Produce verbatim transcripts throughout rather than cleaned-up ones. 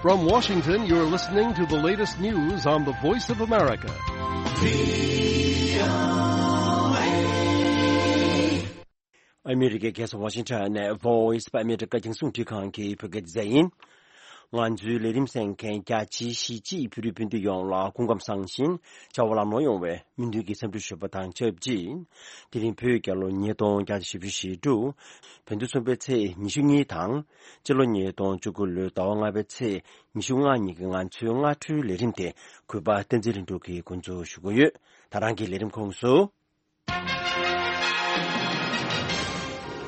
From Washington, you're listening to the latest news on the Voice of America. ཨ་མི་རི་ཀའི་རྒྱལ་ས་ཝ་ཤིང་ཊོན་ནས་Voice of America རྒྱང་སྲིང་འཕྲིན་ཁང་གི་བོད་སྐད་སྡེ་ཚན་ཡིན། ང་ཚོའི་ལས་རིམ་གསན་མཁན་རྒྱ་ཆེའི་གཞིས་བྱེས་བོད་རིགས་སྤུན་ཟླ་ཡོངས་ལ་སྐུ་ཁམས་བཟང་ཞིང་བྱ་བ་ལམ་ལྷོང་ཡོང་བའི་སྨོན་འདུན་གྱི་འཚམས་འདྲི་ཞུ་བ་དང་ཆབས་ཅིག་དེ་རིང་བོད་རྒྱལ་ལོ་ཉིས་སྟོང་བརྒྱ་དང་བཞི་བཅུ་ཞེ་དྲུག་བོད་ཟླ་གསུམ་པའི་ཚེས་ཉི་ཤུ་གཉིས་དང་། སྤྱི་ལོ་ཉིས་སྟོང་བཅུ་དགུ་ལོའི་ཟླ་བ་ལྔ་པའི་ཚེས་ཉི་ཤུ་ལྔ་ཉིན་གྱི་ང་ཚོའི་སྔ་དྲོའི་ལས་རིམ་དེ་གུས་པ་བསྟན་འཛིན་ལྷུན་གྲུབ་ཀྱིས་འགོ་འཛུགས་ཞུ་གི་ཡོད། ད་རང་གི་ལས་རིམ་ཁོངས་སུ།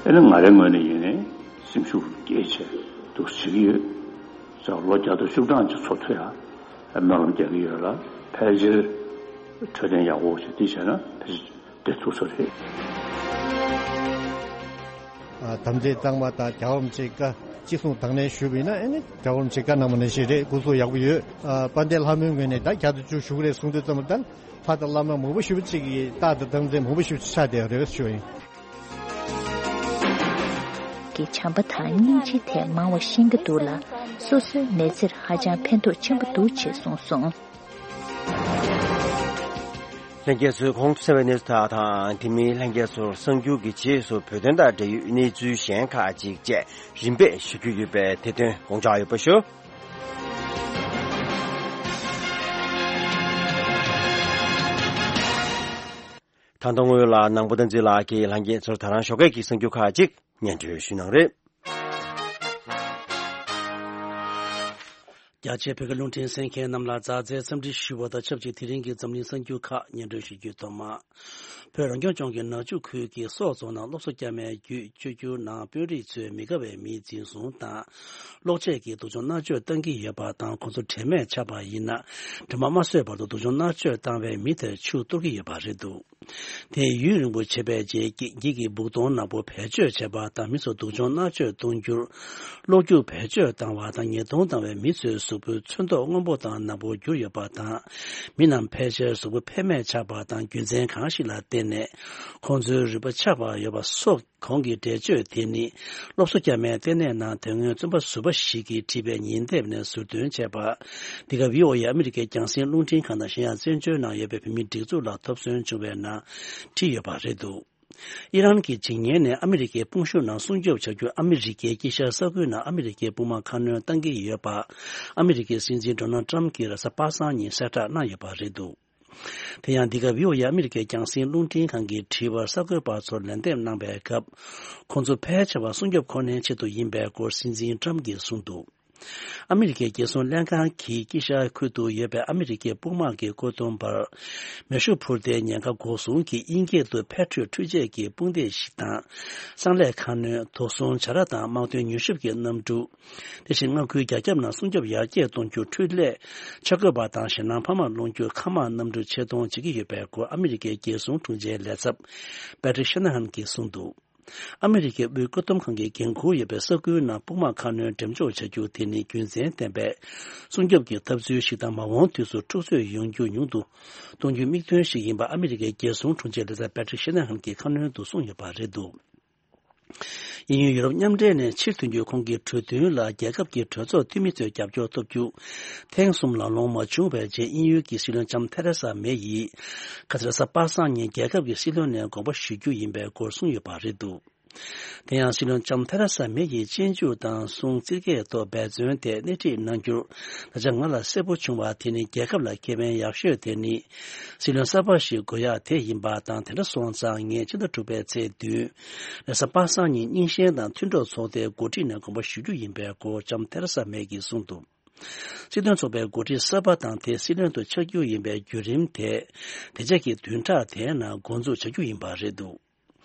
ཨེ་ནི་ང་རའི་ངོས་ནས་ཡིན་ནའི་སེམས་ཤུགས་སྐྱེད་བྱས་འདུག་བྱེད་ཀྱི་ཡོད། ལོ་བརྒྱ་དང་བཅུ་གྲངས་ཀྱི་འཚོ་མཐུན་ཡང་སྨོན་ལམ་རྒྱག་གི་ཡོད་ལ། ཕལ་ཆེར་འཕྲོད་བསྟེན་ཡག་པོ་ཞིག་འདི་བྱས་ན་ཕལ་ཆེར་བདེ་ཐུབ་ས་རེད། ཨ། དམ་ཚིག་གཙང་མ་དང་རྒྱལ་བ་རིན་པོ་ཆེའི་བཀའ་ཅི་གསུང་དང་ལེན་ཞུས་པ་ཡིན་ན། ཨེ་ནི་རྒྱལ་བ་རིན་པོ་ཆེའི་བཀའ་གནང་བ་ནང་བཞིན་རེད། སྐུ་གཟུགས་ཡག་པོ་ཡོད། ཨ། དཔལ་ལྡན་ལྷ་མོའི་ངོས་ནས་ད་བརྒྱ་དང་བཅུ་བཞུགས་རེད་གསུང་དུས་ཙམ་པ་ད་ལྷ་དང་བླ་མ་མང་པོ་ཞེ་པོ་ཅིག་གིས་རྟག་ཏུ་དམ་ཚིག་མང་པོ་ཞེ་པོ་ཅིག་ཆགས་བསྡད་ཡོད་རེད་ཞུ་བ་ཡིན། གི་བྱམས་པ་དང་སྙིང་རྗེའི་ཐད་མང་བ་ཤེས་ཀྱི་འདུག་ལ། སོ་སོའི་མི་ཚེར་ཧ་ཅང་ཕན་ཐོགས་ཆེན་པོ་འདུག་ཅེས་གསུངས་སོང་། ལྷན་རྒྱས་ཚོས་གོང་དུ་གསན་པའི་གནས་ཚུལ་དག་དང་། དེ་མིན་ལྷན་རྒྱས་ཚོར་གསར་འགྱུར་གྱི་རྗེས་སུ་བོད་དོན་དང་འབྲེལ་ཡོད་གནས་ཚུལ་གཞན་ཁག་ཅིག་བཅས་རིམ་པས་ཞུ་རྒྱུ་ཡོད་པས། དེ་དོན་དགོངས་འཇགས་ཡོད་པ་ཞུ། ད་དུང་སྔོན་ལ་ནང་པ་བསྟན་འཛིན་ལགས་ཀྱིས་ལྷན་རྒྱས་ཚོར་ད་རང་ཞོགས་ཀས་ཀྱི་གསར་འགྱུར་ཁག་ཅིག་སྙན་སྒྲོན་ཞུ་གནང་རེད། རྒྱ་ཆེའི་བོད་སྐད་རླུང་འཕྲིན་གསན་མཁན་རྣམས་ལ་མཛའ་བརྩེའི་འཚམས་འདྲི་ཞུ་བ་དང་ཆབས་ཅིག་དེ་རིང་གི་འཛམ་གླིང་གསར་འགྱུར་ཁག་སྙན་སྒྲོན་ཞུ་རྒྱུའི་ཐོག་མ། བོད་རང་སྐྱོང་ལྗོངས་ཀྱི་ནག་ཆུ་ཁུལ་གྱི་སོག་རྫོང་ནང་སློབ་གསོ་བསྐྱར་མའི་བརྒྱུད་བཅོས་བསྒྱུར་ནང་དཔོན་རིགས་ཚོས་མི་དགའ་བའི་མིའི་འཛིན་བཟུང་དང་། གློག་ཆས་ཀྱིས་སྡུག་སྦྱོང་མནར་གཅོད་བཏང་གི་ཡོད་པ་དང་། ཁོང་ཚོ་དྲན་མེད་ཆགས་པ་ཡིན་ན། དྲི་མ་མ་བཟོད་བར་དུ་སྡུག་སྦྱོང་མནར་གཅོད་བཏང་བའི་མི་དེར་ཆུ་གཏོར་གྱི་ཡོད་པ་རེད་འདུག་དེས་ཡུན་རིང་པོ་བྱས་པའི་རྗེས་ཀྱི་འགྱིག་གི་སྦུག་དོང་ནག་པོ་བེད་སྤྱོད་བྱས་པ་དང་། མི་ཚོ་སྡུག་སྦྱོང་མནར་གཅོད་གཏོང་རྒྱུར་གློག་རྒྱུག་བེད་སྤྱོད་བཏང་བ་དང་། ཉེས་རྡུང་བཏང་བའི་མི་ཚོའི་གཟུགས་པོའི་ཚོན་མདོག་སྔོན་པོ་དང་ནག་པོར་གྱུར་ཡོད་པ་དང་། མི་རྣམས་ཕལ་ཆེར་གཟུགས་པོ་ཕན་མེད་ཆགས་པ་དང་། རྒྱུ་མཚན་གང་ཞིག་ལ་བརྟེན་ནས་ཁོང་ཚོའི་རུས་པ་ཆག་པ་ཡོད་པ་སོགས། གོང་གི་འགྲེལ་བརྗོད་དེ་ནི་སློབ་གསོ་བསྐྱར་མའི་ལྟེ་གནས་ནང་དེ་སྔོན་རྩོམ་པ་ཟུར་པ་ཞིག་གིས་བྲིས་པའི་ཉིན་དེབ་ནས་ཟུར་འདོན་བྱས་པ། འདི་ག་བྷི་ཨོ་ཨེ་ཨ་མི་རི་ཀའི་རྒྱང་སྲིང་རླུང་འཕྲིན་ཁང་དང་གཞན་ཡང་བཙན་བྱོལ་ནང་ཡོད་པའི་བོད་མིའི་སྒྲིག་འཛུགས་ལ་ཐོབ་སོན་བྱུང་བའི་ནང་བྲིས་ཡོད་པ་རེད་འདུག་ཨི་རན་གྱི་བྱེད་ཉན་ནས་ཨ་མི་རི་ཀའི་དཔུང་ཤུགས་ནང་སྲུང་སྐྱོབ་བྱ་རྒྱུར་ཨ་མི་རི་ཀའི་དཀྱིལ་ཤར་ས་ཁུལ་ནང་ཨ་མི་རི་ཀའི་དཔུང་དམག་ཁ་སྣོན་གཏང་གི་ཡོད་པ། ཨ་མི་རི་ཀའི་སྲིད་འཛིན་ཌོ་ནལ་ཊམ་གྱིས་རེས་གཟའ་པ་སངས་ཉིན་གསལ་བསྒྲགས་གནང་ཡོད་པ་རེད་འདུག་དེ་ཡང་འདི་ག་བྷི་ཨོ་ཨེ་ཨ་མི་རི་ཀའི་རྒྱང་སྲིང་རླུང་འཕྲིན་ཁང་གི་དྲི་བར་གསར་འགོད་པ་ཚོར་ལན་འདེབས་གནང་པའི་སྐབས། ཁོང་ཚོ་ཕལ་ཆེ་བ་སྲུང་སྐྱོབ་ཁོ་ནའི་ཆེད་དུ་ཡིན་པའི་སྐོར་སྲིད་འཛིན་ཊམ་གྱིས་གསུངས་འདུག་ཨ་མི་རི་ཀའི་རྒྱལ་སྲུང་ལྷན་ཁང་གིས་དཀྱིལ་ཤར་ཁུལ་དུ་ཡོད་པའི་ཨ་མི་རི་ཀའི་དཔུང་དམག་གི་བཀོད་འདོམས་པར། མེ་ཤུགས་འཕུར་མདེལ་ཉེན་ཁ་འགོག་སྲུང་གི་དབྱིན་སྐད་དུ་Patriot འཕྲུལ་ཆས་ཀྱི་དཔུང་སྡེ་ཞིག་དང་། གསང་ལས་ཁ་སྣོན། དོ་སྲུང་བྱ་ར་དང་དམག་དོན་མྱུལ་ཞིབ་ཀྱི་གནམ་གྲུ། དེ་བཞིན་མངའ་ཁུལ་རྒྱ་ཁྱབ་ནང་སྲུང་སྐྱོབ་ཡར་རྒྱས་གཏོང་རྒྱུ། འཕྲུལ་ལས། ཆ་བགོས་པ་དང་ཞེད་སྣང་འཕར་མ་སློང་རྒྱུ། མཁའ་དམག་གནམ་གྲུ་ཆེད་གཏོང་བྱེད་ཀྱི་ཡོད་པའི་སྐོར་ཨ་མི་རི་ཀའི་རྒྱལ་སྲུང་དྲུང་ཆེའི་ལས་ཚབ་Patrick Shanahan གྱིས་གསུངས་འདུག་ཨ་མི་རི་ཀའི་དབུས་བཀོད་འདོམས་ཁང་གི་འགན་འཁུར་ཡོད་པའི་ས་ཁུལ་ནང་དཔུང་དམག་ཁ་སྣོན་འགྲེམས་འཇོག་བྱ་རྒྱུ་དེ་ནི་རྒྱུ་མཚན་ལྡན་པའི་སྲུང་སྐྱོབ་ཀྱི་འཐབ་རྩོད་ཞིག་དང་། མ་འོངས་དུས་སུ་འཁྲུག་རྩོད་ཡོང་རྒྱུ་ཉུང་དུ་གཏོང་རྒྱུའི་དམིགས་དོན་ཞིག་ཡིན་པ་ཨ་མི་རི་ཀའི་རྒྱལ་སྲུང་དྲུང་ཆེ་ལས་ཚབ་Patrick Shanahan གྱིས་ཁ་སྣོན་དུ་གསུངས་ཡོད་པ་རེད་འདུག་དབྱིན་ཡུལ་ཡུ་རོབ་མཉམ་འབྲེལ་ནས་ཕྱིར་ཐོན་རྒྱུའི་ཁོང་གི་གྲོས་མཐུན་ལ་རྒྱལ་ཁབ་ཀྱི་གྲོས་ཚོགས་འཐུས་མི་ཚོའི་རྒྱབ་སྐྱོར་ཐོབ་རྒྱུ་ཐེངས་གསུམ་ལམ་ལྷོང་མ་བྱུང་བའི་རྗེས། དབྱིན་ཡུལ་གྱི་སྲིད་བློན་ལྕམ་ཐེ་རེ་ས་མེ་ཡིས་ཁ་སང་རེས་གཟའ་པ་སངས་ཉིན་རྒྱལ་ཁབ་ཀྱི་སྲིད་བློན་ནས་དགོངས་པ་ཞུ་རྒྱུ་ཡིན་པའི་སྐོར་གསུངས་ཡོད་པ་རེད་འདུག་དེ་ཡང་སྲིད་བློན་ལྕམ་ཐེ་རེ་ས་མེ་ཡིས་གཅེན་གཅུང་དང་སྲུང་རྩེད་སྐལ་ཐོག་འབད་བརྩོན་དེ་སྣེ་ཁྲིད་གནང་རྒྱུར་ད་ཆ་ང་ལ་གསལ་པོ་བྱུང་བ་དེ་ནི། རྒྱལ་ཁབ་ལ་ཁེ་ཕན་ཡག་ཤོས་དེ་ནི་སྲིད་བློན་གསར་པ་ཞིག་དགོས་ཡག་དེ་ཡིན་པ་དང་། དེ་འདྲ་སོང་ཙང་ངས་ཕྱི་ཟླ་དྲུག་པའི་ཚེས་བདུན་རེས་གཟའ་པ་སངས་ཉིན་རྙིང་ཞེན་དང་མཐུན་གྲོགས་ཚོགས་སྡེའི་འགོ་ཁྲིད་ནས་དགོངས་པ་ཞུ་རྒྱུ་ཡིན་པའི་སྐོར་ལྕམ་ཐེ་རེ་ས་མེ་ཡིས་གསུངས་འདུག་སྲིད་དོན་ཚོགས་པའི་འགོ་ཁྲིད་གསར་པ་དང་དེ་སྲིད་བློན་དུ་ཆགས་རྒྱུ་ཡིན་པའི་བརྒྱུད་རིམ་དེ་དེ་རྗེས་ཀྱི་བདུན་ཕྲག་དེའི་ནང་འགོ་འཛུགས་བྱ་རྒྱུ་ཡིན་པ་རེད་འདུག་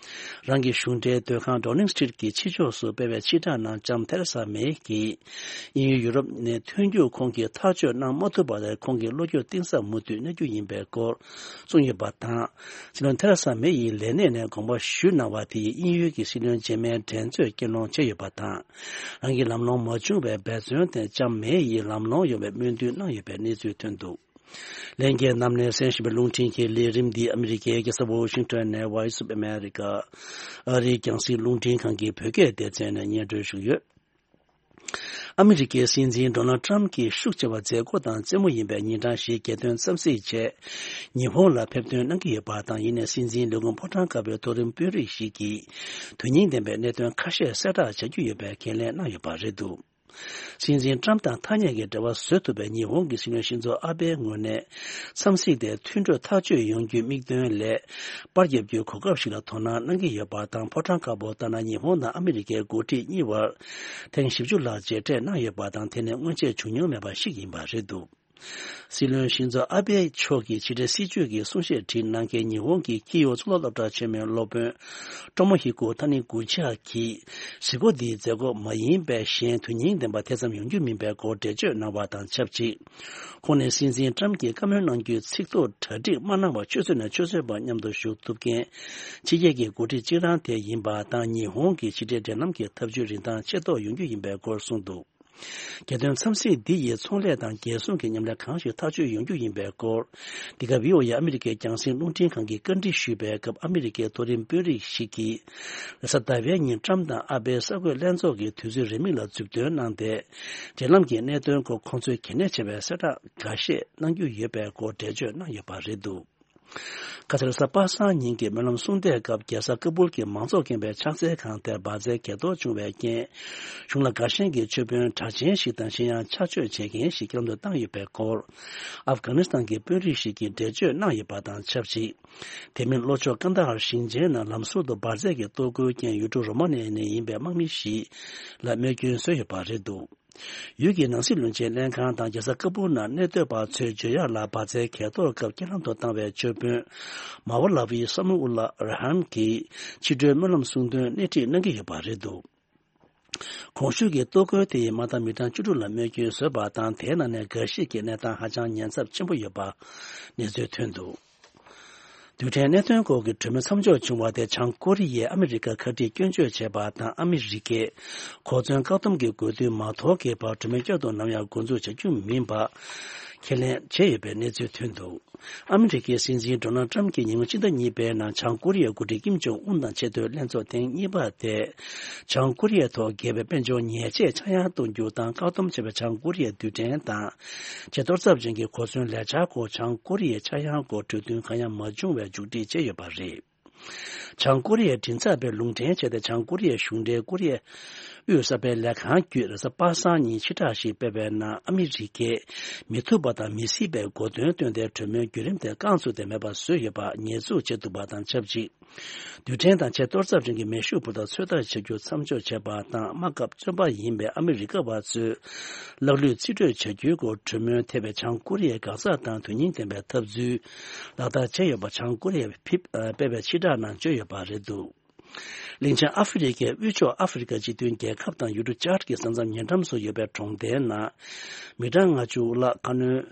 རང་གི་གཞུང་འབྲེལ་སྡོད་ཁང་Downing Street གྱི་ཕྱི་ཕྱོགས་སུ་སྤེལ་བའི་ཕྱིར་བསྒྲགས་ནང་ལྕམ་ཐེ་རེ་ས་མེ་ཡིས་དབྱིན་ཡུལ་ཡུ་རོབ་ནས་ཐོན་རྒྱུར་ཁོང་གིས་ཐག་གཅོད་གནང་མ་ཐུབ་པ་དེར་ཁོང་གི་བློ་འགྱོད་གཏིང་ཟབ་མུ་མཐུད་གནང་རྒྱུ་ཡིན་པའི་སྐོར་གསུངས་ཡོད་པ་དང་། སྲིད་བློན་ཐེ་རེ་ས་མེ་ཡིས་ལས་གནས་ནས་དགོངས་པ་ཞུས་གནང་བ་དེ་ཡིས་དབྱིན་ཡུལ་གྱི་སྲིད་བློན་རྗེས་མའི་འགྲན་རྩོད་སྐུལ་སློང་བྱས་ཡོད་པ་དང་། རང་གི་ལམ་ལྷོང་མ་བྱུང་བའི་འབད་བརྩོན་དེ་ལྕམ་མེ་ཡིས་ལམ་ལྷོང་ཡོང་བའི་སྨོན་འདུན་གནང་ཡོད་པའི་གནས་ཚུལ་ཐོན་འདུག་ལྷན་རྒྱས་རྣམས་ནས་གསན་བཞིན་པའི་རླུང་འཕྲིན་གྱི་ལས་རིམ་འདི་ཨ་མི་རི་ཀའི་རྒྱལ་ས་ཝོ་ཤིང་ཊོན་ནས་Voice of America ཨ་རིའི་རྒྱང་སྲིང་རླུང་འཕྲིན་ཁང་གི་བོད་སྐད་སྡེ་ཚན་ནས་སྙན་སྒྲོན་ཞུས་ཡོད། ཨ་མི་རི་ཀའི་སྲིད་འཛིན་ཌོ་ནལ་ཊམ་གྱིས་ཤུགས་ཆེ་བ་མཛད་སྒོ་དང་རྩེད་མོ་ཡིན་པའི་ཉིན་གྲངས་ཤིག་རྒྱལ་དོན་འཚམས་གཟིགས་ཆེད་ཉི་ཧོང་ལ་ཕེབས་ཐོན་གནང་གི་ཡོད་པ་དང་། ཡིན་ནའི་སྲིད་འཛིན་ལས་ཁུངས་ཕོ་བྲང་དཀར་པོའི་མཐོ་རིམ་དཔོན་རིགས་ཤིག་གིས་དོན་སྙིང་ལྡན་པའི་གནད་དོན་ཁ་ཤས་གསལ་བསྒྲགས་བྱ་རྒྱུ་ཡོད་པའི་འགན་ལེན་གནང་ཡོད་པ་རེད་འདུག། སྲིད་འཛིན་ཊམ་དང་ཐ་སྙད་ཀྱི་འབྲེལ་བ་བཟོ་ཐུབ་པའི་ཉི་ཧོང་གི་སྲིད་བློན་ཤིན་ཛོ་ཨ་བྷེའི་ངོས་ནས་འཚམས་གཟིགས་དེ་མཐུན་གྲོས་ཐག་གཅོད་ཡོང་རྒྱུའི་དམིགས་དོན་ལས་པར་བརྒྱབ་རྒྱུའི་གོ་སྐབས་ཤིག་ལ་དོ་སྣང་གནང་གི་ཡོད་པ་དང་། ཕོ་བྲང་དཀར་པོ་ལྟར་ན་ཉི་ཧོང་དང་ཨ་མི་རི་ཀའི་འགོ་ཁྲིད་གཉིས་བར་ཐེངས་བཞི་བཅུ་ལྷག་མཇལ་འཕྲད་གནང་ཡོད་པ་དང་། དེ་ནི་སྔོན་ཆད་བྱུང་མྱོང་མེད་པ་ཞིག་ཡིན་པ་རེད་འདུག། སྲིད་བློན་ཤིན་ཛོ་ཨ་བྷེ་མཆོག་གིས་ཕྱི་དྲིལ་སྲིད་བྱུས་ཀྱི་གསུང་བཤད་བྲིས་གནང་མཁན་ཉི་ཧོང་གི་ཁི་ཡོ་གཙུག་ལག་སློབ་གྲྭ་ཆེན་མོའི་སློབ་དཔོན་ཀྲོ་མོ་ཧི་ཀོ་ཐ་ནི་གུ་ཆི་ཡ་གིས་གཟིགས་སྐོར་འདིའི་མཛད་སྒོ་མ་ཡིན་པའི་གཞན་དོན་སྙིང་ལྡན་པ་དེ་ཙམ་ཡོང་རྒྱུ་མིན་པའི་སྐོར་འགྲེལ་བརྗོད་གནང་བ་དང་ཆབས་ཅིག། ཁོང་ནས་སྲིད་འཛིན་ཊམ་གྱིས་བཀའ་མོལ་གནང་རྒྱུའི་ཚིག་ཐོ་གྲ་སྒྲིག་མ་གནང་བར་ཆུ་ཚོད་ནས་ཆུ་ཚོད་བར་མཉམ་དུ་བཞུགས་ཐུབ་མཁན་ཕྱི་རྒྱལ་གྱི་འགོ་ཁྲིད་གཅིག་རང་དེ་ཡིན་པ་དང་། ཉི་ཧོང་གི་ཕྱི་འབྲེལ་འབྲེལ་ལམ་གྱི་འཐབ་ཇུས་རིན་ཐང་ཆེ་མདོག་ཡོང་རྒྱུ་ཡིན་པའི་སྐོར་གསུངས་འདུག། རྒྱལ་དོན་འཚམས་གཟིགས་འདི་ཡིས་ཚོང་ལས་དང་རྒྱལ་སྲུང་གི་མཉམ་ལས་གང་ཞིག་ཐག་གཅོད་ཡོང་རྒྱུ་ཡིན་པའི་སྐོར། འདི་ག་བྷི་ཨོ་ཨེ་ཨ་མི་རི་ཀའི་རྒྱང་སྲིང་རླུང་འཕྲིན་ཁང་གིས་བཀའ་འདྲི་ཞུས་པའི་སྐབས། ཨ་མི་རི་ཀའི་མཐོ་རིམ་དཔོན་རིགས་ཤིག་གིས། རེས་གཟའ་ཟླ་བའི་ཉིན་ཊམ་དང་ཨ་བྷེའི་གསར་འགོད་ལྷན་ཚོགས་ཀྱི་དུས་ཚོད་རིང་མིན་ལ་མཛུབ་སྟོན་གནང་སྟེ། འབྲེལ་ལམ་གྱི་གནད་དོན་སྐོར་ཁོང་ཚོས་གལ་གནད་ཆེ་བའི་གསལ་བསྒྲགས་འགའ་ཤས་གནང་རྒྱུ་ཡོད་པའི་སྐོར་འགྲེལ་བརྗོད་གནང་ཡོད་པ་རེད་འདུག། ཁ་སང་རེས་གཟའ་པ་སངས་ཉིན་གྱི་སྨོན་ལམ་གསུང་བསྡད་སྐབས། རྒྱལ་ས་ཀ་སྦུལ་གྱི་མང་ཚོགས་ཁེངས་པའི་ཕྱག་འཚལ་ཁང་དེར་འབར་རྫས་གས་གཏོར་བྱུང་བའི་རྐྱེན། གཞུང་ལ་དགའ་ཞེན་གྱི་མཆོད་དཔོན་གྲགས་ཅན་ཞིག་དང་། གཞན་ཡང་ཕྱག་མཆོད་བྱེད་མཁན་ཞིག་རྐྱེན་ལམ་དུ་བཏང་ཡོད་པའི་སྐོར། ཨབ་གྷ་ནི་སི་ཐན་གྱི་དཔོན་རིགས་ཤིག་གིས་འགྲེལ་བརྗོད་གནང་ཡོད་པ་དང་ཆབས་ཅིག། དེ་མིན་ལྷོ་ཕྱོགས་ཀན་ད་ཧར་ཞིང་ཆེན་ནང་ལམ་ཟུར་དུ་འབར་རྫས་ཀྱི་གཏོར་རྒོལ་རྐྱེན། ཡུལ་གྲུ་རོ་མ་ནི་ཡ་ནས་ཡིན་པའི་དམག་མི་ཞིག་ལ་རྨས་སྐྱོན་བཟོས་ཡོད་པ་རེད་འདུག། ཡུལ་གྱི་ནང་སྲིད་བློན་ཆེན་ལྷན་ཁང་དང་རྒྱལ་ས་ཀ་སྦུལ་ནང་གནས་སྡོད་པ་ཚོས་བརྗོད་ཡག་ལ། འབར་རྫས་གས་གཏོར་སྐབས་རྐྱེན་ལམ་དུ་བཏང་བའི་མཆོད་དཔོན་མ་ཝ་ལ་ཝི་ས་མུ་ཨུ་ལ་ར་ཧན་གྱིས་ཕྱི་དྲོའི་སྨོན་ལམ་གསུང་དོན་སྣེ་ཁྲིད་གནང་གི་ཡོད་པ་རེད་འདུག། གོང་ཞུས་ཀྱི་གཏོར་རྒོལ་དེ་ཡིས་མ་མཐའ་མི་གྲངས་བཅུ་དྲུག་ལ་རྨས་སྐྱོན་བཟོས་པ་དང་། དེའི་ནང་ནས་འགའ་ཞིག་གི་གནས་སྟངས་ཧ་ཅང་ཉེན་ཚབས་ཆེན་པོ་ཡོད་པ་གནས་ཚུལ་ཐོན་འདུག། རྡུལ་ཕྲན་གནད་དོན་སྐོར་གྱི་གྲོས་མོལ་མཚམས་འཇོག་བྱུང་བ་དེ། བྱང་ཀོ་རི་ཡས་ཨ་མི་རི་ཀར་ཁ་གཏད་སྐྱོན་བརྗོད་བྱས་པ་དང་། ཨ་མི་རི་ཀས་གོ་མཚོན་བཀག་སྡོམ་གྱི་དགོས་འདུན་མ་དོར་གྱི་བར་གྲོས་མོལ་བསྐྱར་དུ་ནམ་ཡང་འགོ་འཛུགས་བྱ་རྒྱུ་མིན་པ་ཁས་ལེན་བྱས་ཡོད་པའི་གནས་ཚུལ་ཐོན་འདུག། ཨ་མི་རི་ཀའི་སྲིད་འཛིན་ཌོ་ནལ་ཊམ་གྱིས་ཉིན་གུང་ཕྱི་ཟླ་གཉིས་པའི་ནང་བྱང་ཀོ་རི་ཡའི་འགོ་ཁྲིད་ཀིམ་ཇོང་ཨུན་དང་ཆེས་མཐོའི་ལྷན་ཚོགས་ཐེངས་གཉིས་པ་དེ། བྱང་ཀོ་རི་ཡའི་ཐོག་རྒྱས་པའི་དཔལ་འབྱོར་ཉེས་ཆད་ཆག་ཡང་གཏོང་རྒྱུ་དང་། བཀག་སྡོམ་བྱས་པའི་བྱང་ཀོ་རི་ཡའི་རྡུལ་ཕྲན་དང་། ཆེས་གཏོར་ཚབས་ཅན་གྱི་གོ་མཚོན་ལས་འཆར་སྐོར། བྱང་ཀོ་རི་ཡའི་ཆག་ཡང་སྐོར་གྲོས་མཐུན་གང་ཡང་མ་བྱུང་བའི་མཇུག་སྒྲིལ་བྱས་ཡོད་པ་རེད། བྱང་ཀོ་རི་ཡའི་མགྲིན་ཚབ་པས་ལུང་འདྲེན་བྱས་ཏེ། བྱང་ཀོ་རི་ཡའི་གཞུང་འབྲེལ་ཀོ་རི་ཡའི་དབུས་གསར་སྤེལ་ལས་ཁང་བརྒྱུད་རེས་གཟའ་པ་སངས་ཉིན་ཕྱིར་བསྒྲགས་ཤིག་སྤེལ་བའི་ནང་། ཨ་མི་རི་ཀས་མི་ཐུབ་པ་དང་མི་སྲིད་པའི་གོ་དོན་བཏོན་ཏེ། གྲོས་མོལ་བརྒྱུད་རིམ་དེ་རྐང་བཙུགས་ཏེ་མེད་པ་བཟོས་ཡོད་པར་ཉེས་འཛུགས་བྱས་འདུག་པ་དང་ཆབས་ཅིག། རྡུལ་ཕྲན་དང་ཆེས་གཏོར་ཚབས་ཅན་གྱི་མེ་ཤུགས་འཕུར་མདའ་ཚོད་ལྟ་བྱ་རྒྱུ་མཚམས་འཇོག་བྱས་པ་དང་། དམག་སྐབས་བཙོན་པ་ཡིན་པའི་ཨ་མི་རི་ཀ་བ་ཚོས་ལག་ལུས་རྩིས་སྤྲོད་བྱ་རྒྱུའི་སྐོར་གྲོས་མོལ་ཐེབས་པའི་བྱང་ཀོ་རི་ཡའི་འགག་རྩ་དང་དོན་སྙིང་ལྡན་པའི་འཐབ་རྩོད་ལག་བསྟར་བྱས་ཡོད་པ་བྱང་ཀོ་རི་ཡས་ཕེབས་ཨ་སྤེལ་བའི་ཕྱིར་བསྒྲགས་ནང་བརྗོད་ཡོད་པ་རེད་འདུག། གླིང་ཆེན་ཨ་ཧྥེ་རི་ཁའི་དབུས་ཕྱོགས་ཨ་ཧྥེ་རི་ཁ་སྤྱི་མཐུན་རྒྱལ་ཁབ་དང་ཡུལ་གྲུ་ཅཱཌ་ཀྱི་ས་མཚམས་ཉེ་འགྲམ་སུ་ཡོད་པའི་གྲོང་རྡལ་ནང་མི་གྲངས་ལྔ་བཅུ་ལྷག་ཁ་སྣོན་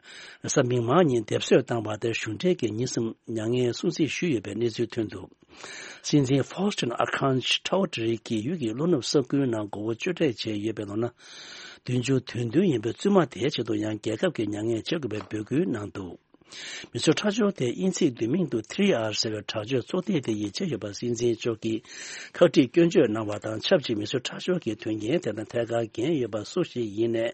རེས་གཟའ་མིག་དམར་ཉིན་སྡེབ་གསོད་བཏང་བ་དེར་གཞུང་འབྲེལ་གྱིས་ཉིན་གསུམ་མྱ་ངན་སྲུང་བརྩི་ཞུས་ཡོད་པའི་གནས་ཚུལ་ཐོན་འདུག། སྲིད་འཛིན་ཕོ་སི་ཊོན་ཨར་ཁན་ཆའོ་ཏྲི་གིས་ཡུལ་གྱི་ལྷོ་ནུབ་ས་ཁུལ་ནང་མགོ་བོ་གཅོད་འབྲེག་བྱས་ཡོད་པའི་ལོ་ན་བདུན་ཅུ་དོན་བདུན་ཡིན་པའི་བཙུན་མ་དེའི་ཆེད་དུ་ཡང་རྒྱལ་ཁབ་ཀྱི་མྱ་ངན་བྱེད་དགོས་པའི་འབོད་སྐུལ་གནང་འདུག། མི་གསོད་ཁྲག་སྦྱོར་དེ་དབྱིན་ཚིག་བསྡུས་མིང་དུ་ཐི་རི་ཨར་ཟེར་བའི་དྲག་སྤྱོད་ཚོགས་སྡེ་དེ་ཡིས་བྱས་ཡོད་པ་སྲིད་འཛིན་མཆོག་གིས་ཁག་དཀྲིས་སྐྱོན་བརྗོད་གནང་བ་དང་ཆབས་ཅིག། མི་གསོད་ཁྲག་སྦྱོར་གྱི་དོན་རྐྱེན་དེ་དང་ཐད་ཀར་འགན་ཡོད་པ་སུ་ཞིག་ཡིན་ནས་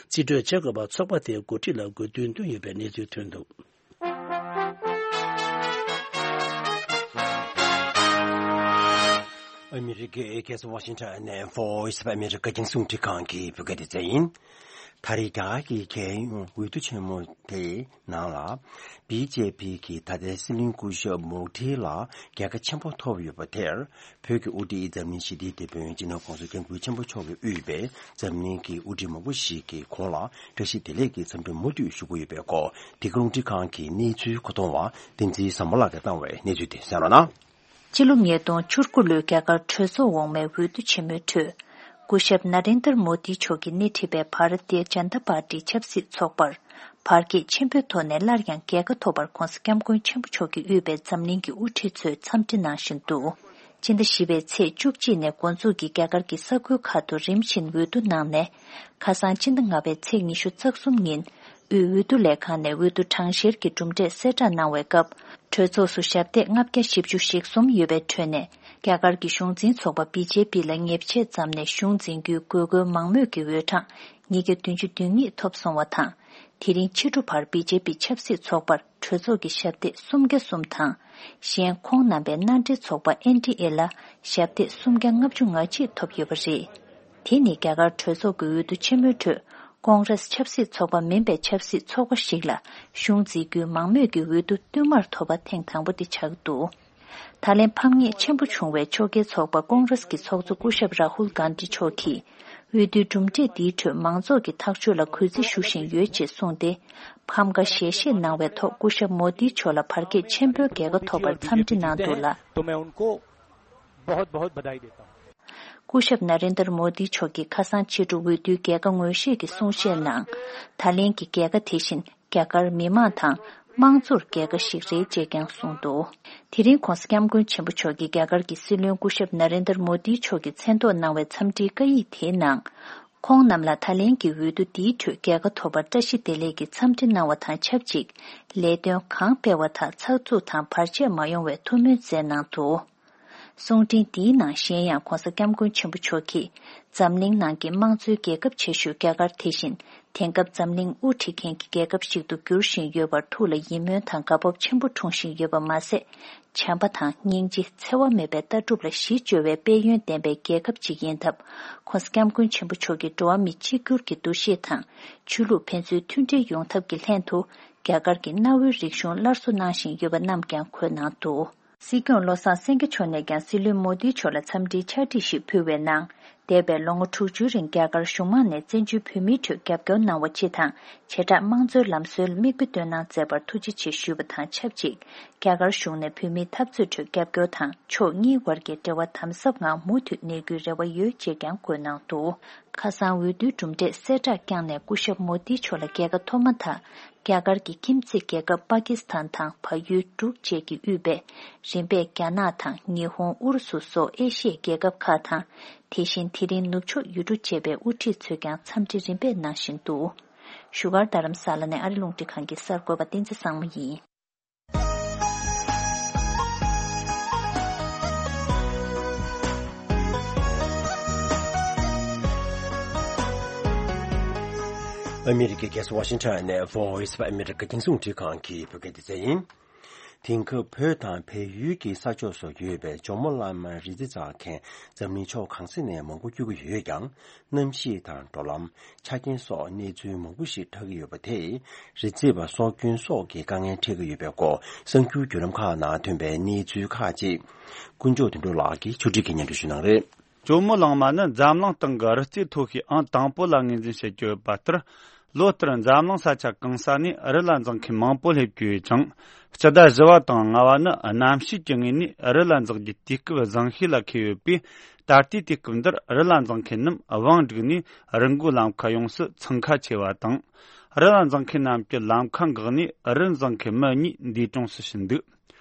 རྩིས་སྤྲོད་བྱེད་དགོས་པར་ཚོགས་པ་དེའི་འགོ་ཁྲིད་ལ་དགོས་འདུན་བཏོན་ཡོད་པའི་གནས་ཚུལ་ཐོན་འདུག། ཨ་མི་རི་ཀའི་རྒྱལ་ས་ཝ་ཤིང་ཊོན་ནས་Voice of America རྒྱང་སྲིང་རླུང་འཕྲིན་ཁང་གི་བོད་སྐད་སྡེ་ཚན་ཡིན། ད་རེས་རྒྱ་གར་གྱི་རྒྱལ་ཡོངས་འོས་བསྡུ་ཆེན་མོ་དེའི་ནང་ལ། བི་ཇེ་པི་གིས་ད་ལྟའི་སྲིད་བློན་སྐུ་ཞབས་མོ་དྷི་ལ་རྒྱལ་ཁ་ཆེན་པོ་ཐོབ་ཡོད་པ་དེར། བོད་ཀྱི་དབུ་ཁྲིད་འཛམ་གླིང་ཞི་བདེའི་དེད་དཔོན་སྤྱི་ནོར་༸གོང་ས་༸སྐྱབས་མགོན་ཆེན་པོ་མཆོག་གིས་དབུས་པའི་འཛམ་གླིང་གི་དབུ་ཁྲིད་མང་པོ་ཞིག་གིས་ཁོང་ལ་བཀྲ་ཤིས་བདེ་ལེགས་ཀྱི་འཚམས་འདྲི་མུ་མཐུད་ཞུ་གི་ཡོད་པའི་སྐོར། འདི་ག་རླུང་འཕྲིན་ཁང་གི་གནས་ཚུལ་མཁོ་གཏོང་བ་བསྟན་འཛིན་བཟང་མོ་ལགས་ཀྱིས་བཏང་བའི་གནས་ཚུལ་དེ་གསན་རོགས་གནང་། སྤྱི་ལོ་ཉིས་སྟོང་བཅུ་དགུ་ལོའི་རྒྱ་གར་གྲོས་ཚོགས་འོག་མའི་འོས་བསྡུ་ཆེན་མོའི་ཁྲོད། སྐུ་ཞབས་ན་རེན་དར་མོ་དི་མཆོག་གིས་སྣེ་ཁྲིད་པའི་བྷ་ར་ཏི་ཡ་ཇན་ད་པར་ཏི་ཆབ་སྲིད་ཚོགས་པར་བར་ཁྱད་ཆེན་པོའི་ཐོག་ནས་སླར་ཡང་རྒྱལ་ཁ་ཐོབ་པར་༸གོང་ས་༸སྐྱབས་མགོན་ཆེན་པོ་མཆོག་གིས་དབུས་པའི་འཛམ་གླིང་གི་དབུ་ཁྲིད་ཚོས་འཚམས་འདྲི་གནང་བཞིན་འདུག། སྤྱི་ཟླ་བཞི་པའི་ཚེས་བཅུ་གཅིག་ནས་འགོ་འཛུགས་ཀྱིས་རྒྱ་གར་གྱི་ས་ཁུལ་ཁག་ཏུ་རིམ་བཞིན་འོས་བསྡུ་གནང་ནས། ཁ་སང་སྤྱི་ཟླ་ལྔ་པའི་ཚེས་ཉི་ཤུ་རྩ་གསུམ་ཉིན། དབུས་འོས་བསྡུ་ལས་ཁང་ནས་འོས་བསྡུ་གྲངས་བཤེར་གྱི་གྲུབ་འབྲས་གསལ་བསྒྲགས་གནང་བའི་སྐབས། གྲོས་ཚོགས་སུ་ཞབས་སྟེགས་ལྔ་བརྒྱ་བཞི་བཅུ་ཞེ་གསུམ་ཡོད་པའི་ཁྲོད་ནས། རྒྱ་གར་གྱི་གཞུང་འཛིན་ཚོགས་པ་བི་ཇེ་པི་ལ་ཉེས་ཆད་བརྩམས་ནས་གཞུང་འཛིན་རྒྱུའི་དགོས་མཁོའི་མང་མོས་ཀྱི་འོས་གྲངས་ ཉིས་བརྒྱ་བདུན་ཅུ་དོན་གཉིས་ཐོབ་སོང་བ་དང་། དེ་རིང་ཕྱི་དྲོ་བར་བི་ཇེ་པི་ཆབ་སྲིད་ཚོགས་པར་གྲོས་ཚོགས་ཀྱི་ཞབས་སྟེགས་སུམ་བརྒྱ་གསུམ་དང་། གཞན་ཁོང་རྣམ་པའི་མནའ་འབྲེལ་ཚོགས་པ་ཨེན་ཌི་ཨེ་ལ་ཞབས་སྟེགས་སུམ་བརྒྱ་ལྔ་བཅུ་ང་གཅིག་ཐོབ་ཡོད་པ་རེད། དེ་ནི་རྒྱ་གར་གྲོས་ཚོགས་ཀྱི་འོས་བསྡུ་ཆེན་མོའི་ཁྲོད་ཀོང་རེས་ཆབ་སྲིད་ཚོགས་པ་མིན་པའི་ཆབ་སྲིད་ཚོགས་པ་ཞིག་ལ་གཞུང་འཛིན་རྒྱུའི་མང་མོས་ཀྱི་འོས་བསྡུ་བསྟུད་མར་ཐོབ་པ་ཐེངས་དང་པོ་དེ་ཆགས་ཀྱི་འདུག་ད་ལན་ཕམ་ཉེས་ཆེན་པོ་བྱུང་བའི་ཕྱོགས་འགལ་ཚོགས་པ་ཀོང་རེས་ཀྱི་ཚོགས་གཙོ་སྐུ་ཞབས་རཱ་ཧུལ་གྷན་དྷི་མཆོག་གིས། འོས་བསྡུའི་གྲུབ་འབྲས་འདིའི་ཁྲོད་མང་ཚོགས་ཀྱི་ཐག་གཅོད་ལ་གུས་བརྩི་ཞུ་བཞིན་ཡོད་ཅེས་གསུངས་ཏེ། ཕམ་ཁ་ཞལ་བཞེས་གནང་བའི་ཐོག་སྐུ་ཞབས་མོ་དྷི་མཆོག་ལ་བར་ཆད་ཆེན་པོའི་རྒྱལ་ཁ་ཐོབ་པར་འཚམས་འདྲི་གནང་འདུག་ལ། तो मैं उनको बहुत बहुत बधाई देता हूँ। སྐུ་ཞབས་ན་རེན་དར་མོ་དྷི་མཆོག་གིས་ཁ་སང་ཕྱི་དྲོ་འོས་བསྡུའི་རྒྱལ་ཁ་ངོས་བཞེས་ཀྱི་གསུང་བཤད་ནང་། ད་ལན་གྱི་རྒྱལ་ཁ་དེ་བཞིན། རྒྱ་གར་མི་མང་དང་དམངས་གཙོར་རྒྱལ་ཁ་ཞིག་རེད་ཅེས་ཀྱང་གསུངས་འདུག་དེ་རིང་༸གོང་ས་༸སྐྱབས་མགོན་ཆེན་པོ་མཆོག་གིས་རྒྱ་གར་གྱི་སྲིད་བློན་སྐུ་ཞབས་ན་རེན་དར་མོ་དྷི་མཆོག་གི་མཚན་ཐོག་གནང་བའི་འཚམས་འདྲིའི་བཀའ་ཡིག་དེའི་ནང་། ཁོང་རྣམས་ལ་ད་ལན་གྱི་འོས་བསྡུ་འདིའི་ཁྲོད་རྒྱལ་ཁ་ཐོབ་པར་བཀྲ་ཤིས་བདེ་ལེགས་ཀྱི་འཚམས་འདྲི་གནང་བ་དང་ཆབས་ཅིག་ལས་དོན་གང་སྤེལ་བ་དག་ཚགས་ཚུད་དང་བར་ཆད་མ་ཡོང་བའི་ཐུགས་སྨོན་སྩལ་གནང་འདུག་གསུང་འཕྲིན་འདིའི་ནང་གཞན་ཡང་༸གོང་ས་༸སྐྱབས་མགོན་ཆེན་པོ་མཆོག་གིས་འཛམ་གླིང་ནང་གི་དམངས་གཙོའི་རྒྱལ་ཁབ་ཆེ་ཤོས་རྒྱ་གར་དེ་བཞིན་དེང་སྐབས་འཛམ་གླིང་དབུ་ཁྲིད་མཁན་གྱི་རྒྱལ་ཁབ་ཞིག་ཏུ་འགྱུར་བཞིན་ཡོད་པར་ཐུགས་ལ་ཡིད་སྨོན་དང་དགའ་སྤོབས་ཆེན་པོ་འཁྲུངས་བཞིན་ཡོད་པ་མ་ཟད། བྱམས་པ་དང་སྙིང་རྗེ་འཚེ་བ་མེད་པའི་ལྟ་གྲུབ་ལ་གཞི་བཅོལ་བའི་དཔལ་ཡོན་ལྡན་པའི་རྒྱལ་ཁབ་ཅིག་ཡིན་སྟབས། ༸གོང་ས་༸སྐྱབས་མགོན་ཆེན་པོ་མཆོག་གིས་འགྲོ་བ་མི་གཅིག་གྱུར་གྱི་འདུ་ཤེས་དང་ཆོས་ལུགས་ཕན་ཚུན་མཐུན་སྒྲིལ་ཡོང་ཐབས་ཀྱི་ལྷན་དུ་རྒྱ་གར་གྱི་གནའ་བོའི་རིག་གཞུང་སླར་གསོ་གནང་བཞིན་ཡོད་པ་རྣམས་ཀྱང་འཁོད་གནང་འདུག་སྲིད་སྐྱོང་བློ་བཟང་སེང་གེ་མཆོག་ནས་ཀྱང་སྲིད་བློན་མོ་དྷི་མཆོག་ལ་འཚམས་འདྲིའི་ཕྱག་བྲིས་ཤིག་ཕུལ་བའི་ནང་། འདས་པའི་ལོ་ངོ་དྲུག་ཅུའི་རིང་རྒྱ་གར་གཞུང་མང་ནས་བཙན་བྱོལ་བོད་མིའི་ཁྲོད་རྒྱབ་སྐྱོར་གནང་བ་སྤྱི་དང་བྱེ་བྲག་དམངས་གཙོའི་ལམ་སྲོལ་མིག་དཔེ་སྟོན་གནང་མཛད་པར་ཐུགས་རྗེ་ཆེ་ཞུས་པ་དང་ཆབས་ཅིག་རྒྱ་གར་གཞུང་ནས་བོད་མིའི་འཐབ་རྩོད་ཁྲོད་རྒྱབ་སྐྱོར་དང་ཕྱོགས་གཉིས་དབར་གྱི་འབྲེལ་བ་དམ་ཟབ་ངང་མུ་མཐུད་གནས་རྒྱུའི་རེ་བ་ཡོད་ཅེས་ཀྱང་བཀོད་གནང་འདུག་ཁ་སང་འོས་བསྡུའི་གྲུབ་འབྲས་གསལ་བསྒྲགས་བསྐྱངས་ནས་སྐུ་ཞབས་མོ་དྷི་མཆོག་ལ་རྒྱལ་ཁ་ཐོབ་མ་ཐག་རྒྱ་གར་གྱི་ཁྱིམ་མཚེས་རྒྱལ་ཁབ་པ་ཀི་སི་ཐན་དང་བལ་ཡུལ་འབྲུག་བཅས་ཀྱིས་དབུས་པའི་རིམ་པས་རྒྱ་ནག་དང་ཉི་ཧོང་ཨུ་རུ་སུ་སོགས་ཨེ་ཤི་ཡའི་རྒྱལ་ཁབ་ཁག་དང་། དེ་བཞིན་དེ་རིང་ནུབ་ཕྱོགས་ཡུལ་གྲུ་བཅས་པའི་དབུ་ཁྲིད་ཚོས་ཀྱང་འཚམས་འདྲི་རིམ་པས་གནང་བཞིན་འདུག་བཞུགས་སྒར་རྡ་རམ་ས་ལ་ནས་ཨ་རི་རླུང་འཕྲིན་ཁང་གི་གསར་འགོད་པ་བསྟན་འཛིན་བཟང་མོ་ཡིན། ཨ་མི་རི་ཀའི་རྒྱལ་ས་ཝ་ཤིང་ཊོན་ནས་Voice of America་རྒྱང་སྲིང་རླུང་འཕྲིན་ཁང་གི་བོད་སྐད་སྡེ་ཚན་ཡིན། དེང་སྐབས་བོད་དང་བལ་ཡུལ་གྱི་ས་ཕྱོགས་སུ་ཡོད་པའི་ཇོ་མོ་གླང་མའི་རི་རྩེ་འཛེག་མཁན་འཛམ་གླིང་ཕྱོགས་གང་ས་ནས་མང་པོ་སྐྱོད་ཀྱི་ཡོད་ཀྱང་། གནམ་གཤིས་དང་འགྲོ་ལམ། ཆ་རྐྱེན་སོགས་གནས་ཚུལ་མང་པོ་ཞིག་འཁྲབ་ཀྱི་ཡོད་པ་དེས་རི་རྩེ་བ་སྲོག་སྐྱོན་སོགས་ཀྱི་དཀའ་ངལ་འཕྲད་ཀྱི་ཡོད་པའི་སྐོར་གསར་འགྱུར་བརྒྱུད་ལམ་ཁག་ནང་ཐོན་པའི་གནས་ཚུལ་ཁག་ཅིག་ཀུན་མཆོག་དོན་གྲུབ་ལགས་ཀྱིས་ཕྱོགས་སྒྲིག་གིས་སྙན་སྒྲོན་ཞུ་གནང་རེད། ཇོ་མོ་གླང་མ་ནི་འཛམ་གླིང་སྟེང་གི་རི་རྩེ་མཐོ་ཤོས་ཨང་དང་པོ་ལ་ངོས་འཛིན་བྱེད་ཀྱི་ཡོད་པ་ལྟར། ལོ་ལྟར་འཛམ་གླིང་ས་ཆ་གང་ས་ནས་རི་ལ་འཛེག་མཁན་མང་པོ་སླེབས་ཀྱི་ཡོད་ཅིང་། སྤྱི་ཟླ་བཞི་བ་དང་ལྔ་བ་ནི་གནམ་གཤིས་ཀྱི་ངོས་ནས་རི་ལ་འཛེག་རྒྱུའི་དུས་སྐབས་བཟང་ཤོས་ལ་འཁེལ་ཡོད་པས། ད་ལྟའི་དུས་སྐབས་འདིར་རི་ལ་འཛེག་མཁན་རྣམས་བང་བསྒྲིགས་ནས་རི་མགོའི་ལམ་ཁ་ཡོངས་སུ་འཚང་ཁ་ཆེ་བ་དང་། རི་ལ་འཛེག་མཁན་རྣམས་ཀྱི་ལམ་ཁ་འགག་ནས་རི་འཛེག་མཁན་མི་གཉིས་འདས་གྲོངས་སུ་ཕྱིན་འདུག་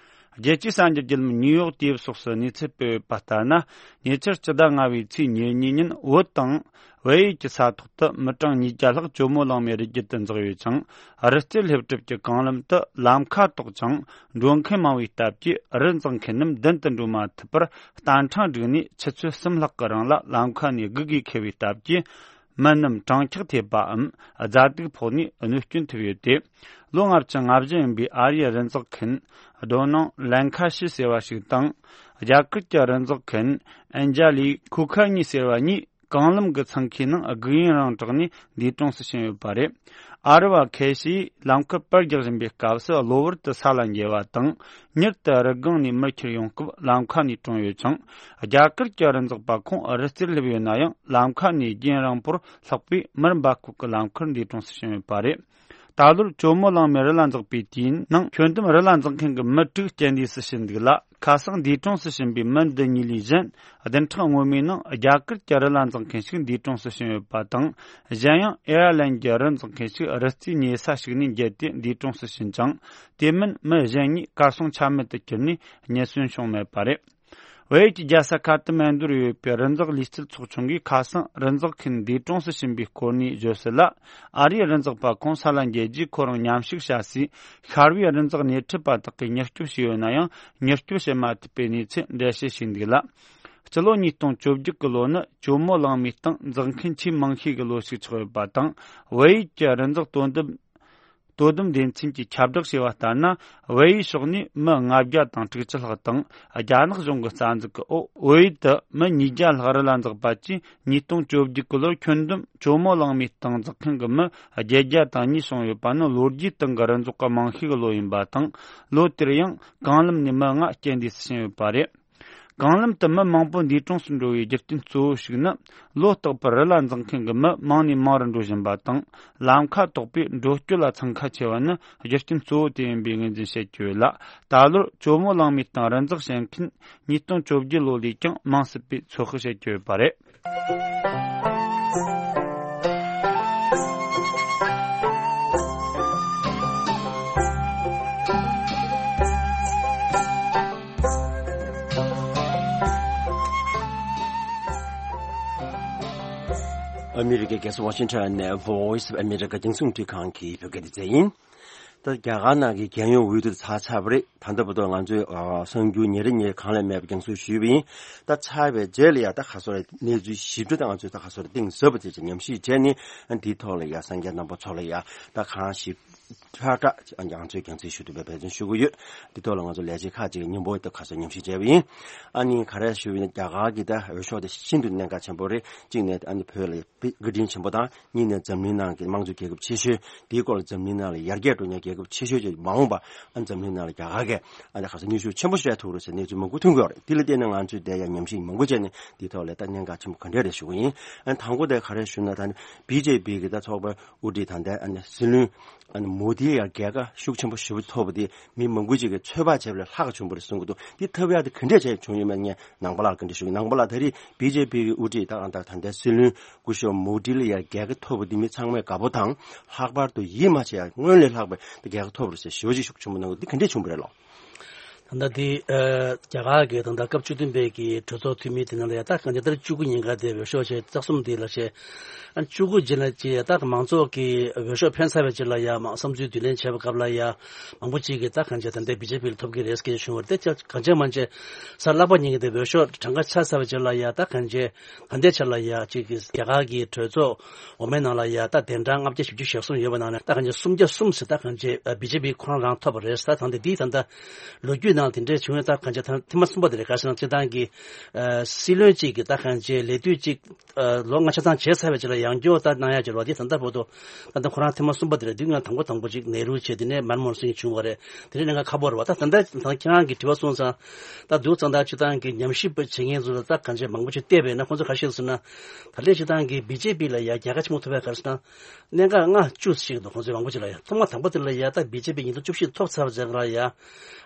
རྒྱལ་སྤྱིའི་གསར་འགྱུར་བརྒྱུད་ལམ་ནིའུ་ཡོག་ཊེམ་སོགས་སུ་གནས་ཚུལ་སྤེལ་ཡོད་པ་ལྟར་ན། ཉེ་ཆར་སྤྱི་ཟླ་ལྔ་བའི་ཚེས་ཉེར་གཉིས་ཉིན་བོད་དང་བལ་ཡུལ་གྱི་ས་ཐོག་ཏུ་མི་གྲངས་ཉིས་བརྒྱ་ལྷག་ཇོ་མོ་གླང་མའི་རི་རྒྱུད་དུ་འཛེགས་ཡོད་ཅིང་། རི་རྩེ་སླེབས་གྲབས་ཀྱི་གང་ལམ་དུ་ལམ་ཁ་དོག་ཅིང་འགྲོ་མཁན་མང་བའི་སྟབས་ཀྱིས་རི་འཛེག་མཁན་རྣམས་མདུན་དུ་འགྲོ་མ་ཐུབ་པར་རྟ་ཕྲེང་བསྒྲིགས་ནས་ཆུ་ཚོད་གསུམ་ལྷག་གི་རིང་ལ་ལམ་ཁ་ནས་སྒུག་དགོས་འཁེལ་བའི་སྟབས་ཀྱིས། མི་རྣམས་གྲང་འཁྱག་ཐེབས་པའམ་གཟའ་སྡུག་ཕོག་ནས་གནོད་སྐྱོན་ཐེབས་ཡོད་དེ། ལོ་ལྔ་བཅུ་ང་བཞི་ཡིན་པའི་ཨ་རིའི་རི་འཛེག་མཁན་རྡོ་ནང་ལན་ཁ་ཤི་ཟེར་བ་ཞིག་དང་། རྒྱ་གར་གྱི་རི་འཛེག་མཁན་ཨན་ཇ་ལི་ཁུ་ཁ་ཉི་ཟེར་བ་གཉིས་གང་ལམ་གྱི་འཚང་ཁའི་ནང་སྒུག་ཡུན་རིང་དྲགས་ནས་འདས་གྲོངས་སུ་ཕྱིན་ཡོད་པ་རེད། ཨ་རི་བ་ཁེ་ཤིས་ལམ་ཁར་པར་རྒྱག་བཞིན་པའི་སྐབས་སུ་གློ་བུར་དུ་ས་ལ་འགྱེལ་བ་དང་། མྱུར་དུ་རི་སྒང་ནས་མར་ཁྱེར་ཡོང་སྐབས་ལམ་ཁ་ནས་གྲོངས་ཡོད་ཅིང་། རྒྱ་གར་གྱི་རི་འཛེག་པ་ཁོང་རི་རྩེར་སླེབས་ཡོད་ན་ཡང་ལམ་ཁ་ནས་རྒྱུན་རིང་པོར་ལྷག་པའི་མར་འབབ་ཁུལ་གྱི་ལམ་ཁར་འདས་གྲོངས་སུ་ཕྱིན་ཡོད་པ་རེད། ད་ལོར་ཇོ་མོ་གླང་མའི་རི་ལ་འཛེག་པའི་དུས་ཡུན་ནང་ཁྱོན་བསྡོམས་རི་ལ་འཛེག་མཁན་གྱི་མི་དྲུག་རྐྱེན་འདས་སུ་ཕྱིན་འདུག་ལ། ཁ་སང་འདས་གྲོངས་སུ་ཕྱིན་པའི་མི་འདི་གཉིས་ལས་གཞན་བདུན་ཕྲག་སྔོན་མའི་ནང་རྒྱ་གར་གྱི་རི་ལ་འཛེག་མཁན་ཞིག་འདས་གྲོངས་སུ་ཕྱིན་ཡོད་པ་དང་། གཞན་ཡང་ཨེ་ཡར་ལན་གྱི་རི་འཛེག་མཁན་ཞིག་རི་རྩེའི་ཉེ་ས་ཞིག་ནས་འགྱེལ་ཏེ་འདས་གྲོངས་སུ་ཕྱིན་ཅིང་། དེ་མིན་མི་གཞན་གཉིས་གར་སོང་ཆ་མེད་དུ་གྱུར་ནས་རྙེད་སོན་བྱུང་མེད་པ་རེད། བལ་ཡུལ་གྱི་རྒྱལ་ས་ཁ་ཏ་མན་ཌུར་ཡོད་པའི་རི་འཛེག་ལུས་རྩལ་ཚོགས་ཆུང་གིས་ཁ་སང་རི་འཛེག་མཁན་འདས་གྲོངས་སུ་ཕྱིན་པའི་སྐོར་ནས་བརྗོད་གསལ་ལ། ཨ་རིའི་རི་འཛེག་པ་ཁོང་ས་ལ་འགྱེལ་རྗེས་ཁོ་རང་མཉམ་ཞུགས་བྱ་སའི་ཤར་བའི་རི་འཛེག་སྣེ་ཁྲིད་པ་དག་གིས་མྱུར་སྐྱོབ་བྱས་ཡོད་ན་ཡང་མྱུར་སྐྱོབ་བྱེད་མ་ཐུབ་པའི་གནས་ཚུལ་འགྲེལ་བཤད་བྱས་འདུག་ལ། སྤྱི་ལོ་ཉིས་སྟོང་བཅོ་བརྒྱད་ཀྱི་ལོ་ནི་ཇོ་མོ་གླང་མའི་སྟེང་འཛེགས་མཁན་ཆེས་མང་ཤོས་ཀྱི་ལོ་ཞིག་ཆགས་ཡོད་པ་དང་། བལ་ཡུལ་གྱི་རི་འཛེག་དོ་དམ་དོ་དམ་སྡེ་ཚན་གྱིས་ཁྱབ་བསྒྲགས་བྱས་པ་ལྟར་ན། བལ་ཡུལ་ཕྱོགས་ནས་མི་ལྔ་བརྒྱ་དང་དྲུག་ཅུ་ལྷག་དང་རྒྱ་ནག་གཞུང་གི་རྩ་འཛུགས་ཀྱི་འོག་བོད་ཡུལ་དུ་མི་ཉིས་བརྒྱ་ལྷག་རི་ལ་འཛེགས་པ་བཅས། ཉིས་སྟོང་བཅོ་བརྒྱད་ཀྱི་ལོར་ཁྱོན་བསྡོམས་ཇོ་མོ་གླང་མའི་སྟེང་འཛེགས་མཁན་གྱི་མི་བརྒྱད་བརྒྱ་དང་གཉིས་བྱུང་ཡོད་པ་ནི་ལོ་རྒྱུས་སྟེང་གི་རི་འཛེག་གི་མང་ཤོས་ཀྱི་ལོ་ཡིན་པ་དང་། ལོ་དེར་ཡང་གང་ལམ་ནས་མི་ལྔ་རྐྱེན་འདས་སུ་ཕྱིན་ཡོད་པ་རེད། གང་ལམ་དུ་མི་མང་པོ་འདས་གྲོངས་སུ་འགྲོ་བའི་རྒྱུ་རྐྱེན་གཙོ་བོ་ཞིག་ནི། ལོ་རྟག་པར་རི་ལ་འཛེགས་མཁན་གྱི་མི་མང་ནས་མང་རུ་འགྲོ་བཞིན་པ་དང་། ལམ་ཁ་དོག་པས་འགྲོ་སྐྱོད་ལ་འཚང་ཁ་ཆེ་བ་ནི་རྒྱུ་རྐྱེན་གཙོ་བོ་དེ་ཡིན་པའི་ངོས་འཛིན་བྱེད་ཀྱི་ཡོད་ལ། ད་ལོར་ཇོ་མོ་གླང་མའི་སྟེང་རི་འཛེག་བྱེད་མཁན་ཉིས་སྟོང་བཅོ་བརྒྱད་ལོ་ལས་ཀྱང་མང་སྲིད་པའི་ཚོད་དཔག་བྱེད་ཀྱི་ཡོད་པ་རེད། ཨ་མི་རི་ཀའི་རྒྱལ་ས་ཝ་ཤིང་ཊོན་ནས་Voice of America རྒྱང་སྲིང་རླུང་འཕྲིན་ཁང་གི་བོད་སྐད་སྡེ་ཚན་ཡིན། ད་རྒྱ་གར་ནང་གི་རྒྱལ་ཡོངས་འོས་བསྡུ་ཚར་ཚར་བ་རེད། ད་ལྟ་བར་དུ་ང་ཚོས་ཨ་གསར་འགྱུར་ཉིན་རེ་ཉིན་རེ་གང་ལས་མེད་པ་རྒྱང་སྲིང་ཞུས་པ་ཡིན། ད་ཚར་བའི་རྗེས་ལ་ཡ་ད་ག་ཚོད་རེད། གནས་ཚུལ་ཞིབ་ཕྲ་ད་ང་ཚོས་ད་ག་ཚོད་རེད། གཏིང་ཟབ་པ་དེ་ཅིག་ཉམས་ཞིབ་བྱས་ནས་ཨ་འདིའི་ཐོག་ལ་ཡ་གསན་མཁན་རྣམ་པ་ཚོ་ལ་ཡ་ད་གང་ཞིབ་ཕྲ་ཕྲ་ང་ཚོས་རྒྱང་སྲིང་ཞུ་ཐུབ་པའི་འབད་བརྩོན་ཞུ་གི་ཡོད། འདི་ཐོག་ལ་ང་ཚོ་ལས་བྱེད་ཁག་ཅིག་གི་སྙན་པོ་ད་ག་ཚོད་ཉམས་ཞིབ་བྱས་པ་ཡིན། ཨ་ནི་ག་རེ་ཞུ་བ་ཡིན་ན། རྒྱ་གར་གྱི་ད་འོས་ཤོག་དེ་ཤིན་ཏུ་གནད་འགག་ཆེན་པོ་རེད། གཅིག་ནས་ཨ་ནི་བོད་ལ་བཀའ་དྲིན་ཆེན་པོ་དང་། གཉིས་ནས་འཛམ་གླིང་ནང་གི་དམངས་གཙོའི་རྒྱལ་ཁབ་ཆེ་ཤོས། དེའི་སྐོར་ལ་འཛམ་གླིང་ནང་ལ་ཡར་རྒྱས་འགྲོ་མཁན་རྒྱལ་ཁབ་ཆེ་ཤོས་ཅིག་མ་འོངས་པ་ཨ་འཛམ་གླིང་ནང་ལ་རྒྱ་གར་གྱིས་ཨ་ནི་ག་ས་མཉེས་གཤོག་ཆེན་པོ་སྤྲད་ཐུབ་རེད་ཟེར་གནས་ཚུལ་མང་པོ་ཐོན་གྱི་ཡོད་རེད། དེ་ལ་བརྟེན་ནས་ང་ཚོས་དེ་ཡང་ཉམས་ཞིབ་མང་པོ་བྱས་ནས་དེའི་ཐོག་ལ་ད་གནད་འགག་ཆེན་པོ་ག་འདྲས་རེད་ཞུ་གི་ཡིན། ཨ་ནི་དང་པོ་དེ་ག་རེ་ཞུ་ན། ད་ནི་བི་ཇེ་པི་གི་ད་ཚོགས་པ་དབུ་ཁྲིད་ད་ལྟའི་ཨ་ནི་སྲིད་བློན་ཨ་ནི་མོ་དི་ཡ་རྒྱལ་ཁ་ཤུགས་ཆེན་པོ་ཞེ་པོ་ཐོབ་པ་དེ་མི་མང་པོ་ཅིག་གིས་ཚོད་དཔག་བྱས་པ་ལས་ལྷག་བྱུང་བ་རེད་གསུང་གི་འདུག་དེ་ཐོབ་ཡག་དེ་ག་འདྲས་བྱས་བྱུང་ཡོད་མེད་ངས་ནང་པ་ལགས་ག་འདྲས་ཞུ་གི། ནང་པ་ལགས་ད་རེས་བི་ཇེ་པི་གི་དབུ་ཁྲིད་ད་ད་ད་ལྟའི་སྲིད་བློན་སྐུ་ཞབས་མོ་དི་ལ་ཡ་རྒྱལ་ཁ་ཐོབ་པ་འདི་མི་ཚང་མས་དགའ་པོ་དང་། ལྷག་པར་དུ་ཡིད་མ་ཆེས་ཡ་སྔོན་ལས་ལྷག་པའི་རྒྱལ་ཁ་ཐོབ་པ་རེད་ཟེར་ཞེ་པོ་ཅིག་ཤུགས་ཆེན་པོ་གནང་གི་འདི་ག་འདྲས་བྱུང་བ་རེད་ལགས། ད་ལྟ་འདི་ཨ་རྒྱ་གར་གྱི་ད་ལྟ་སྐབས་བཅུ་བདུན་པའི་གི་གྲོས་ཚོགས་འཐུས་མི་དེ་ནང་ལ་ཡ་ད་གང་ལྟར་བཅུ་དགུ་ཉིན་ཀ་དེ་འོས་ཤོག་བྱས་རྩ་གསུམ་དེ་ལ་བྱས། ཨ་བཅུ་དགུ་རྗེས་ལ་ཅི་ཡ་ད་མང་ཚོགས་ཀྱི་འོས་ཤོག་འཕེན་ཚར་བའི་རྗེས་ལ་ཡ་མ་བསམ་ཚུལ་བསྡུ་ལེན་བྱས་པའི་སྐབས་ལ་ཡ་མང་པོ་ཅིག་གིས་ད་གང་བྱས་ད་ལྟའི་བི་ཇེ་པི་ལ་ཐོབ་ཀྱི་རེད་ཟེར་མཁན་བྱུང་བ་རེད། དེ་གང་བྱས་མ་བྱས་གཟའ་ལྷག་པ་ཉིན་གྱི་དེ་འོས་ཤོག་གྲངས་ཀ་ཆག་ཚར་བའི་རྗེས་ལ་ཡ་ད་གང་བྱས་ད་ལྟའི་ཆ་ལ་ཡ་གཅིག་གི་རྒྱ་གར་གྱི་གྲོས་ཚོགས་འོག་མའི་ནང་ལ་ཡ་ད་གདན་གྲངས་ལྔ་བརྒྱ་བཞི་བཅུ་ཞེ་གསུམ་ཡོད་པ་ནང་ནས་ད་གང་བྱས་སུམ་བརྒྱ་གསུམ་ཟེར་ད་གང་བྱས་བི་ཇེ་པི་ཁོ་རང་རང་ཐོབ་པ་རེད་ཟེར། ད་ད་འདི་ད་ལྟ་ལོ་རྒྱུས་ནང་དེ་འདྲས་བྱུང་ཡོད། ད་གང་བྱས་ད་ཐེངས་མ་གསུམ་པ་དེ་རེད། ག་ཟེར་ན་སྤྱིར་བཏང་གི་ཨ་སྲིད་བློན་གཅིག་གིས་ད་གང་བྱས་ལས་དུས་གཅིག་ཨ་ལོ་ལྔ་ཆ་ཚང་བྱས་ཚར་བའི་རྗེས་ལ་ཡང་བསྐྱར་ད་གནང་ཡ་འབྱོར་བ་འདི་ད་ལྟ་བར་དུ་ད་ལྟ་ཁོ་རང་ཐེངས་མ་གསུམ་པ་དེ་རེད། དུས་ང་དང་པོ་དང་པོ་གཅིག་ནེ་རུ་བྱས། དེ་ནས་མན་མོ་ཧན་སིང་བྱུང་བ་རེད། དེ་རིང་ནས་ང་ཁ་པོ་རེད་བ། ད་ད་ལྟ་ད་ཁྱེད་རང་གིས་དྲི་བ་གསུངས་ཙང་ད་འདུག་ཙང་ད་སྤྱིར་བཏང་གི་ཉམས་ཞིབ་པ་བྱེད་མཁན་ཚོ་ལ་ད་གང་བྱས་མང་པོ་ཅིག་བལྟས་པས་ན་ཁོང་ཚོ་ག་རེ་བཤད་ཟེར་ན། ད་ལྟའི་སྤྱིར་བཏང་གི་བི་ཇེ་པི་ལ་ཡ་རྒྱལ་ཁ་ཆེན་པོ་ཐོབ་པའི་ག་རེ་ཟེར་ན། གནད་འགག་ལྔ་བཅུ་ཞིག་འདུག་ཁོང་ཚོས་མང་པོ་ཅིག་ལ་ཡ། ཐོག་མ་དང་པོ་དེ་ལ་ཡ་ད་བི་ཇེ་པི་ཉིས་སྟོང་བཅུ་བཞི་ཐོབ་ཚར་བ་ཅིག་ལ་ཡ།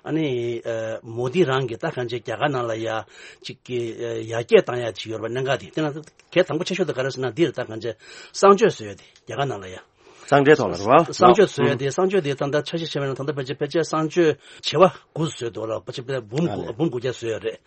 ཨ་ནི་ཨ་མོ་དི་རང་གིས་ད་གང་བྱས་རྒྱ་གར་ནང་ལ་ཡ་ཅིག་གི་ཨ་ཡར་རྒྱས་བཏང་ཡ་ཅིག་ཡོད་རེད་པ། གནད་འགག་དེ་དེ་ན་གལ་དང་པོ་ཆེ་ཤོས་དེ་ག་རེ་ཟེར་ན་འདི་རེད། ད་གང་བྱས་གསང་སྤྱོད་བཟོ་ཡ་དེ་རྒྱ་གར་ནང་ལ་ཡ། གསང་འཕྲིན་ཐོག་ལ་རེད་བ། གསང་སྤྱོད་བཟོ་ཡ་དེ། གསང་སྤྱོད་དེ་ད་ལྟ་འཆར་གཞི་བྱས་པ་ཡིན་ན་ད་ལྟ་ཕལ་ཆེར་ཕལ་ཆེར་གསང་སྤྱོད་བྱེ་བ་དགུ་བཟོས་འདུག་ལ། ཕལ་ཆེར་འབུམ་དགུ་འབུམ་དགུ་བརྒྱ་བཟོས་ཡ་རེད།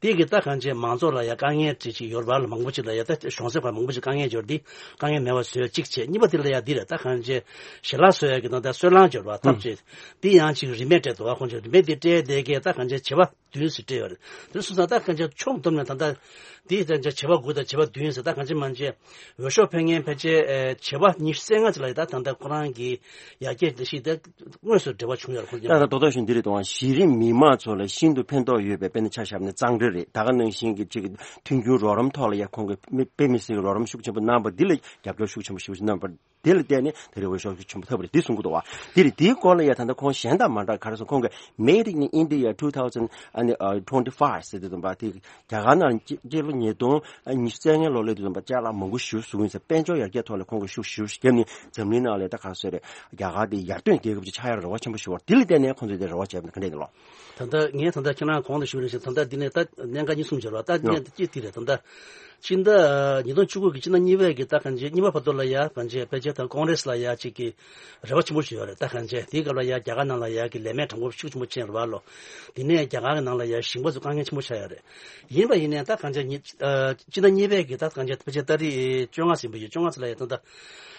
དེ་གི་ད་གང་བྱས་མང་ཚོགས་ལ་ཡ་དཀའ་ངལ་ཅིག་ཅིག་ཡོད་རེད་པ། ལ་མང་པོ་ཅིག་ལ་ཡ་ད་གཞུང་ཚབ་ཁག་མང་པོ་ཅིག་དཀའ་ངལ་ཡོད་རེད། དེ་དཀའ་ངལ་མེད་པ་བཟོས་གཅིག་བྱས། གཉིས་པ་དེ་ལ་ཡ་འདི་རེད། ད་གང་བྱས་ཞལ་ལག་བཟོ་ཡ་གི་ད་ལྟ་སོལ་རླངས་ཡོད་རེད་པ། ཐབས་ཅིག་འདི་ཡང་ཅིག་རིན་མེད་སྤྲད་འདུག་བ། ཁོང་ཚོས་རིན་མེད་འདི་སྤྲད་བསྡད་མཁན་ད་གང་བྱས་བྱེ་བ་བདུན་ཟེར་སྤྲད་ཡོད་རེད། དེ་སོང་ཙང་ད་གང་ཅི་ཕྱོགས་བསྡོམས་ནས་ད་ལྟ་འདི་ད་ཅི་བྱེ་བ་དགུ་དང་བྱེ་བ་བདུན་ཟེར། ད་གང་ཅི་མང་ཅི་འོས་ཤོག་འཕེན་མཁན་ཕལ་ཆེར་ཨེ་བྱེ་བ་ཉི་ཤུ་རྩ་ལྔ་ཙམ་ལ་ད་ད་ལྟ་ཁོ་རང་གི་ཡར་རྒྱས་འདི་ཞིག་ད་དངོས་སུ་འབྲེལ་བ་བྱུང་ཡོད་རེད། ཁོ་ད་ལྟ་རྡོག་རྡོག་བཞིན་འདི་རེད་དང་། གཞི་རིམ་མི་མང་ཚོ་ལ་ཤིན་ཏུ་ཕན་ཐོགས་ཡོད་པའི་དཔེར་ན་ཆ་བཞག་ན་གཙང་སྦྲ་རེད། ད་ག་ནང་བཞིན་གྱི་ཅིག་མཐུན་འགྱུར་རོགས་རམ་ཐོག་ལ་ཡ་ཁོང་གིས་དཔེ་མི་སྲིད་ཀྱི་རོགས་རམ་ཤུགས་ཆེན་པོ་གནང་བ་འདི་ལ་རྒྱབ་སྐྱོར་ཤུགས་ཆེན་པོ་ཞེ་པོ་ཞིག་གནང་བ། དེ་ལ་བརྟེན་ནས་ད་རེས་འོས་ཤོག་ཆེན་པོ་ཐོབ་པ་རེད། འདི་གསུང་གི་འདུག་བ། དེ་རེད། དེའི་སྐོར་ལ་ཡ་ད་ལྟ་ཁོང་གཞན་དང་མ་འདྲ་ག་རེ་ཟེར། ཁོང་གིས་Made in India two thousand and twenty-five ཟེར་དུས་ཙམ་པ་དེ་རྒྱ་གར་ནང་སྤྱི་ལོ་ཉིས་སྟོང་ཉི་ཤུ་རྩ་ལྔའི་ལོ་སླེབས་དུས་ཙམ་པ་ཅ་ལག་མང་པོ་ཞིག་བཟོ་གི་ཡིན་ཟེར། དཔལ་འབྱོར་ཡར་རྒྱས་ཐོག་ལ་ཁོང་གིས་ཤུགས་ཞེ་པོ་བརྒྱབ་ནས་འཛམ་གླིང་ནང་ལ་ད་ག་རེ་ཟེར་རེད། རྒྱ་གར་དེ་ཡར་ཐོན་རྒྱལ་ཁབ་ཅིག་ཆགས་ཡག་རེ་བ་ཆེན་པོ་ཞིག་ཡོད་པ་རེད། དེ་ལ་བརྟེན་ནས་ཁོང་ཚོས་དེ་རེ་བ་བྱས་པ་ག་འདྲས་ཡིན་ལོ། ད་ལྟ་ངས་ད་ལྟ་ཁྱེད་རང་གོང་དུ་ཞུས་ནང་བཞིན་ད་ལྟ་འདི་ནས་ད་གནད་འགག་གཉིས་གསུམ་ཡོད་རེད་བ། ད་ཡོ། གནད་འགག་གཅིག་དེ་རེད། ད་ལྟ་ སྤྱི་ཟླ་ཉིས་སྟོང་བཅུ་དགུ་གི་སྤྱི་ཟླ་གཉིས་པའི་གི་ད་གང་ཅི་གཉིས་པ་བར་དུ་ལ་ཡ་གང་ཅི་ཕལ་ཆེར་དང་ཀོང་རེས་ལ་ཡ་ཅིག་གི་རེ་བ་ཆེན་པོ་ཞིག་ཡོད་རེད། ད་གང་ཅི་དེའི་སྐབས་ལ་ཡ་རྒྱ་གར་ནང་ལ་ཡ་གི་ལས་མེད་གྲངས་འབོར་ཤུགས་ཆེན་པོ་ཕྱིན་རེད་བ་ལོ། དེ་ནས་རྒྱ་གར་གི་ནང་ལ་ཡ་ཞིང་པ་ཚོ་དཀའ་ངལ་ཆེན་པོ་ཆགས་ཡོད་རེད། ཡིན་པ་ཡིན་ནའི་ད་གང་ཅི་ཉི་ཨ་སྤྱི་ཟླ་གཉིས་པའི་གི་ད་གང་ཅི་ཕལ་ཆེར་ཏ་རིག་བཅོ་ལྔ་ཟིན་པ་ཡོད། བཅོ་ལྔ་ཙམ་ལ་ཡ་ད་ད་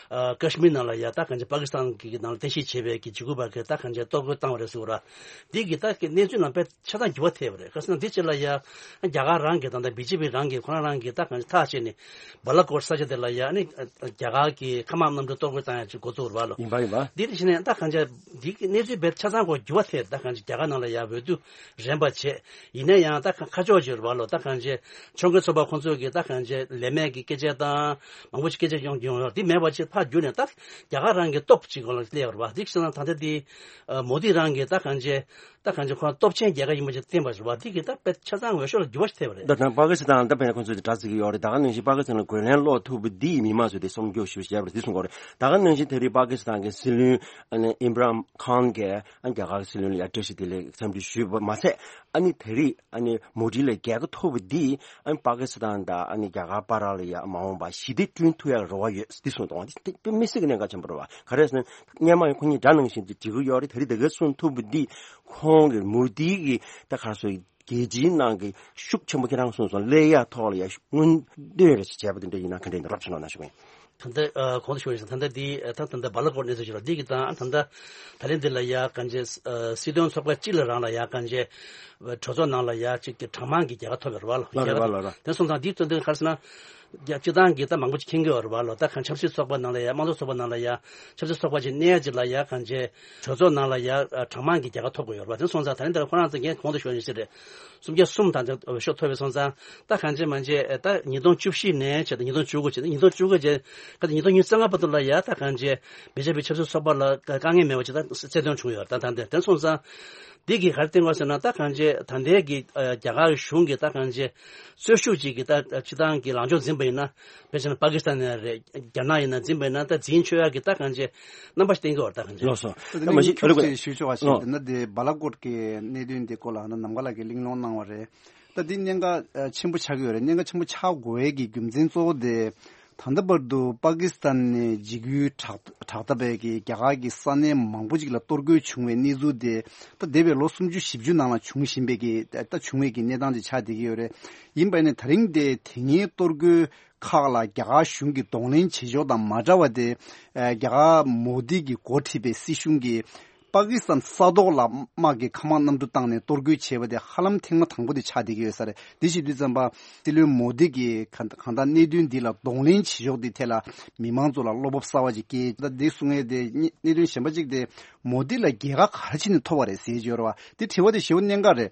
ཨ་ཀ་ཤི་མིར་ནང་ལ་ཡ་ད་གང་ཅི་པ་ཀི་སི་ཐན་གི་ནང་ལ་རྟེན་གཞི་བྱས་པའི་གི་འཇིགས་སྐུལ་བ་གི་ད་གང་ཅི་གཏོར་རྒོལ་བཏང་བ་རེད་ཟེར་བ་ར། འདི་གི་ད་གི་གནས་ཚུལ་ནང་དཔེ་ཆ་ཚང་འགྱུར་བ་ཐེབས་པ་རེད། ག་ཟེར་ན་འདི་ཕྱི་ལ་ཡ་རྒྱ་གར་རང་གི་ད་ལྟ་བི་ཇེ་པི་རང་གི་ཁོ་རང་རང་གི་ད་གང་ཅི་ཐག་བཅད་ནས་བ་ལ་ཀོཊ་ས་ཆ་དེ་ལ་ཡ་ནི་རྒྱ་གར་གི་མཁའ་དམག་གནམ་གྲུ་གཏོར་རྒོལ་བཏང་ཡ་ཅིག་འགོ་བཙུགས་རེད་བ་ལོ། ཡིན་པ་ཡིན་པ། འདི་དེ་བྱས་ནས་ད་གང་ཅི་འདི་གི་གནས་ཚུལ་དཔེ་ཆ་ཚང་གོ་འགྱུར་བ་ཐེབས། ད་གང་ཅི་རྒྱ་གར་ནང་ལ་ཡ་འོས་བསྡུ་རན་པ་བྱས། ཡིན་ན་ཡང་ད་ཁ་ཁ་ཕྱོགས་ཅིག་རེད་བ་ལོ། ད་གང་ཅི་ཕྱོགས་འགལ་ཚོགས་པ་ཁོང་ཚོས་གི་ད་གང་ཅི་ལས་མེད་ཀྱི་སྐད་ཆ་དང་མང་པོ་ཞིག་སྐད་ཆ་ཡོང་གི་ཡོང་ཡོད། འདི་མེད་པ་ཅིག་ཕར་བསྒྱུར་ནས་ད་རྒྱ་གར་རང་གི་སྟོབས་ཅིག་སྒང་ལ་སླེབས་པ་རེད་བ། འདི་བྱས་ན་ད་ལྟ་འདི་ཨ་མོ་དི་རང་གི་ད་གང་ཅི་ད་གང་ཅི་ཁོ་སྟོབས་ཆེན་རྒྱལ་ཁབ་ཡིན་པ་ཅིག་བསྟན་པ་རེད་བ། འདི་གི་ད་དཔེ་ཆ་ཚང་འོས་ཤོག་ལ་འགྱུར་བ་ཞིག་ཐེབས་པ་རེད། ད་ད་པ་ཀི་སི་ཐན་ད་དཔེར་ན་ཁོང་ཚོས་དྲ་ཚིགས་ཀྱི་ཡོད་རེད། ད་ག་ནང་བཞིན་པ་ཀི་སི་ཐན་ལ་རྒོལ་ལན་སློག་ཐུབ་པ་འདིས་མི་མང་ཚོས་དེ་སྲུང་སྐྱོབ་ཞུ་བྱས་པ་རེད། འདི་གསུང་གི་ཡོད་རེད། ད་ག་ནང་བཞིན་དེ་རིང་པ་ཀི་སི་ཐན་གྱི་སྲིད་བློན་ཨ་ནི་ཨིམ་རན་ཁཱན་གྱིས་ཨ་རྒྱ་གར་གྱི་སྲིད་བློན་ལ་ཡ་བཀྲ་ཤིས་བདེ་ལེགས་འཚམས་འདྲི་ཞུས་པ་མ་ཟད། ཨ་ནི་དེ་རིང་ཨ་ནི་མོ་དི་ལ་རྒྱལ་ཁ་ཐོབ་པ་འདིས་ཨ་ནི་པ་ཀི་སི་ཐན་དང་ཨ་ནི་རྒྱ་གར་བར་ལ་ཡ་མ་འོངས་པར་ཞི་བདེ་བསྐྲུན་ཐུབ་ཡག་རེ་བ་ཡོད་འདི་གསུངས་འདུག་འདི་དཔེ་མི་སྲིད་ཀྱི་གནད་འགག་ཆེན་པོ་རེད་བ། ག་རེ་ཟེར་ན་སྔོན་མ་ཡང་ཁོ་གཉིས་དགྲ་ནང་བཞིན་དུ་འགྲིག་གི་ཡོད་རེད། དེ་རིང་དེ་ག་གསུངས་ཐུབ་པ་འདིས་ཁོང་གི་མོ་དི་གི་ད་ག་རེ་ཟེར་རྒྱལ་སྤྱིའི་ནང་གི་ཤུགས་ཆེན་པོ་ཁྱེད་རང་གསུངས་སོང་སླེབས་ཡག་ཐོག་ལ་ཡ་སྔོན་འདོན་རེ་བྱས་པ་དེ་འདྲ་ཡིན་ན་ག་འདྲ་ཡིན་ན་རོབ་ཅིག་གནང་ན་ཞུ་གི་ཡིན། ད་ལྟ་ཨ་གོང་དུ་ཞུས་པ་ནང་བཞིན་ད་ལྟ་འདི་ཨ་ད་ད་ལྟ་བ་ལ་ཀོཊ་གནས་ཚུལ་ཞིག་རེད། འདི་གི་ད་ད་ལྟ་ད་ལན་འདི་ལ་ཡ་གང་ཅི་ཨ་སྲིད་དོན་ཚོགས་པ་སྤྱི་ལ་རང་ལ་ཡ་གང་ཅི་གྲོས་ཚོགས་ནང་ལ་ཡ་གཅིག་གི་གྲངས་མང་གི་རྒྱལ་ཁ་ཐོབ་ཡོད་རེད་བ་ལོ། ལགས་རེད་བ། ལགས་རེད། དེ་སོང་ཙང་འདིའི་དོན་དུ་ག་རེ་ཟེར་ན། རྒྱ་སྤྱི་བཏང་གི་ད་མང་པོ་ཅིག་མཁྱེན་གྱི་ཡོད་རེད་བ་ལོ། ད་གང་ཆབ་སྲིད་ཚོགས་པ་ནང་ལ་ཡ་དམངས་གཙོ་ཚོགས་པ་ནང་ལ་ཡ་ཆབ་སྲིད་ཚོགས་པ་ཅིག་གནས་ཡ་ཅིག་ལ་ཡ་གང་ཅི་གྲོས་ཚོགས་ནང་ལ་ཡ་གྲངས་མང་གི་རྒྱལ་ཁ་ཐོབ་དགོས་ཡོད་རེད་བ། དེ་སོང་ཙང་ད་ལན་འདིར་ཁོ་རང་ཚོ་ངས་གོང་དུ་ཞུས་ནས་ཅི་རེད། སུམ་བརྒྱ་གསུམ་དང་དེ་འོས་ཤོག་ཐོབ་པའི་སོང་ཙང་ད་གང་ཅི་མང་ཅི་ད་ཉིས་སྟོང་བཅུ་བཞི་ནས་བྱས་ཏེ་ཉིས་སྟོང་བཅུ་དགུ་བྱས་ཏེ་ཉིས་སྟོང་བཅུ་དགུ་བྱས་ད་ཉིས་སྟོང་ཉི་ཤུ་རྩ་ལྔ་བར་དུ་ལ་ཡ་ད་གང་ཅི་བི་ཇེ་པི་ཆབ་སྲིད་ཚོགས་པ་ལ་དཀའ་ངལ་མེད་པ་ཅིག་ད་རྩ་དོན་བྱུང་ཡོད་རེད། ད་ད་འདི་དེ་སོང་ཙང་འདི་གི་ག་རེ་བསྟན་དགོས་ཟེར་ན་ད་གང་ཅི་ད་ལྟའི་གི་རྒྱ་གར་གཞུང་གི་ད་གང་ཅི་རྩོད་ཤུགས་ཅིག་གི་ད་སྤྱི་བཏང་གི་ལངས་ཕྱོགས་འཛིན་པ་ཡིན་ན་དཔེ་བྱས་ན་པ་ཀི་སི་ཐན་ཡིན་ན་རེད། རྒྱ་ནག་ཡིན་ན་འཛིན་པ་ཡིན་ན་ད་འཛིན་ཆོག་ཡག་གི་ད་གང་ཅི་རྣམ་པ་ཞིག་བསྟན་གྱི་ཡོད་རེད། ད་གང་ཅི། ལགས་སོ། ད་ད་མ་གཞི་ཨ་ལུ་ཁྱུག་ཅིག་ཞུ་ཆོག་པ་ཞིག་ལགས། འདི་ན་དེ་བ་ལ་ཀོཊ་གི་གནད་དོན་འདི་སྐོར་ལ་ནམ་མཁའ་ལགས་ཀྱིས་གླེང་སློང་གནང་བ་རེད། ད་འདི་གནད་འགག་ཆེན་པོ་ཆགས་ཀྱི་ཡོད་རེད། གནད་འགག་ཆེན་པོ་ཆགས་དགོས་ཡས་ཀྱི་རྒྱུ་མཚན་གཙོ་བོ་དེ་ད་ལྟ་བར་དུ་པ་ཀི་སི་ཐན་ནས་འཇིགས་སྐུལ་དྲག་དྲག་ཐབས་པའི་གི་རྒྱ་གར་གྱི་ས་གནས་མང་པོ་ཅིག་ལ་གཏོར་རྒོལ་བྱུང་བའི་གནས་ཚུལ་དེ་ད་འདས་པའི་ལོ་སུམ་ཅུ་བཞི་བཅུ་ནང་ལ་བྱུང་བཞིན་པའི་གི་ད་བྱུང་བའི་གི་གནས་སྟངས་ཅིག་ཆགས་བསྡད་ཀྱི་ཡོད་རེད། ཡིན་པ་ནི་ད་རིང་དེ་དེ་སྔའི་གཏོར་རྒོལ་ཁག་ལ་རྒྱ་གར་གཞུང་གིས་གདོང་ལེན་བྱེད་ཕྱོགས་དང་མ་འདྲ་བ་དེ་རྒྱ་གར་མོ་དི་གིས་འགོ་ཁྲིད་པའི་སྲིད་གཞུང་གིས་པ་ཀི་སི་ཐན་ས་ཐོག་ལ་དམག་གི་མཁའ་དམག་གནམ་གྲུ་བཏང་ནས་གཏོར་རྒོལ་བྱས་པ་དེ་ཧ་ལམ་ཐེངས་མ་དང་པོ་དེ་ཆགས་བསྡད་ཀྱི་ཡོད་ས་རེད། དེ་བྱེད་དུས་ཙམ་པ་སྲིད་བློན་མོ་དི་གིས་གང་ལྟར་གནད་དོན་འདི་ལ་གདོང་ལེན་བྱེད་ཕྱོགས་འདི་ཐད་ལ་མི་མང་ཚོ་ལ་བློ་སྤོབས་གསར་བ་ཅིག་སྐྱེས། ད་འདི་གསུང་ཡས་དེ་གནད་དོན་གཞན་པ་ཅིག་དེ་མོ་དི་ལ་རྒྱལ་ཁ་ག་རེ་བྱས་ནས་ཐོབ་པ་རེད་ཟེར་གྱི་ཡོད་རེད་བ། དེ་དྲི་བ་དེ་ཞེ་པོ་གནད་འགག་རེད།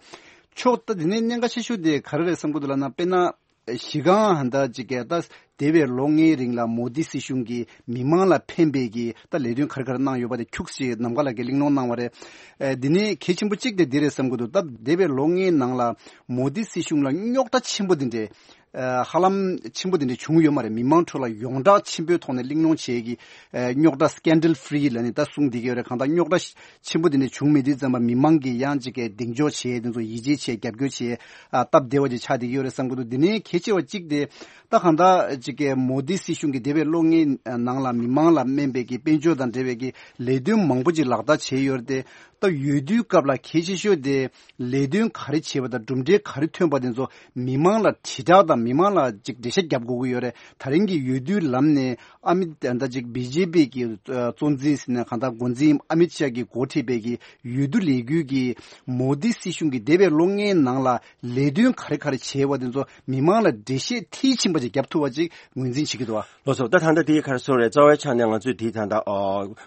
ཕྱོགས་ད་འདི་ནས་གནད་འགག་ཆེ་ཤོས་དེ་ག་རེ་རེད་བསམ་གྱི་འདུག་ལབ་ན་དཔེར་ན། གཞི་རྐང་ཧ་ད་ཅིག་གི་ད་འདས་པའི་ལོ་ལྔའི་རིང་ལ་མོ་དི་སྲིད་གཞུང་གིས་མི་མང་ལ་ཕན་པའི་གི་ད་ལས་དོན་ག་རེ་ག་རེ་གནང་ཡོད་པ་དེ་ཁྱུག་ཅིག་ནམ་མཁའ་ལགས་ཀྱིས་གླེང་སློང་གནང་བ་རེད། ཨེ་འདི་ནས་གལ་ཆེན་པོ་གཅིག་དེ་འདི་རེད་བསམ་གྱི་འདུག་ད་འདས་པའི་ལོ་ལྔའི་ནང་ལ་མོ་དི་སྲིད་གཞུང་ལ་རྙོག་དྲ་ཆེན་པོ་འདི་འདྲས་ཨེ་ཧ་ལམ་ཆེན་པོ་འདི་འདྲས་བྱུང་ཡོད་མ་རེད། མི་མང་ཁྲོད་ལ་ཡོངས་གྲགས་ཆེན་པོའི་ཐོག་ནས་གླེང་སློང་བྱེད་ཀྱི་ཨེ་རྙོག་དྲ་སི་ཀེན་ཌལ་ཕི་རི་ལ་ནི་ད་གསུང་འདི་གི་ཡོད་རེད། གང་ལྟར་རྙོག་དྲ་ཆེན་པོ་དེ་འདྲ་བྱུང་མེད་དུས་ཙམ་པ་མི་མང་གིས་ཡང་ཅིག་གི་གདེང་འཇོག་བྱས་དེ་ཚོ་ཡིད་ཆེས་བྱས་རྒྱབ་སྐྱོར་བྱས་ཨ་སྟབས་བདེ་བ་ཅིག་ཆགས་བསྡད་ཀྱི་ཡོད་རེད་བསམ་གྱི་འདུག་འདི་ནས་གལ་ཆེ་བ་གཅིག་དེ་ད་གང་ལྟར་ཅིག་གི་མོ་དི་སྲིད་གཞུང་གིས་འདས་པའི་ལོ་ལྔའི་ནང་ལ་མི་མང་ལ་སྨན་པའི་གི་དཔལ་འབྱོར་དང་འབྲེལ་བའི་གི་ལས་དོན་མང་པོ་ཅིག་ལག་བསྟར་བྱས་ཡོད་རེད་དེ། ད་འོས་བསྡུའི་སྐབས་ལ་གལ་ཆེ་ཤོས་དེ་ལས་དོན་ག་རེ་བྱས་པ་དང་གྲུབ་འབྲས་ག་རེ་ཐོན་པ་དེ་ཚོ་མི་མང་ལ་དྲིལ་བསྒྲགས་དང་མི་མང་ལ་ཅིག་འགྲེལ་བཤད་རྒྱབ་དགོས་ཀྱི་ཡོད་རེད། ད་རིང་གི་འོས་བསྡུའི་ལམ་ནས་ཨ་མི་ད་ཅིག་བི་ཇེ་པི་གི་གཙོ་འཛིན་ཟེར་ན་གང་ལྟར་འགོ་འཛིན་ཨ་མི་ཤ་གིས་འགོ་ཁྲིད་པའི་གི་འོས་བསྡུ་ལས་འགུལ་གྱིས་མོ་དི་སྲིད་གཞུང་གིས་འདས་པའི་ལོ་ལྔའི་ནང་ལ་ལས་དོན་ག་རེ་ག་རེ་བྱས་པ་དེ་ཚོ་མི་མང་ལ་འགྲེལ་བཤད་མཐིལ་ཕྱིན་པ་ཅིག་རྒྱབ་ཐུབ་པ་ཅིག་ངོས་འཛིན་བྱེད་ཀྱི་འདུག་བ། ལགས་སོ། ད་ད་ལྟ་དེའི་ཁར་སོང་རེད། རྩ་བའི་ཆ་ནས་ང་ཚོས་དེའི་ད་ལྟ་ཨ་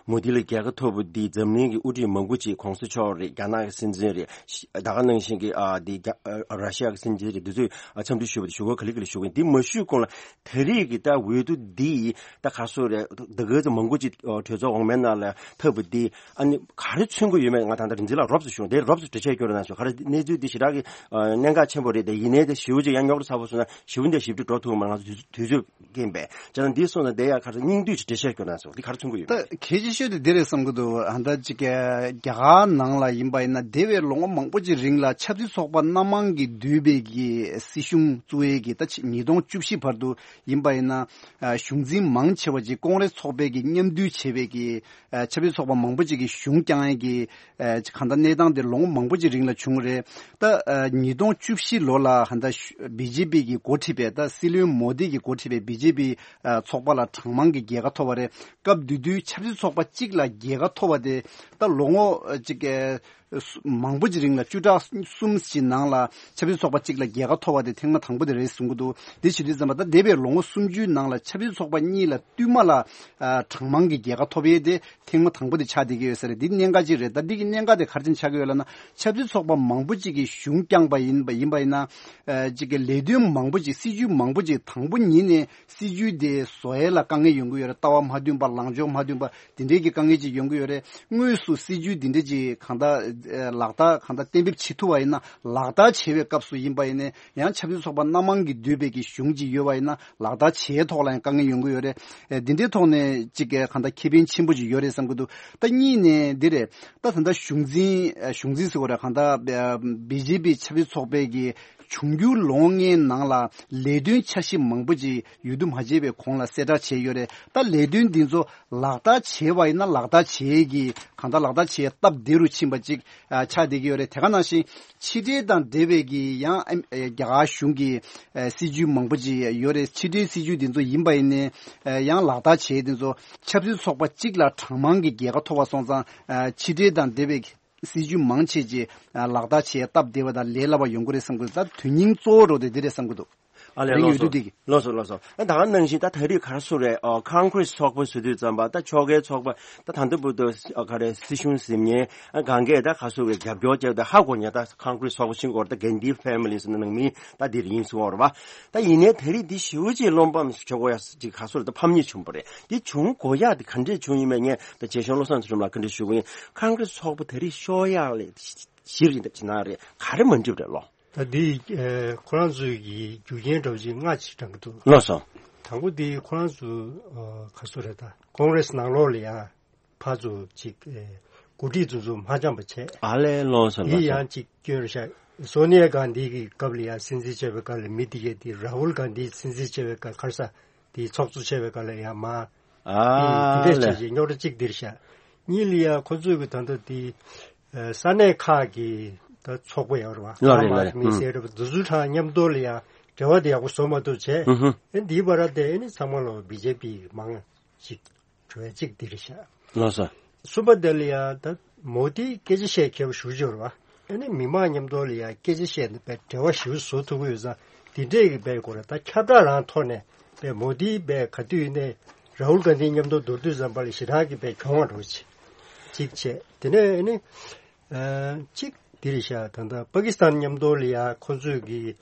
མོ་དི་ལ་རྒྱལ་ཁ་ཐོབ་པ་འདི་འཛམ་གླིང་གི་དབུ་ཁྲིད་མང་པོ་ཅིག་གོང་ས་མཆོག་རེད། རྒྱ་ནག་གི་སྲིད་འཛིན་རེད། ད་ག་ནང་བཞིན་གྱི་ཨ་དེ་རྒྱ་ཨ་ར་ཤི་ཡ་གི་སྲིད་འཛིན་རེད། འདི་ཚོས་ཨ་འཚམས་འདྲི་ཞུས་པ་དེ་ཞུ་སྒོ་ག་ལེ་ག་ལེ་ཞུ་གི་ཡིན། འདི་མ་ཞུས་གོང་ལ་ད་རེས་ཀྱི་ད་འོས་བསྡུ་འདི་ད་ག་སོ་རེད། ད་ག་ཚོད་མང་པོ་ཅིག་གྲོས་ཚོགས་འོག་མའི་ནང་ལ་ཐབས་པ་འདི་ཨ་ནི་ག་རེ་མཚོན་གྱི་ཡོད་མེད་ང་ད་ལྟ་རིག་འཛིན་ལགས་རོབ་ཙམ་ཞུ། དེ་རོབ་ཙམ་འགྲེལ་བཤད་སྐྱོན་རོགས་གནང་ཞུ། ག་རེ་གནས་ཚུལ་འདི་ཞེ་དྲག་གི་ཨ་གནད་འགག་ཆེན་པོ་རེད། དེ་ཡིན་ནའི་དེ་ཞེ་པོ་ཅིག་ཡང་རྙོག་དྲ་ཚ་པོ་སོང་ན་ཞེ་པོ་འདི་ཞིབ་ཕྲ་འགྲོ་ཐུབ་མ་རེད། ང་ཚོ་དུས་དུས་ཚོད་རྐྱེན་པས། བྱས་ན་འདི་སོང་ན་དེ་ཡང་ཁ་སང་སྙིང་བསྡུས་ཀྱི་འགྲེལ་བཤད་སྐྱོན་གནང་སོང་། འདི་ག་རེ་མཚོན་གྱི་ཡོད། ད་གལ་ཆེ་ཤོས་དེ་འདི་རེད་བསམ་གྱི་འདུག་ཨ་ད་ཅིག་རྒྱ་གར་ ཨ་ནང་ལ་ཡིན་པ་ཡིན་ན་འདས་པའི་ལོ་ངོ་མང་པོ་ཅིག་རིང་ལ་ཆབ་སྲིད་ཚོགས་པ་སྣ་མང་གིས་བསྡུས་པའི་གི་སྲིད་གཞུང་བཙུགས་ཡས་ཀྱི་ད་ཕྱི་ཉིས་སྟོང་བཅུ་བཞི་བར་དུ་ཡིན་པ་ཡིན་ན་ཨ་གཞུང་འཛིན་མང་ཆེ་བ་ཅིག་ཀོང་རེས་ཚོགས་པའི་གི་མཉམ་འདུས་བྱས་པའི་གི་ཨ་ཆབ་སྲིད་ཚོགས་པ་མང་པོ་ཅིག་གི་གཞུང་བསྐྱངས་ཡས་ཀྱི་ཨ་གང་ལྟར་གནས་སྟངས་དེ་ལོ་ངོ་མང་པོ་ཅིག་རིང་ལ་བྱུང་རེད། ད་ཨ་ཉིས་སྟོང་བཅུ་བཞི་ལོ་ལ་ཧ་ད་བི་ཇེ་པི་གི་འགོ་ཁྲིད་པའི་ད་སྲིད་བློན་མོ་དི་གི་འགོ་ཁྲིད་པའི་བི་ཇེ་པི་ཨ་ཚོགས་པ་ལ་གྲངས་མང་གི་རྒྱལ་ཁ་ཐོབ་པ་རེད། སྐབས་དེ་དུས་ཆབ་སྲིད་ཚོགས་པ་གཅིག་ལ་རྒྱལ་ཁ་ཐོབ་པ་དེ་ད་ལོ་ངོ་ཨ་གཅིག་ཨ་མང་པོ་ཅིག་རིང་ལ་བཅུ་ཕྲག་གསུམ་ཞིག་ནང་ལ་ཆབ་སྲིད་ཚོགས་པ་གཅིག་ལ་རྒྱལ་ཁ་ཐོབ་པ་དེ་ཐེངས་མ་དང་པོ་དེ་རེད་གསུང་གི་འདུག་དེ་བྱེད་དུས་ཙམ་པ་ད་འདས་པའི་ལོ་ངོ་སུམ་ཅུའི་ནང་ལ་ཆབ་སྲིད་ཚོགས་པ་གཉིས་ལ་བསྟུད་མ་ལ་ཨ་གྲངས་མང་གི་རྒྱལ་ཁ་ཐོབ་ཡས་དེ་ཐེངས་མ་དང་པོ་དེ་ཆགས་བསྡད་ཀྱི་ཡོད་ས་རེད། འདི་གནད་འགག་ཅིག་རེད། ད་འདི་གི་གནད་འགག་དེ་ག་རེ་བྱས་ནས་ཆགས་ཀྱི་ཡོད་ལབ་ན་ཆབ་སྲིད་ཚོགས་པ་མང་པོ་ཅིག་གིས་གཞུང་བསྐྱངས་པ་ཡིན་པ་ཡིན་པ་ཡིན་ན་ཨ་ཅིག་གི་ལས་དོན་མང་པོ་ཅིག་སྲིད་ཇུས་མང་པོ་ཅིག་དང་པོ་ཉིད་ནས་སྲིད་ཇུས་དེ་བཟོ་ཡས་ལ་དཀའ་ངལ་ཡོང་གི་ཡོད་རེད། ལྟ་བ་མ་མཐུན་པ་ལངས་ཕྱོགས་མ་མཐུན་པ་དེ་འདྲའི་གི་དཀའ་ངལ་ཅིག་ཡོང་གི་ཡོད་རེད། དངོས་སུ་སྲིད་ཇུས་དེ་འདྲ་ཅིག་གང་ལྟར་ཨ་ལག་བསྟར་གང་ལྟར་གཏན་འབེབས་བྱེད་ཐུབ་པ་ཡིན་ན་ལག་བསྟར་བྱེད་པའི་སྐབས་སུ་ཡིན་པ་ཡིན་ན་ཡང་ཆབ་སྲིད་ཚོགས་པ་སྣ་མང་གིས་བསྡུས་པའི་གི་གཞུང་ཅིག་ཡོད་པ་ཡིན་ན་ལག་བསྟར་བྱེད་ཐོག་ལ་ཡང་དཀའ་ངལ་ཡོང་གི་ཡོད་རེད། ཨེ་འདི་འདྲའི་ཐོག་ནས་ཅིག་གི་གང་ལྟར་ཁེ་ཕན་ཆེན་པོ་ཅིག་ཡོད་རེད་བསམ་གྱི་འདུག་ད་གཉིས་ནས་འདི་རེད། ད་ད་ལྟ་གཞུང་འཛིན་ཨ་གཞུང་འཛིན་ཟེར་བ་རེད། གང་ལྟར་ཨ་བི་ཇེ་པི་ཆབ་སྲིད་ཚོགས་པའི་གི་འབྱུང་འགྱུར་ལོ་ངོ་ལྔའི་ནང་ལ་ལས་དོན་འཆར་གཞི་མང་པོ་ཅིག་ཡོད་དུ་མ་བྱས་པའི་གོང་ལ་གསལ་བསྒྲགས་བྱས་ཡོད་རེད། ད་ལས་དོན་འདི་ཚོ་ལག་བསྟར་བྱས་པ་ཡིན་ན་ལག་བསྟར་བྱེད་ཀྱི་གང་ལྟར་ལག་བསྟར་བྱེད་སྟབས་བདེ་རུ་ཕྱིན་པ་ཅིག་ཨ་ཆགས་བསྡད་ཀྱི་ཡོད་རེད། དེ་ག་ནང་བཞིན་ཕྱི་འབྲེལ་དང་འབྲེལ་བའི་གི་ཡང་ཨ་རྒྱ་གར་གཞུང་གི་ཨ་སྲིད་ཇུས་མང་པོ་ཅིག་ཡོད་རེད། ཕྱི་འབྲེལ་སྲིད་ཇུས་འདི་ཚོ་ཡིན་པ་ཡིན་ནའི་ཨ་ཡང་ལག་བསྟར་བྱེད་འདི་ཚོ་ཆབ་སྲིད་ཚོགས་པ་གཅིག་ལ་གྲངས་མང་གི་རྒྱལ་ཁ་ཐོབ་པ་སོང་ཙང་ཨ་ཕྱི་འབྲེལ་དང་འབྲེལ་བའི་སྲིད་ཇུས་མང་ཆེ་ཆེ་ལག་བསྟར་བྱེད་སྟབས་བདེ་བ་དང་ལས་སླ་བ་ཡོང་གི་རེད་བསམ་གི་འདུག་ད་དོན་སྙིང་གཙོ་བོ་རོ་དེ་འདི་རེད་བསམ་གི་འདུག་ཨ་ལས། རིང་ཡོད་དུས་དེ་གི་ལགས་སོ་ལགས་སོ། ཨ་ད་ག་ནང་བཞིན་ད་ད་རེས་ག་རེ་ཟེར་རེད། ཨ་ཁོང་གྷི་རེ་སི་ཚོགས་པ་ཟེར་དུས་ཙམ་པ་ད་ཕྱོགས་འགལ་ཚོགས་པ་ད་ད་ལྟ་བར་དུ་ཨ་ག་རེ་སྲིད་གཞུང་ཟིན་མཁན་ཨ་གང་གས་ད་ག་ཟེར་རེད་རྒྱབ་སྐྱོར་བྱས་ད་ཧ་གོ་ཉེ་ད་ཁོང་གྷི་རེ་སི་ཚོགས་པ་ཕྱིན་གོ་ད་གྷན་དྷི་ཕེ་མི་ལི་ཟེར་ན་ནང་མི་ད་འདིར་ཡིན་གསུང་བ་རེད་པ། ད་ཡིན་ནའི་ད་རེས་འདི་ཞེ་པོ་ཅིག་བློ་ཕམ་ཞིག་བྱེད་དགོས་ཡ་ཅིག་ག་ཟེར་རེད་ད་ཕམ་ཉེས་བྱུང་བ་རེད། འདི་བྱུང་དགོས་ཡ་དེ་ག་འདྲས་བྱུང་ཡིན་མིན་ངས་ད་རྗེ་གཞུང་བློ་བཟང་ཚེ་རིང་ལགས་ག་འདྲས་ཞུ་གི་ཡིན། ཁོང་གྷི་རེ་སི་ཚོགས་པ་ད་རེས་ཤོར་ཡག་ལས་གཞི་རེད་ཅེ་ན་རེད་ག་རེ་མ་འགྲིག་རེད་ལོ། ད་འདི་ཨེ་ཁོ་རང་ཚོའི་གི་རྒྱུ་རྐྱེན་འདྲ་བོ་ཅིག་ལྔ་ཅིག་དྲངས་ཀྱི་འདུག་ལགས་སོ། དང་པོ་འདི་ཁོ་རང་ཚོ་ཨ་ག་ཟེར་རེད་ད་ཀོང་རེ་སི་ནང་ལོགས་ལ་ཡང་ཕར་ཚུར་ཅིག་ཨེ་འགོ་ཁྲིད་ཚོ་ཚོ་མ་འཆམ་པ་བྱས། ཨ་ལས་ལགས་སོ་ལགས་སོ། འདི་ཡང་ཅིག་སྐྱོན་རེད་ཤག་སོ་ནི་ཡ་གྷན་དྷི་གི་སྐབས་ལ་ཡང་སྲིད་འཛིན་བྱས་པའི་སྐབས་ལ་མི་འདི་གས་འདི་ར་ཧུལ་གྷན་དྷི་སྲིད་འཛིན་བྱས་པའི་སྐབས་ག་རེ་ཟ་འདི་ཚོགས་གཙོ་བྱས་པའི་སྐབས་ལ་ཡང་མ་ཨ་འདི་འདྲས་ལས། བྱས་རྗེས་རྙོག་དྲ་གཅིག་འདིར་བཞག་གཉིས་ལ་ཡ་ཁོ་ཚོས་གི་ད་ལྟ་འདི་ཨ་ས་གནས་ཁག་གི་ད་ཚོགས་པ་ཡོད་རེད་བ། ལགས་རེད་ལགས་རེད། མི་ཨུམ། སེར་རེད་བ་འདི་ཚོ་གྲངས་མཉམ་དུ་ལ་ཡ་འབྲེལ་བ་དེ་ཡག་པོ་བཟོ་མ་ཐུབ་བྱས། ཨུ་ཧུ། ཨེ་འདིའི་བར་དེ་ཨེ་ནི་ཚང་མ་ལོ་བི་ཇེ་པི་མང་ཅིག་འགྲོ་ཡ་གཅིག་འདིར་བཞག་ལགས་སོ། གསུམ་པ་དེ་ལ་ཡ་ད་མོ་དིས་སྐད་ཆ་བཤད་མཁས་པོ་ཞེ་པོ་ཅིག་ཡོད་རེད་བ། ཨ་ནི་མི་མང་མཉམ་དུ་ལ་ཡ་སྐད་ཆ་བཤད་ནས་པའི་འབྲེལ་བ་ཞེ་པོ་བཟོ་ཐུབ་ཀྱི་ཡོད་ཙང་འདི་འདྲས་ཀྱི་པའི་སྐོར་ལ་ད་ཁྱབ་བསྒྲགས་རང་ཐོག་ནས་པའི་མོ་དིས་པའི་ག་དུས་ནས་ར་ཧུལ་གྷན་དྷི་མཉམ་དུ་མདོར་བསྡུས་ཙམ་པ་ལ་ཞེ་དྲག་གི་པའི་གྱོང་བ་འགྲོ་ཅིག་ཅིག་བྱས་དེ་ནས་ཨ་ནི་ཨ་གཅིག་འདི་རེད་ཤག་ད་ལྟ་པ་ཀི་སི་ཐན་མཉམ་དུ་ལ་ཡ་ཁོ་ཚོས་ཀྱི་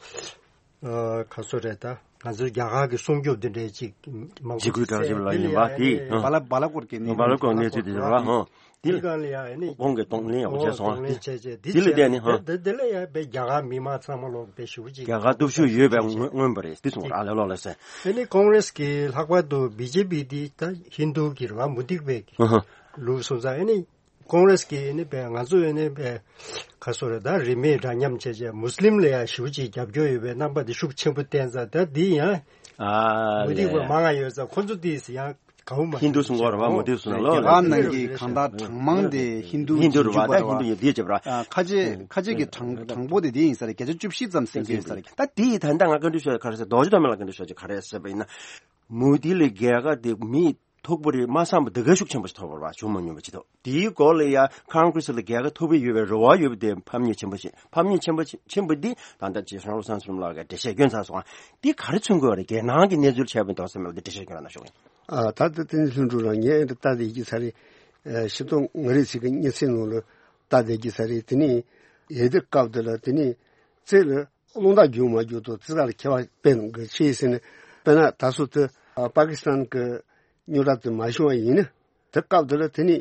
ཨ་ག་ཚོད་རེད་ད་ང་ཚོའི་རྒྱ་གར་གྱི་སྲུང་སྐྱོབ་འདི་འདྲའི་ཅིག་མང་པོ་འཇིགས་སྐུལ་དྲག་ཞིག་ལ་ཡིན་པ་དེ་ཨ་ཨ་ནི་བ་ལ་བ་ལ་སྐོར་གྱི་གནས་བ་ལ་སྐོར་གནས་ཚུལ་དེ་རེད་བ་ཧང་། འདི་གང་ལ་ཡང་ཨ་ནི་གོང་གི་གདོང་ལེན་ཡག་པོ་བྱས་སོང་། གདོང་ལེན་བྱས་བྱས་འདི་འདི་ལ་བྱས་བསྡད་ནི་ཧ། འདི་འདི་ལ་ཡང་པའི་རྒྱ་གར་མི་མང་ཚང་མ་ལོག་པའི་ཞུ་ཅིག་རྒྱ་གར་སྟོབས་ཤུགས་ཡོད་པའི་མངོན་མངོན་པ་རེད་འདི་གསུངས་ར་ལས་ལོག་ལ་ཟེར། ཨ་ནི་ཀོང་རེས་ཀྱི་ལྷག་པར་དུ་བི་ཇེ་པི་འདི་ད་ཧིན་རྡུ་གི་རེད་བ་མུ་སྟེགས་པའི་ཧ་ཧ། ལུགས་སོང་ཙང་ཨ་ནི་ཀོང་རེས་ཀྱི་ཨ་ནི་པའི་ང་ཚོ་ཨ་ནི་པའི་ག་སོ་རེད་ད་རིས་མེད་འདྲ་མཉམ་བྱས་བྱས་མུ་སི་ལིམ་ལ་ཡང་ཞུ་ཅིག་རྒྱབ་སྐྱོར་ཡོད་པའི་རྣམ་པ་འདི་ཤུགས་ཆེན་པོ་བསྟན་ཙང་ད་འདི་ཡང་ཨ་མུ་སྟེགས་པ་ལས་མང་ང་ཡོད་ཙང་ཁོ་ཚོ་འདི་ཡང་གའུ་མ་ཧིན་རྡུ་གསུང་གི་རེད་བ་མུ་སྟེགས་གསུང་ན་ལོ། རྒྱ་གར་ནང་གི་གང་ལྟར་གྲངས་མང་དེ་ཧིན་རྡུ་ཧིན་རྡུ་རེད་བ་ད་ཧིན་རྡུ་ཡོད་དེ་བྱེད་པ་ར། ཁ་ཆེ་ཁ་ཆེ་གི་གྲངས་གྲངས་འབོར་དེ་དེ་ཡིན་ས་རེད་བརྒྱ་ཆ་བཅུ་བཞི་ཙམ་ཟིན་གྱི་ཡོད་ས་རེད། ད་དེ་ཡི་ད་ལྟ་ང་བཀའ་འདྲི་ཞུ་ཡ་ག་རེ་ཟེར་རྡོ་རྗེ་ཐོགས་མེད་ལ་བཀའ་འདྲི་ཞུ་ཡ་ག་རེ་ཟེར་བ་ཡིན་ན། མུ་དྷི་ལ་རྒྱལ་ཁ་དེ་མི་མཐུག་པོ་རེད་མ་བསམ་པ་དེ་གའི་ཤུགས་ཆེན་པོ་ཞིག་ཐོབ་པ་རེད་བ་བྱུང་མ་མྱོང་བ་ཅིག་འདུག་དེའི་སྐོར་ལ་ཡ་ཁོང་གྷི་རེས་ལ་རྒྱལ་ཁ་ཐོབ་ཀྱི་ཡོད་པའི་རེ་བ་ཡོད་པ་དེ་ཕམ་ཉེས་ཆེན་པོ་ཞིག་ཕམ་ཉེས་ཆེན་པོ་ཆེན་པོ་འདི་ད་ལྟ་རྗེ་གཞུང་བློ་བཟང་ཚེ་རིང་ལགས་ཀྱིས་འགྲེལ་བཤད་སྐྱོན་ཚར་སོང་ང་། འདི་ག་རེ་མཚོན་དགོས་པ་རེད་རྒྱལ་ནང་གི་གནས་ཚུལ་ཆགས་པའི་མདོ་ཚན་མེད་པ་འདི་འགྲེལ་བཤད་སྐྱོན་ར་ན་ཤོག་ཨ་ད་ལྟ་དེ་ནི་ལྷུན་གྲུབ་རང་ངས་ཨེ་འདི་ལྟ་དེ་ཡི་ས་རེད། ཤི་ཏོ་ང་རེ་ཚིག་གི་གཉིད་སེ་ནང་ལ་ལྟ་དེ་ཡི་ས་རེད། དེ་ནི་ཡེ་དེ་སྐབས་དེ་ལ་དེ་ནི་རྩེ་ལ་རླུང་རྟ་རྒྱུག་མ་རྒྱུག་ཏུ་རྩེ་ལ་ཁྱེད་པ་དཔེ་གི་ཆེ་ཟེར་ནས་དཔེར་ན་ད་སོ་དེ་པ་ཀི་སི་ཐན་གི་རྙོག་དྲ་དེ་མ་བྱུང་བ་ཡིན་ན་དེ་སྐབས་དེ་ལ་དེ་ནི་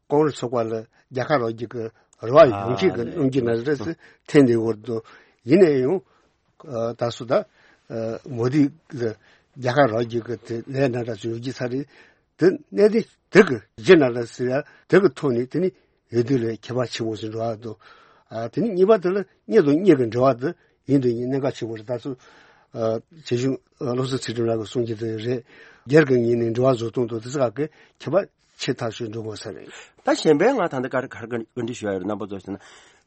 ཀོང་རེས་ཚོགས་པ་ལ་རྒྱལ་ཁ་རག་རྒྱུ་གི་རེ་བ་ཡོང་གི་གི་གནང་རྒྱུ་ན་རེ་ཟེར་འཐེན་དེ་བོར་དུ་ཡིན་ནའི་ཡང་ད་སོ་ད་མོ་དི་ལ་རྒྱལ་ཁ་རག་རྒྱུ་གི་དེ་ལས་ན་འདྲ་ཚོ་ཡོད་ཀྱི་ས་རེད། དེ་གནད་དེ་དེ་གི་རྒྱུ་ན་རེ་ཟེར་ཡ་དེ་གི་ཐོག་ནས་དེ་ནི། འོས་བསྡུ་ལས་ཁྱད་པར་ཆེན་པོ་ཞིག་འགྲོ་བ་འདུག་ཨ་དེ་ནས་གཉིས་པ་དེ་ལ་གཉེན་དང་གཉེན་གྱི་འབྲེལ་བ་དེ་ཡིན་དང་ཡིན། གནད་འགག་ཆེན་པོ་རེད། ད་ཚོ་ཨ་བྱེད་གཞུང་ཨ་བློ་བཟང་ཚུལ་ཁྲིམས་ལགས་ཀྱིས་གསུང་གི་དེ་རེད། སྒེར་གྱི་ངོས་ནས་འབྲེལ་བ་བཟོ་སྟངས་དང་དེ་ཚོ་ག་གི་ཁྱད་པར་ཆེ་ཐག་ཆོད་འགྲོ་དགོས་ས་རེད། ད་གཞན་པའི་ང་ད་ལྟ་ག་རེ་ག་རེ་བཀའ་འདྲི་ཞུ་ཡ་ཡོད་རེད། རྣམ་པ་ཚོ་ཟེར་ན།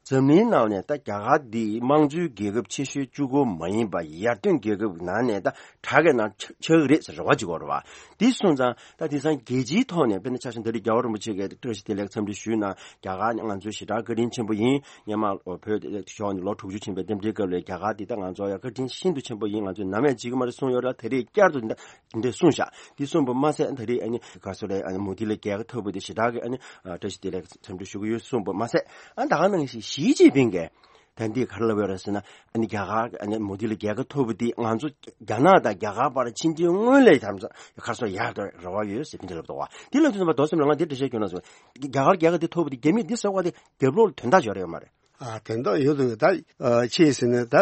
འཛམ་གླིང་ནང་ནས་ད་རྒྱ་གར་འདི་དམངས་གཙོའི་རྒྱལ་ཁབ་ཆེ་ཤོས་གཅིག་པོ་མ་ཡིན་པ་ཡར་ཐོན་རྒྱལ་ཁབ་ནང་ནས་ད་དྲག་གི་ནང་ཆགས་ཆགས་ཀྱི་རེད་ཟེར་རེ་བ་ཅིག་ཡོད་རེད་བ། འདི་སོང་ཙང་ད་དེང་སང་རྒྱལ་སྤྱིའི་ཐོག་ནས་དཔེར་ན་ཆ་བཞག་ན་ད་རེས་རྒྱལ་བ་རིན་པོ་ཆེ་གིས་བཀྲ་ཤིས་བདེ་ལེགས་འཚམས་འདྲི་ཞུས་ན་རྒྱ་གར་ནི་ང་ཚོའི་ཞེ་དྲག་བཀའ་དྲིན་ཆེན་པོ་ཡིན། སྔོན་མ་བོད་ཕྱོགས་ནས་ལོ་དྲུག་ཅུ་ཕྱིན་པའི་རྟེན་འབྲེལ་སྐབས་ལ་རྒྱ་གར་འདི་ད་ང་ཚོ་ཡ་བཀའ་དྲིན་ཤིན་ཏུ་ཆེན་པོ་ཡིན། ང་ཚོས་ནམ་ཡང་བརྗེད་ཀྱི་མ་རེད་གསུངས་ཡོད་རེད། ད་རེས་བསྐྱར་དུ་འདི་འདྲ་གསུངས་ཤག་འདི་གསུངས་པ་མ་ཟད་ད་རེས་ཨ་ནི་ག་སོ་རེད། ཨ་ནི་མོ་དི་ལ་རྒྱལ་ཁ་ཐོབ་པ་དེ་ཞེ་དྲག་གི་ཨ་ནི་བཀྲ་ཤིས་བདེ་ལེགས་འཚམས་འདྲི་ཞུ་གི་ཡོད་གསུངས་པ་མ་ཟད། ཨ་ད་ག་ནང་བཞིན་ཞི་ཅིན་ཕིང་གིས་ད་འདི་ག་རེ་ལབ་ཡོད་རེད་ཟེར་ན། ཨ་ནི་རྒྱ་གར་ཨ་ནི་མོ་དི་ལ་རྒྱལ་ཁ་ཐོབ་པ་དེ་ང་ཚོ་རྒྱ་ནག་དང་རྒྱ་གར་བར་ཕྱི་འབྲེལ་སྔོན་ལས་དམ་ཁ་སོ་ཡག་ཏུ་རེ་བ་ཡོད་ཟེར་དེ་འདྲ་ལབ་འདུག་བ། དེ་ལབ་དུས་ཙམ་པ་རྡོ་སེམས་ལ་ང་འདི་འདྲ་བཤད་རྒྱུ་ན་སོང་། རྒྱ་གར་རྒྱལ་ཁ་དེ་ཐོབ་པ་དེ་རྒྱ་མི་འདི་ཟེར་བ་དེ་རྒྱབ་ལོགས་ལ་དོན་དག་ཅིག་ཡོད་རེད་ཡོད་མ་རེད། ཨ་དོན་དག་ཡོད་དོ། ད་ཨ་ཆི་ཟེར་ན་ད་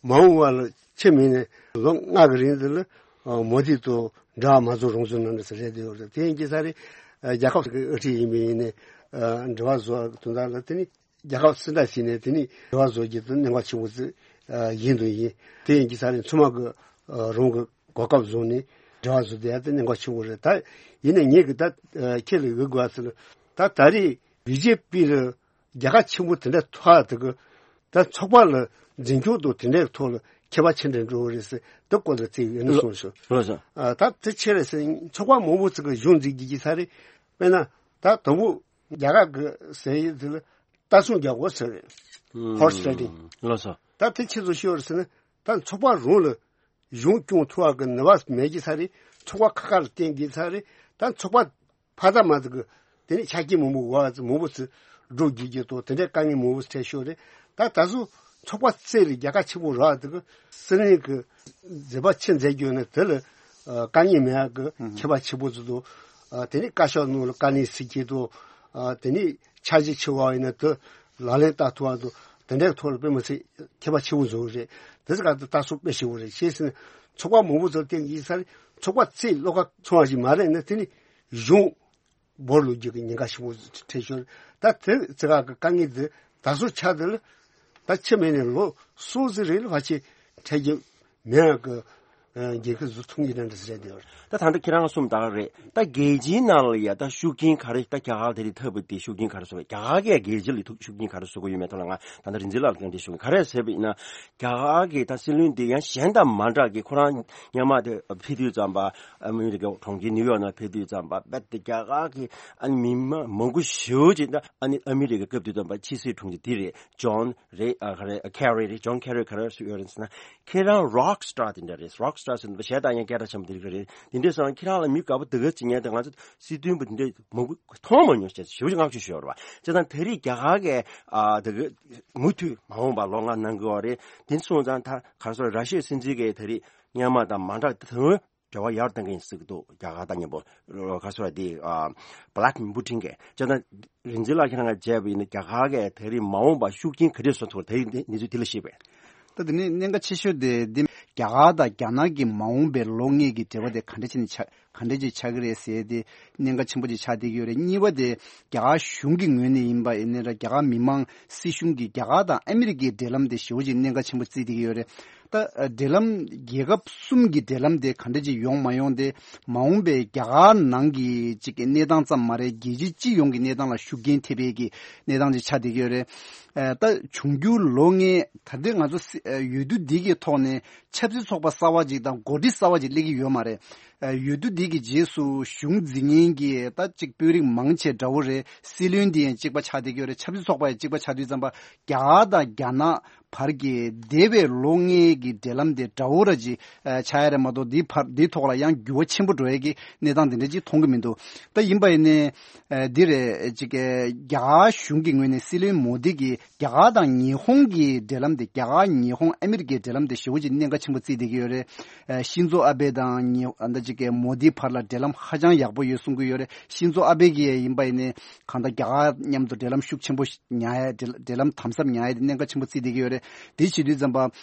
མ་འོངས་པ་ལ་ཆི་མིན་ནས་ལོ་ལྔ་གི་རིང་དེ་ལ་ཨ་མོ་དི་དང་འབྲེལ་བ་མ་བཟོ་རོགས་ཟེར་གནང་འདྲ་ཟེར་རེད་དེ་ཡོད་རེད། དེ་ཡིན་གྱི་ས་རེད། ཨ་རྒྱལ་ཁབ་ཀྱི་དབུ་ཁྲིད་ཡིན་པ་ཡིན་ནས་ཨ་འབྲེལ་བ་བཟོ་དོན་དག་ལ་དེ་ནི་རྒྱལ་ཁབ་སུ་འདྲ་ཞིག་ནས་དེ་ནི་འབྲེལ་བ་བཟོ་རྒྱུ་དེ་གནད་འགག་ཆེན་པོ་ཅིག་ཡིན་དུ་ཡིན། དེ་ཡིན་གྱི་ས་རེད། ཚང་མ་གི་ཨ་རང་གི་གོ་སྐབས་བཟུང་ནས་འབྲེལ་བ་བཟོ་བསྡད་ཡ་དེ་གནད་འགག་ཆེན་པོ་རེད། ད་ཡིན་ནའི་ངེད་ཀྱི་ད་ཨ་ཁྱེད་ལ་ཡོད་དགོས་ཟེར་ན། ད་ད་རེས་བི་ཇེ་པི་ལ་རྒྱལ་ཁ་ཆེན་པོ་དེ་འདྲ་ཐོབ་ཡ་དེ་གི་ད་ཚོགས་པ་ལ་འཛིན་སྐྱོང་དང་དེ་འདྲའི་ཐོག་ལ་ཁྱད་པར་ཆེ་འདྲ་འགྲོ་གི་རེད་ཟེར། དེ་སྐོར་ལ་ཚིག་ཡོད་ན་གསུངས་ཤོག་ལགས་སོ། ཨ་ད་དེ་ཆེ་རེད་ཟེར། ཚོགས་པ་མང་པོ་ཅིག་གི་གཞུང་འཛིན་གྱི་ཡིན་ས་རེད། དཔེར་ན་ད་དང་པོ་རྒྱ་གར་གི་ཟེར་ཡིན་དེ་ལ་རྟ་སྲུང་རྒྱག་དགོས་ཟེར་རེད། ཧོར་སི་རའི་ཌིང་། ལགས་སོ། ད་དེ་ཆི་ཟིག་ཤོར་ཟེར་ན། ད་ཚོགས་པ་རང་ལ་གཞུང་སྐྱོང་ཐུབ་པ་གི་ནུས་པ་མེད་ཀྱི་ས་རེད། ཚོགས་པ་ཁ་ཁ་ལ་བརྟེན་གྱི་ས་རེད། ད་ཚོགས་པ་ཕ་ད་མ་ཟིག་གི་དེ་ནས་ཆ་རྐྱེན་མང་པོ་བ་མང་པོ་ཚོས་སྒྲུབ་བགྱིད་རྒྱུ་དང་དེ་འདྲའི་དཀའ་ངལ་མང་པོ་འཕྲད་ཤོར་རེད། ད་ད་གཟོད་ཚོགས་པ་རྩེ་ལ་རྒྱལ་ཁ་ཆེན་པོ་རག་དེ་གི་སྲིད་བློན་གྱི་མཛད་པ་ཆེ་མཛད་རྒྱུ་ནི་དེ་ལ་དཀའ་ངལ་མེད་ཡག་གི་ཁྱད་པར་ཆེན་པོ་ཚོ་དང་། དེ་ནས་བཀའ་ཤག་ནང་ལ་དཀའ་ལས་སེལ་གྱི་དང་། དེ་ནས་འཆར་གཞི་ཆེ་བ་ཡིན་ན་དེ་ལག་ལེན་བསྟར་ཐུབ་པ་དང་དེ་འདྲའི་ཐོག་ལ་དཔེ་མི་སྲིད་ཁྱད་པར་ཆེན་པོ་བཟོ་གི་རེད། དེ་ཚོ་ག་དུས་ལྟ་སོགས་དཔེ་ཞིག་བོ་རེད། ཤེས་ཟིན་ཚོགས་པ་མང་པོ་ཚོ་བརྟེན་གྱི་ས་རེད། ཚོགས་པ་ཚེ་བློ་ཁ་ཚང་བ་ཞིག་མ་རེད་ན་དེ་ནི་གཞུང་བོར་ལུགས་རྒྱུ་གི་ཉེན་ཁ་ཞིག་བོ་འཕྲད་ཤོར། ད་དེ་ཚེ་ག་གི་དཀའ་ངལ་དེ་ད་སོ་ཆ་དེ་ལ་ད་ཆི་མེད་ནས་ལོ་སོ་ཟི་རེད་ལ་ཕ་ཆེ་འཕྲད་རྒྱུ་མེད་གི་རྒྱལ་ཁབ་བཟོ་ཐུབ་ཀྱི་རེད་འདྲ་ཟེར་དེ། ད་ད་ལྟ་ཁྱེད་རང་གསུམ་ད་ག་རེད། ད་རྒྱལ་སྤྱིའི་ནང་ལ་ཡ་ད་ཤུགས་རྐྱེན་ག་རེ། ད་རྒྱ་གར་དེ་རིང་ཐོབ་པ་དེ་ཤུགས་རྐྱེན་ག་རེ་བཟོ་གི། རྒྱ་གར་གྱིས་རྒྱལ་སྤྱི་ལ་ཐུག་ཤུགས་རྐྱེན་ག་རེ་བཟོ་གི་ཡོད་མེད་ཐོག་ལ་ང་ད་ལྟ་རིག་འཛིན་ལགས་ལ་བཀའ་འདྲི་ཞུ་གི། ག་རེ་ཟེར་བ་ཡིན་ན། རྒྱ་གར་གྱི་ད་སྲིད་བློན་དེ་ཡང་གཞན་དང་མ་འདྲ་གི་ཁོ་རང་སྔོན་མ་དེ་ཕེབས་དུས་ཙམ་པ་ཨ་མི་རི་ཀའི་གྲོང་ཁྱེར་ནིའུ་ཡོག་ནང་ཕེབས་དུས་ཙམ་པ་རྦད་དེ་རྒྱ་གར་གྱི་ཨ་ནི་མི་མང་མང་པོ་ཞེ་པོ་ཅིག་ད་ཨ་ནི་ཨ་མི་རི་ཀའི་སྐབས་དུས་ཙམ་པ་ཕྱི་སྲིད་དྲུང་ཆེ་དེ་རེད། ཇོན་རེད། ཨ་ག་རེ་ཁེ་རི་རེད། ཇོན་ཁེ་རི་ག་རེ་ཞུ་ཡོད་རེད་ཟེར་ན། ཁྱེད་རང་རོག་སི་ཊར་དེ་འདྲ་རེད། རོག་སི་ཊར་ཟེར་ན་གཞས་བཏང་ཡང་སྐད་གྲགས་ཆེན་པོ་དེ་རིགས་རེད། དེ་འདྲ་སོང་ཙང་ཁྱེད་རང་ལ་མི་དགའ་པོ་དེ་ག་ཅིག་ཉན་དེ་ང་ཚོ་སྲིད་དོན་པ་དེ་འདྲ་མང་པོ་མཐོང་མ་མྱོང་ཞེས་ཞེ་པོ་ཅིག་བསྔགས་བརྗོད་ཞུ་ཡོད་རེད་བ། བྱས་ཙང་དེ་རིང་རྒྱ་གར་གྱི་ཨ་དེ་ག་མུ་མཐུད་མ་འོངས་པ་ལོ་ལྔ་གནང་གི་ཡོད་རེད། དེ་སོང་ཙང་ད་ག་རེ་ཟེར། ར་ཤི་ཡའི་སྲིད་འཛིན་གྱིས་དེ་རིང་སྔོན་མ་དང་མ་འདྲ་དོན་འབྲེལ་བ་ཡར་གཏོང་གི་ཡིན་ཟེར་གྱི་འདུག་རྒྱ་གར་དང་མཉམ་པོ་ག་རེ་ཟེར་དེ་ཨ་བྷི་ལ་ཌི་མིར་པུ་ཊིན་གྱིས། བྱས་ཙང་རིག་འཛིན་ལགས་ཁྱེད་རང་གིས་མཇལ་བ་ཡིན་ན་རྒྱ་གར་གྱིས་དེ་རིང་མ་འོངས་པར་ཤུགས་རྐྱེན་ག་འདྲས་བཟོ་ཐུབ་དེ་རིང་གནས་ཚུལ་དེ་ལ་བཤད་པས། ད་དེ་ནས་གནད་འགག་ཆེ་ཤོས་དེ་འདི་རྒྱ་གར་དང་རྒྱ་ནག་གི་མ་འོངས་པའི་ལོ་ལྔའི་གི་འབྲེལ་བ་དེ་ག་འདྲ་བྱས་ནས་ཆགས་ག་འདྲ་ཅིག་ཆགས་ཀྱི་རེད་ཟེར་དེ་གནད་འགག་ཆེན་པོ་ཅིག་ཆགས་བསྡད་ཀྱི་ཡོད་རེད། གཉིས་པ་དེ་རྒྱ་གར་གཞུང་གི་ངོས་ནས་ཡིན་པ་ཡིན་ན་ར་རྒྱ་གར་མི་མང་སྲིད་གཞུང་གིས་རྒྱ་གར་དང་ཨ་མི་རི་ཀའི་འབྲེལ་ལམ་དེ་ཞེ་པོ་ཅིག་གནད་འགག་ཆེན་པོ་བརྩིས་བསྡད་ཀྱི་ཡོད་རེད། ད་འབྲེལ་ལམ་རྒྱལ་ཁབ་གསུམ་གྱི་འབྲེལ་ལམ་དེ་ག་འདྲ་ཅིག་ཡོང་མ་ཡོང་དེ་མ་འོངས་པའི་རྒྱ་གར་ནང་གི་ཅིག་གི་གནས་སྟངས་ཙམ་མ་རེད། རྒྱལ་སྤྱི་སྤྱི་ཡོངས་ཀྱི་གནས་སྟངས་ལ་ཤུགས་རྐྱེན་ཐེབས་པའི་གི་གནས་སྟངས་ཅིག་ཆགས་བསྡད་ཀྱི་ཡོད་རེད། ཨ་ད་འབྱུང་འགྱུར་ལོ་ལྔའི་ད་ལྟའི་ང་ཚོ་སྲི་ཨ་འོས་བསྡུ་འདི་གི་ཐོག་ནས་ཆབ་སྲིད་ཚོགས་པ་གསར་བ་ཅིག་དང་འགོ་ཁྲིད་གསར་བ་ཅིག་སླེབས་ཀྱི་ཡོད་མ་རེད། ཨ་འོས་བསྡུ་འདི་གི་རྗེས་སུ་གཞུང་འཛིན་མཁན་གྱི་ད་ཅིག་དཔོན་རིགས་མང་ཆེ་འདྲ་བོ་རེད། སྲིད་བློན་འདི་ཡང་གཅིག་པ་ཆགས་བསྡད་ཀྱི་ཡོད་རེད། ཆབ་སྲིད་ཚོགས་པ་ཡང་གཅིག་པ་ཆགས་དུས་ཙམ་པ་རྒྱ་གར་དང་རྒྱ་ནག་བར་གྱི་འདས་པའི་ལོ་ལྔའི་གི་འབྲེལ་ལམ་དེ་འདྲ་བོ་ར་ཅིག་ཨ་ཆགས་ཡ་རེད་མ་གཏོགས་འདིའི་བར་འདིའི་ཐོག་ལ་ཡང་འགྱུར་བ་ཆེན་པོ་འགྲོ་ཡ་གི་གནས་སྟངས་དེ་འདྲ་ཅིག་མཐོང་གི་མི་འདུག་ད་ཡིན་པ་ཡིན་ནའི་ཨ་འདི་རེད་ཅིག་ཨ་རྒྱ་གར་གཞུང་གི་ངོས་ནས་སྲིད་བློན་མོ་དི་གིས་རྒྱ་གར་དང་ཉི་ཧོང་གི་འབྲེལ་ལམ་དེ་རྒྱ་གར་ཉི་ཧོང་ཨ་མི་རི་ཀའི་འབྲེལ་ལམ་དེ་ཞེ་པོ་ཅིག་གནད་འགག་ཆེན་པོ་བརྩིས་བསྡད་ཀྱི་ཡོད་རེད། ཨ་ཤིན་ཛོ་ཨ་བྷེ་དང་ཉི་ཨ་ད་ གི་མོ་དི་བར་ལ་འབྲེལ་ལམ་ཧ་ཅང་ཡག་པོ་ཡོད་གསུང་གི་ཡོད་རེད། ཤིན་ཛོ་ཨ་བྷེ་གིས་ཡིན་པ་ཡིན་ནའི་གང་ལྟར་རྒྱ་གར་མཉམ་དུ་འབྲེལ་ལམ་ཤུགས་ཆེན་པོ་ཉར་ཡ། འབྲེལ་འབྲེལ་ལམ་དམ་ཟབ་ཉར་ཡ་དེ་གནད་འགག་ཆེན་པོ་བརྩིས་བསྡད་ཀྱི་ཡོད་རེད། དེ་བྱེད་དུས་ཙམ་པ་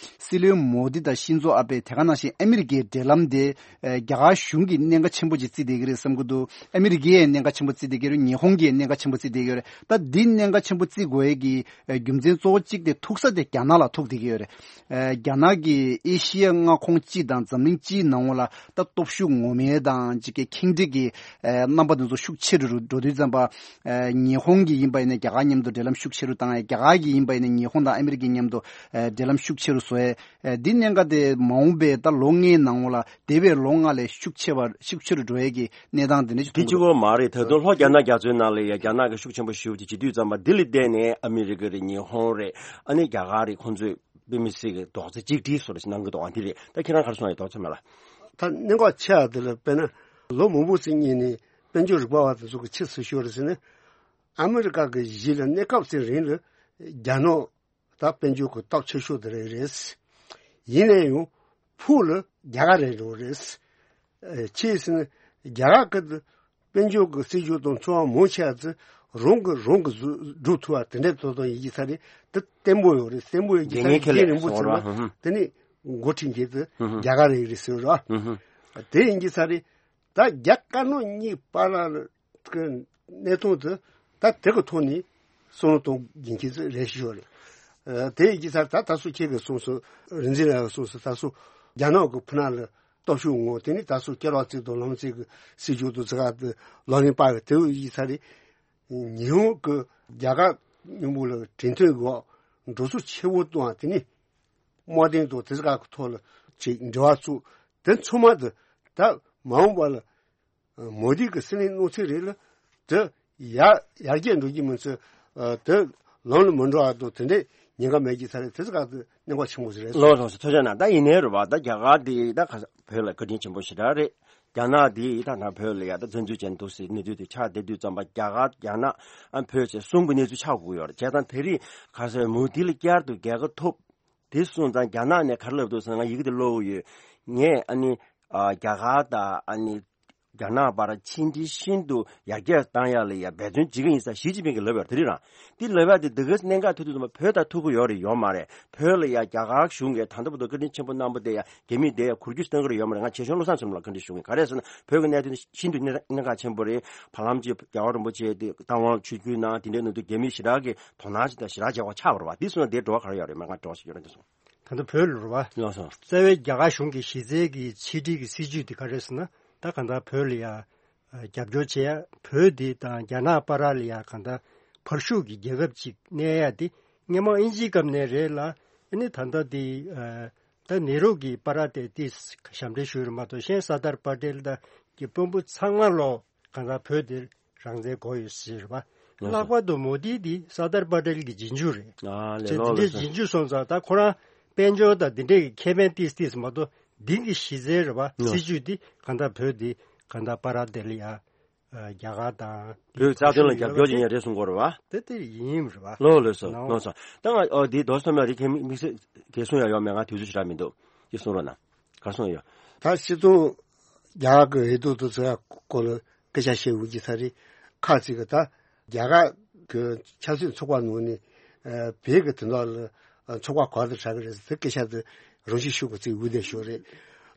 སྲིད་བློན་མོ་དི་དང་ཤིན་ཛོ་ཨ་བྷེ། དེ་ག་ནང་བཞིན་ཨ་མི་རི་ཀའི་འབྲེལ་ལམ་དེ་ཨ་རྒྱ་གར་གཞུང་གིས་གནད་འགག་ཆེན་པོ་ཅིག་བརྩིས་བསྡད་ཀྱི་རེད་བསམ་གྱི་འདུག་ཨ་མི་རི་ཀས་གནད་འགག་ཆེན་པོ་བརྩིས་བསྡད་ཀྱི་རེད། ཉི་ཧོང་གིས་གནད་འགག་ཆེན་པོ་བརྩིས་བསྡད་ཀྱི་ཡོད་རེད། ད་འདི་གནད་འགག་ཆེན་པོ་བརྩི་དགོས་ཡས་ཀྱི་ཨ་རྒྱུ་མཚན་གཙོ་བོ་གཅིག་དེ་ཐུག་ས་དེ་རྒྱ་ནག་ལ་ཐུག་བསྡད་ཀྱི་ཡོད་རེད། ཨ་རྒྱ་ནག་གིས་ཨེ་ཤི་ཡ་མངའ་ཁོངས་སྤྱི་དང་འཛམ་གླིང་སྤྱིའི་ནང་ལ་ད་སྟོབས་ཤུགས་ངོམ་ཡས་དང་ཅིག་གི་ཁེངས་དྲེགས་ཀྱི་ཨ་རྣམ་པ་དེ་ཚོ་ཤུགས་ཆེ་རུ་འགྲོ་དུས་ཙམ་པ། ཨ་ཉི་ཧོང་གིས་ཡིན་པ་ཡིན་ན་རྒྱ་གར་མཉམ་དུ་འབྲེལ་ལམ་ཤུགས་ཆེ་རུ་བཏང་ཡ། རྒྱ་གར་གྱིས་ཡིན་པ་ཡིན་ན་ཉི་ཧོང་དང་ཨ་མི་རི་ཀའི་མཉམ་དུ་ཨ་འབྲེལ་ལམ་ཤུགས་ཆེ་རུ་བཟོ་ཡས། ཨ་འདི་གནད་འགག་དེ་མ་འོངས་པའི་ད་ལོ་ལྔའི་ནང་ལ་འདས་པའི་ལོ་ལྔ་ལས་ཤུགས་ཆེ་བ་ཤུགས་ཆེ་རུ་འགྲོ་ཡས་ཀྱི་གནས་སྟངས་དེ་འདྲ་ཞིག་དེ་མཐོང་གཅིག་གི་པོ་མ་རེད། ད་དུང་ལྷོ་རྒྱ་ནག་རྒྱ་མཚོའི་ནང་ལ་ཡ་རྒྱ་ནག་གི་ཤུགས་ཆེན་པོ་ཞེ་པོ་ཅིག་བྱེད་དུས་ཙམ་པ་འདི་ལ་བརྟེན་ནས་ཨ་མི་རི་ཀ་རེད། ཉི་ཧོང་རེད། ཨ་ནི་རྒྱ་གར་རེད། ཁོང་ཚོས་དཔེ་མི་སྲིད་ཀྱི་རྡོག་རྩ་གཅིག་སྒྲིལ་བཟོ་འདྲ་ཞིག་གནང་གི་འདུག་ཨ་འདི་རེད། ད་ཁྱེད་རང་ག་རེ་གསུང་ཡ་རྡོག་རྩ་མེད་ལ། ད་གནད་འགག་ཆེ་བ་དེ་ལ་དཔེར་ན་ལོ་མང་པོ་ཙམ་སྔོན་ནས་དཔལ་འབྱོར་རིག་པ་བ་དེ་ཚོ་གིས་ཅི་ཟེར་ཤོད་རེད་ཟེར་ན། ཨ་མི་རི་ཀ་གི་གཞི་ལ་གནས་སྐབས་ཙམ་རིང་ལ་རྒྱ་ནག་ད་དཔལ་འབྱོར་གྱི་སྟོབས་ཆེ་ཤོས་དེ་རེད་རེད། ཡིན་ན་ཡང་ཕུགས་ལ་རྒྱ་གར་རེད་འགྲོ་རེད། ཨེ་ཅི་ཟེར་ན་རྒྱ་གར་གྱི་དཔལ་འབྱོར་གྱི་སྲིད་ཇུས་དང་ཚོང་བ་མང་ཆེ་བ་ཚོ་རང་གིས་རང་གིས་བཟོ་སྒྲུབ་ཐུབ་པ་དེ་འདྲའི་ཐོག་ཏུ་ཡིན་གྱི་ས་རེད། དེ་བརྟན་པོ་ཡོད་རེད། བརྟན་པོ་ཡོད་ཀྱི་ས་རེད། རྒྱུ་མཚན་རིང་པོ་ཚང་མ་དེ་ནི་འགོ་ཁྲིད་མཁན་དེ་རྒྱ་གར་རེད་རེད་ཟེར་རོ། དེ་ཡིན་གྱི་ས་རེད། ད་རྒྱ་དཀར་ནག་གཉིས་བར་ལ་གི་གནས་སྟངས་དེ་ད་དེ་གི་ཐོག་ནས་བསམ་བློ་གཏོང་དགོས་མཁན་ཅིག་རེད་ཤོད་རེད། ཨ་དེ་ཡིན་གྱི་ས་རེད། ད་ད་སུ་ཁྱེད་ཀྱིས་གསུངས་སོང་། རིག་འཛིན་ལགས་ཀྱིས་གསུངས་སོང་། ད་སུ་རྒྱ་ནག་གི་ཕུ་ནག་ལ་སྟོབས་ཤུགས་ངོ་། དེ་ནི་ད་སུ་སྐྱེ་རོགས་ཚིག་དང་ལམ་ཚིག་གི་སྲིད་ཇུས་དང་ཚིག་ཁ་དེ་ལག་ལེན་པ་གི་དེ་ཡིན་ས་རེད། ཉི་ཧོང་གི་རྒྱ་གར་མཉམ་པོ་ལ་གྲོས་མཐུན་གི་འགྲོ་སོང་ཆེ་བོ་གཏོང་བ་དེ་ནི་དམག་དོན་དང་དེ་ཚོ་ག་གི་ཐོག་ལ་ཅིག་འབྲེལ་བ་བཙུགས། དེ་ཚང་མ་དེ་ད་མ་འོངས་པ་ལ་མོ་དི་གི་སྲིད་བློན་གནང་ཚུལ་རེད་ལ། དེ་ཡར་ཡར་རྒྱས་འགྲོ་རྒྱུ་མིན་ཚུལ། ཨ་དེ་ལམ་ལ་མི་འགྲོ་བ་དང་དེ་འདྲས་ཉེན་ཁ་མེད་ཀྱི་ས་རེད། དེ་ཚོ་ག་དེ་གནད་འགག་ཆེན་པོ་ཞིག་རེད། ལགས་ལགས་སོ། ཐུགས་རྗེ་གནང་། ད་ཡིན་ནའི་རེད་བ། ད་རྒྱ་གར་དེ་ད་ག་བོད་ལ་བཀའ་དྲིན་ཆེན་པོ་ཞེ་དྲག་རེད། རྒྱ་ནག་དེ་ད་ད་བོད་ལ་ཡ་ད་བཙན་འཛུལ་བྱས་འདུག་ཟེར་གནས་ཚུལ་དེ་ཆགས་བསྡད་དུས་ཙམ་པ། རྒྱ་གར་རྒྱ་ནག་ཨ་བོད་ཅེས་གསུམ་གྱི་གནས་ཚུལ་ཆགས་དགོས་ཡོད་རེད། བྱས་ཙང་དེ་རིང་ག་ཟེར་མོ་དི་ལ་བསྐྱར་དུ་རྒྱལ་ཁ་ཐོབ། དེ་སོང་ཙང་རྒྱ་ནག་ནས་ག་རེ་ལབ་འདུག་ཟེར་ན། ང་ཡི་གེ་དེ་ཀློག་གི་ཡོད། ངས་ཨ་ནི་ཨ་རྒྱ་གར་དང་ཨ་ནི་རྒྱ་ནག་བར་ཕྱི་འབྲེལ་ཤིན་ཏུ་ཡར་རྒྱས་བཏང་ཡ་ལ་ཡ་འབད་བརྩོན་བྱེད་ཀྱི་ཡིན་ཟེར་ཞི་ཅིན་ཕིང་གིས་ལབ་ཡོད་རེད། དེ་རིང་རང་དེ་ལབ་ཡ་དེ་འདི་ག་གནད་འགག་ཐུག་དུས་ཙམ་པ་བོད་དང་ཐུག་གི་ཡོད་རེད་ཡོད་མ་རེད། བོད་ལ་ཡ་རྒྱ་གར་གཞུང་གིས་ད་ལྟ་བར་དུ་བཀའ་དྲིན་ཆེན་པོ་གནང་པ་དེ་ཡ་རྒྱ་མིས་དེ་ཡ་འཁུར་རྒྱུ་གཏོང་གི་རེད་ཡོད་མ་རེད། ང་ཆེ་ཆུང་བློ་བཟང་ཚང་མ་ལ་བཀའ་འདྲི་ཞུ་གི་ཡིན། ག་རེ་ཟེར་ན་བོད་ཀྱི་གནད་དོན་ཤིན་ཏུ་གནད་གནད་འགག་ཆེན་པོ་རེད། བར་ལམ་གྱི་རྒྱལ་བ་རིན་པོ་ཆེ་དེ་རྟ་དབང་ཆིབས་བསྒྱུར་གནང་དེ་འདྲའི་ནང་དུ་རྒྱ་མིས་ཞེ་དྲག་གི་དོ་སྣང་ཞིག་དང་ཞེ་དྲག་བྱེད་དགོས་ཆགས་པ་རེད་བ། དེ་སོང་ན་དེའི་བྲོ་བ་ག་རེ་ཡོད་རེད། མ་ང་བྲོ་བ་ཞིག་ཡོད་རེད་འདི་སོང་། ད་ལྟ་བོད་ལ་རེད་བ། ལགས་སོ། རྩ་བའི་རྒྱ་གར་གཞུང་གི་གཞི་རྩའི་གི་ཕྱི་འབྲེལ་གྱི་སྲིད་ཇུས་དེ་ག་རེ་ཟེར་ན། ད་གང་ལྟར་བོད་ལ་ཡ་རྒྱབ་སྐྱོར་བྱེད་ཡ། བོད་འདི་དང་རྒྱ་ནག་བར་ལ་ཡ་གང་ལྟར་བར་ཤུགས་ཀྱི་རྒྱལ་ཁབ་ཅིག་གནས་ཡ་དེ་སྔོན་མ་དབྱིན་ཇིའི་སྐབས་ནས་རེད་ལ། ཨ་ནི་ད་ལྟ་དེ་ད་ནེ་རུ་གི་བར་དེ་དེ་ཞབས་འདྲེན་ཞུས་རེད་མ་གཏོགས། གཞན་སར་དར་པ་ཏེལ་དང་གི་དཔོན་པོ་ཚང་མ་ལོ་གང་ལྟར་བོད་འདིར་རང་བཙན་དགོས་ཡོད་ཟེར་བ། ལྷག་པར་དུ་མོ་དི་འདི་སར་དར་པ་ཏེལ་གྱི་རྗེས་འཇུག་རེད། ཨ་ལས། བྱས་ལོ་འདི་འདྲའི་ལོ་རྗེས་འཇུག་སོང་ཙང་། ད་ཁོ་རང་དཔལ་འབྱོར་དང་འདི་འདྲའི་གི་ཁེ་ཕན་ཏིས་ཏིས་མ་གཏོགས། འདི་གི་གཞི་རྩའི་རེད་བ། ལོ། སྲིད་ཇུས་འདི་གང་ལྟར་བོད་འདི་གང་ལྟར་པ་ར་དེ་ལ་ཡ་རྒྱ་གར་དང་བོད་རྩ་དོན་ལ་རྒྱབ་སྐྱོར་བྱེད་མཁན་རེད་གསུང་གི་ཡོད་རེད་བ། དེ་དེ་ཡིན་རེད་བ། ལོ་ལོ་སོ་ནའོ། ལོ་སོ། ད་ང་ཨོ་འདི་རྡོ་སོ་མ་རི་ཁའི་དམིགས་བསལ་གལ་གསུང་ཡ་ཡོད་མེད་ང་དུས་ཚོད་ཞེ་དྲག་མི་འདུག་ཅི་གསུང་རོགས་གནང་། ག་རེ་གསུང་ཡོད། ད་སྤྱི་ཚོགས་རྒྱ་གར་གྱི་འོས་བསྡུ་དེ་ཚོ་སྐོར་ལ་སྐད་ཆ་བཤད་འོས་ཀྱི་ས་རེད། ཁ་ཅིག་གིས་ད་རྒྱ་གར་གྱི་ཆབ་སྲིད་ཚོགས་པ་ནང་ནས་ཨ་བོད་ཀྱི་དོན་དག་ལ་ཨ་ཚོགས་པ་ག་པར་དུ་གྲགས་ཀྱི་རེད་ཟེར་སྐད་ཆ་དེ་རང་ཤུགས་ཤུགས་ཀྱིས་བརྩིས་འོས་བསྡད་ཤོག་རེད།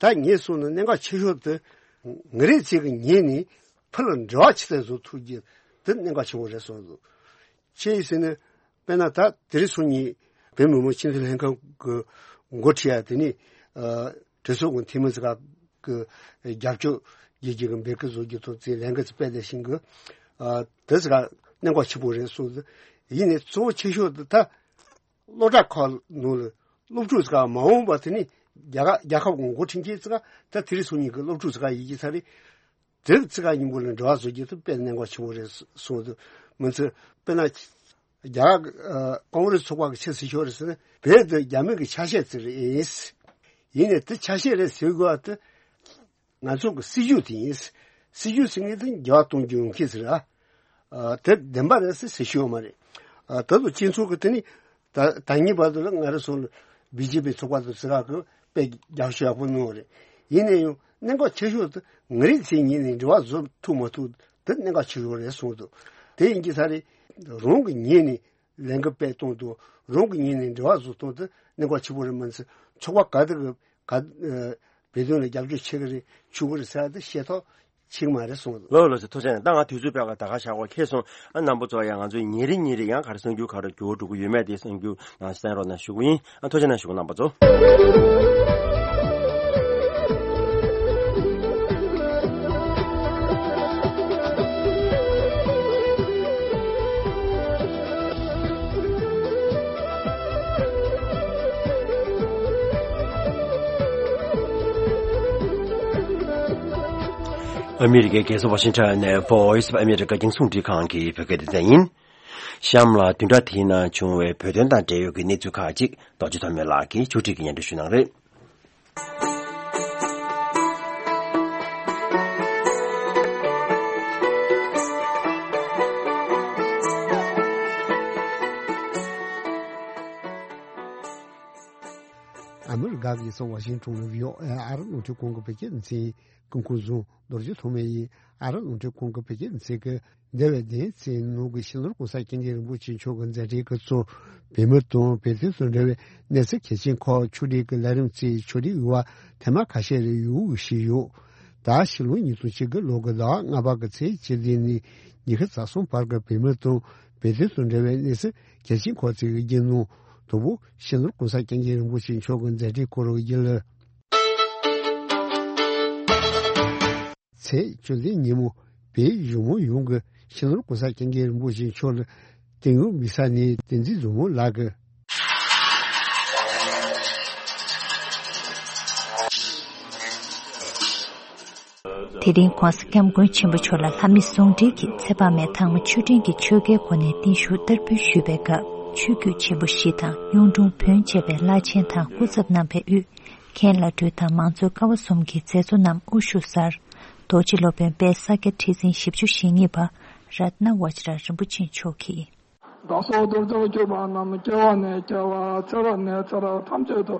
ད་ངས་གསུངས་ན་གནད་འགག་ཆེ་ཤོས་དེ་ང་རང་ཚོ་གི་ངོས་ནས་བོད་ལ་འབྲེལ་བ་ཇི་ལྟར་བཟོ་ཐུབ་རྒྱུ་དེ་གནད་འགག་ཆེན་པོ་རེད་བསམ་འདུག་ཅི་ཡིན་ཟེར་ན། དཔེར་ན་ད་དེ་རིང་སང་ཉིན་བོད་མི་མང་སྤྱི་འཐུས་ལྷན་ཁང་གི་འགོ་ཁྲིད་ཡ་དེ་ནི་ཨ་གྲོས་ཚོགས་ཀྱི་འཐུས་མི་ཚོ་ག་གི་རྒྱབ་སྐྱོར་རྒྱག་རྒྱུ་གི་འབོད་སྐུལ་བཟོ་རྒྱུ་དང་དེ་ལས་འགུལ་ཚོ་སྤེལ་བསྡད་བཞིན་གི། ཨ་དེ་ཚོ་ག་གནད་འགག་ཆེན་པོ་རེད་གསུངས་ཏེ། ཡིན་ནའི་གཙོ་བོ་ཆེ་ཤོས་དེ་ད་སློབ་གྲྭ་ཁག་ནང་ལ་སློབ་ཕྲུག་ཚོ་ག་མ་འོངས་པ་དེ་ནི་རྒྱ་གར་རྒྱལ་ཁབ་ཀྱི་འགོ་ཁྲིད་མཁན་ཚོ་ག་ད་དེ་རིང་སང་ཉིན་གི་སློབ་ཕྲུག་ཚོ་ག་ཡིན་གྱི་ས་རེད། དེབ་ཚིག་ཁ་སྙིང་པོ་ལ་འབྲེལ་བ་བཟོ་རྒྱུ་དེ་དཔེ་གནད་འགག་ཆེན་པོ་རེད་གསུངས་འདུག་མི་ཚེ་དཔེར་ན་རྒྱ་གར་ཀོང་རེས་ཚོགས་པ་གི་ཆེས་སྲིད་ཤོག་རེད་ཟེར་ན། བོད་དེ་རྒྱ་མི་གི་ཆ་ཤས་ཅིག་རེད། ཡིན་ནའི་དེ་ཆ་ཤས་རེད་ཟེར་དགོས་པ་དེ་ང་ཚོ་གི་སྲིད་ཇུས་དེ་ཡིན། སྲིད་ཇུས་ཟེར་མཁན་དེ་འགྱུར་བ་གཏོང་རྒྱུ་ཡོང་གི་ཟེར་ཨ། དེ་བདེན་པ་རེད་ཟེར་ཟེར་ཤོག་མ་རེད། ད་དུང་སྤྱི་ཚོགས་གི་དེ་ནི་ད་ད་ངེས་པར་དུ་ལ་ང་རེ་སོང་ལ་བི་ཇེ་པི་ཚོགས་པ་དང་ཟེར་ག་གི་དཔེ་རྒྱབ་ཤོག་ཡག་པོ་གནང་བ་རེད། ཡིན་ནའི་ཡང་། གནད་འགག་ཆེ་ཤོས་དེ་ང་རའི་མཚན་ཉིད་ནས་འབྲེལ་བ་བཟོ་ཐུབ་མ་ཐུབ་དེ་གནད་འགག་ཆེ་ཤོས་རེད་གསུངས་འདུག་དེ་ཡིན་གྱི་ས་རེད། རང་གི་ཉིད་ནས་ལས་འགུལ་སྤེལ་གཏོང་དུ་རང་གི་ཉིད་ནས་འབྲེལ་བ་བཟོ་སྟངས་དེ་གནད་འགག་ཆེ་པོ་རེད། མ་ཚད་ཚོགས་པ་ག་དེ་གི་ག་ཨ་བོད་དོན་ལ་རྒྱབ་སྐྱོར་བྱེད་གི་རེད་ཆོག་གི་རེད་ཟེར་ཡ་དེ་ཤེས་ཐོག་ཆིག་མ་རེད་གསུངས་འདུག་ལོ་ལོ་ཚེ་ཐུགས་རྗེ་ཆེ། ད་ང་དུས་ཚོད་སྤྲད་ག་ད་ག་བཞག་གོ་ཁེལ་སོང་། ཨ་རྣམ་པ་ཚོ་ཡང་ང་ཚོའི་ཉིན་རེ་ཉིན་རེ་ཡང་ག་རེ་གསར་འགྱུར་ག་རེ་འགྱུར་བ་འགྲོ་གི་ཡོད་མེད་དེ་གསར་འགྱུར་ནང་གསན་རོགས་གནང་ཞུ་གི་ཡིན། ཨ་ཐུགས་རྗེ་ཆེ་གནང་ཞུ་གི་རྣམ་པ་ཚོ། ཨ་མི་རི་ཀའི་རྒྱལ་ས་ཝ་ཤིང་ཊོན་ནས་Voice of America རྒྱང་སྲིང་རླུང་འཕྲིན་ཁང་གི་བོད་སྐད་སྡེ་ཚན་ཡིན། གཤམ་ལ་བདུན་ཕྲག་དེའི་ནང་བྱུང་བའི་བོད་དོན་དང་འབྲེལ་ཡོད་ཀྱི་གནས་ཚུལ་ཁག་ཅིག་རྡོ་རྗེ་ཐོགས་མེད་ལགས་ཀྱིས་ཕྱོགས་སྒྲིག་གིས་སྙན་སྒྲོན་ཞུ་གནང་རེད། ཨ་མི་རི་ཀ་གི་རྒྱལ་ས་ཝ་ཤིང་ཊོན་ལ་བྷི་ཨོ་ཨེ་ཨ་རི་རླུང་འཕྲིན་ཁང་གི་བོད་སྐད་སྡེ་ཚན་གྱི་སྐུ་ཁམས་བཟང་རྡོ་རྗེ་ཐོགས་མེད་ཡིན། ཨ་རི་རླུང་འཕྲིན་ཁང་གི་བོད་སྐད་སྡེ་ཚན་གྱི་འདས་པའི་བདུན་ཚེས་ནང་གི་སྤྱི་ནོར་༸གོང་ས་༸སྐྱབས་མགོན་རིན་པོ་ཆེ་མཆོག་གི་མཛད་འཕྲིན་སྐབས་སུ་བོད་མི་དང་བོད་དོན་དང་འབྲེལ་བའི་གནས་ཚུལ་གལ་ཆེན་ཁག་ཕྱོགས་སྒྲིག་གི་ལས་རིམ་གཙོས་ཕྱོགས་སྒྲིག་ཡོད་པ་ཐེངས་མ་ཁ་ཤས་རེ་ཡོང་གི་ཞིག་ཡོད། ད་ཕྱི་ལོ་ཉིས་སྟོང་བཅུ་དགུ་ལོ་གི་ཟླ་བ་ལྔ་པ་གི་ཚེས་བཅུ་བདུན་ནས་ཉི་ཤུ་རྩ་གསུམ་བར་གྱི་བོད་མི་དང་བོད་དོན་དང་འབྲེལ་བའི་གནས་ཚུལ་གལ་ཆེན་ཁག་ཅིག་གི་རྒྱུན་ནང་དང་པོ་སྤྱི་ནོར་༸གོང་ས་༸སྐྱབས་མགོན་རིན་པོ་ཆེ་མཆོག་གི་མཛད་འཕྲིན་སྐོར་བརྗོད་ལ། ཚེས་བཅུ་བདུན་ཉིན་མོ་བོད་གཞུང་མང་ཡོངས་ཀྱི་སྤྱི་ནོར་༸གོང་ས་༸སྐྱབས་མགོན་རིན་པོ་ཆེ་མཆོག་ལ་དོན་ཡོད་དམིགས་བསལ་ནས་བསྟན་འཛིན་བཟང་མོ་ལགས་ཀྱིས། དེ་རིང་༸གོང་ས་༸སྐྱབས་མགོན་ཆེན་པོ་མཆོག་ལ་ལྷ་མི་ཟུང་འབྲེལ་གྱིས་ཚེ་དཔག་མེད་ཐང་མོ་ཆོས་སྤྲིན་གྱི་ཆོས་འགའི་སྒོ་ནས་བརྟན་བཞུགས་བསྟར་འབུལ་ཞུས་པའི་སྐབས། ཆོས་བརྒྱུད་ཆེན་པོ་བཞི་དང་གཡུང་དྲུང་བོན་བཅས་པའི་བླ་ཆེན་དང་སྐུ་ཚབ་རྣམ་པས་དབུས། མཁན་བླ་སྤྲུལ་དང་མང་གཙོའི་ཀ་བ་གསུམ་གྱི་མཛད་གཙོ་རྣམས་དབུ་བཞུགས་སར། རྡོ་རྗེ་སློབ་དཔོན་དཔལ་ས་སྐྱ་ཁྲི་འཛིན་བཞི་བཅུ་ཞེ་གཉིས་པ་རཏྣ་བཛྲ་རིན་པོ་ཆེ་མཆོག་གིས། བདག་སོགས་གདུལ་བྱར་གྱུར་པ་རྣམས། སྐྱེ་བ་ནས་སྐྱེ་བར་ཚེ་རབས་ནས་ཚེ་རབས་ཐམས་ཅད་དུ།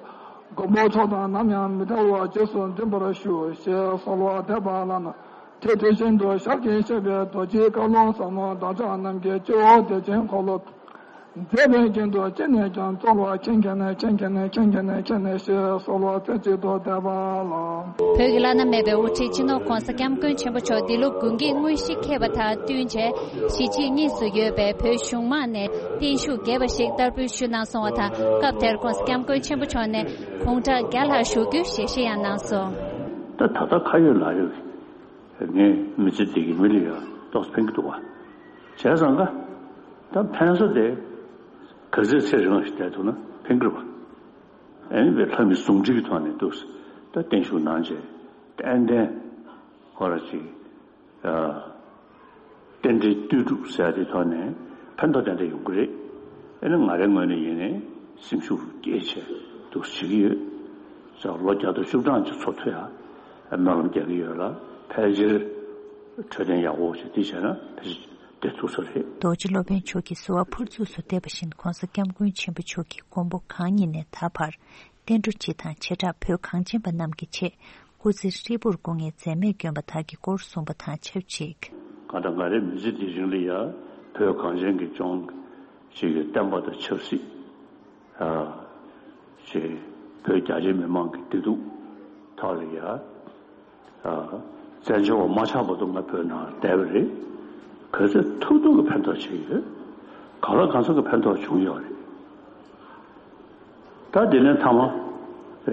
མགོན་པོ་མཆོག་དང་ནམ་ཡང་མི་འབྲལ་བར། རྗེས་སུ་འཛིན་པར་ཞུ། ཞེས་གསོལ་བ་འདེབས་པ་ལ་ན། དེ་དེ་བཞིན་དུ་ཞལ་གྱིས་བཞེས་པའི་རྡོ་རྗེའི་བཀའ་ལུང་ཟབ་མོ་བདག་ཅག་རྣམས་ཀྱི་སྤྱི་བོ་གཏེར་ཆེན་འཁོར་ལོ། མཛད་པའི་རྒྱན་དུ་ཅི་ནས་ཀྱང་གསོལ་བ། མཁྱེན་མཁྱེན་ནས་མཁྱེན་མཁྱེན་ནས་མཁྱེན་མཁྱེན་ནས་མཁྱེན་ནས་ཞེས་གསོལ་བ་རྩེ་གཅིག་ཏུ་འདེབས་པ་ལགས། བོད་ཀྱི་བླ་ན་མེད་པའི་དབུ་ཁྲིད་སྤྱི་ནོར་༸གོང་ས་༸སྐྱབས་མགོན་ཆེན་པོ་མཆོག་འདི་ལོ་དགུན་གྱི་དངོས་གཞི་འཁེལ་བ་དང་བསྟུན་བྱས། གཞིས་བྱེས་གཉིས་སུ་ཡོད་པའི་བོད་གཞུང་མང་ནས་བརྟན་བཞུགས་རྒྱས་པ་ཞིག་བསྟར་འབུལ་ཞུས་གནང་སོང་བ་དང་། སྐབས་དེར་༸གོང་ས་༸སྐྱབས་མགོན་ཆེན་པོ་མཆོག་ནས་དགུང་གྲངས་བརྒྱ་ལྷག་བཞུགས་རྒྱུའི་ཞལ་བཞེས་ཡང་གནང་སོང་། ད་ད་ལྟ་ཁ་ཡོད་ལག་ཡོད་ཀྱི། ངས་མི་ཚེ་འདི་གི་མི་ལ་ཡང་ཏོག་ཙམ་ཕན་གྱི་འདུག་བ། བྱས་ཙང་ཀ། ད་ཕན་ས་དེ། ག་ཚོད་ཚེ་རིང་བ་ཞིག་བསྡད་ཐུབ་ན་ཕན་གྱི་རེད་བ། ཨ་ནི་བའི་ལྷ་མི་ཟུང་འབྲེལ་གྱི་ཐོག་ནས་འདུག་ད་བརྟན་བཞུགས་གནང་བྱས། ཏན་ཏན། ཁོ་ར་ཅིག་ཨ། རྟེན་འབྲེལ་ལྟོས་གྲུབ་ཟེར་ཡ་དེ་ཐོག་ནས་ཕན་ཐོགས་ཏན་ཏན་ཡོང་གི་རེད། ཨ་ནི་ང་རའི་ངོས་ནས་ཡིན་ནའི་སེམས་ཤུགས་སྐྱེད་བྱས་འདུག་བྱེད་ཀྱི་ཡོད། ཙང་ལོ་བརྒྱ་དང་བཅུ་གྲངས་ཅིག་འཚོ་ཐུབ་ཡ། སྨོན་ལམ་རྒྱག་གི་ཡོད་ལ། ཕལ་ཆེར་འཕྲོད་བསྟེན་ཡག་པོ་ཞིག་དེ་བྱས་ན་ཕལ་ཆེར་བསྡད་ཐུབ་ས་རེད། རྡོ་རྗེ་སློབ་དཔོན་མཆོག་གིས་གསོལ་བ་ཕུར་ཚུགས་སུ་འདེབས་པ་བཞིན་༸གོང་ས་༸སྐྱབས་མགོན་ཆེན་པོ་མཆོག་གི་མགོན་པོ་གང་ཉིད་ནས་ད་བར་བསྟན་འགྲོ་སྤྱི་དང་བྱེ་བྲག་བོད་གངས་ཅན་པ་རྣམས་ཀྱི་ཆེད་སྐུ་ཚེ་ཧྲིལ་པོར་སྐུ་ངལ་འཛེམས་མེད་བསྐྱོན་པ་དག་གི་སྐོར་གསུངས་པ་དང་ཆབས་ཅིག་གང་ལྟར་ང་རའི་མི་ཚེ་འདིའི་རིང་ལ་ཡང་བོད་གངས་ཅན་གྱི་ལྗོངས་ཀྱི་བསྟན་པ་དང་ཆབ་སྲིད། ཨ། ཅེས་བོད་རྒྱ་ཆེ་མི་མང་གི་བདེ་སྡུག་ཐོག་ལ་ཡ། ཨ། བཙན་བྱོལ་བ་མ་ཆགས་བར་དུ་ང་བོད་ནང་བསྡད་པ་རེད། ག་ཚོད་ཐུབ་ཐུབ་ཀྱི་ཕན་ཐོགས་བྱས་ཡོད། གང་ལ་གང་འཚམ་གྱི་ཕན་ཐོགས་བྱུང་ཡོད་རེད། ད་དེ་ནས་མཐའ་མ།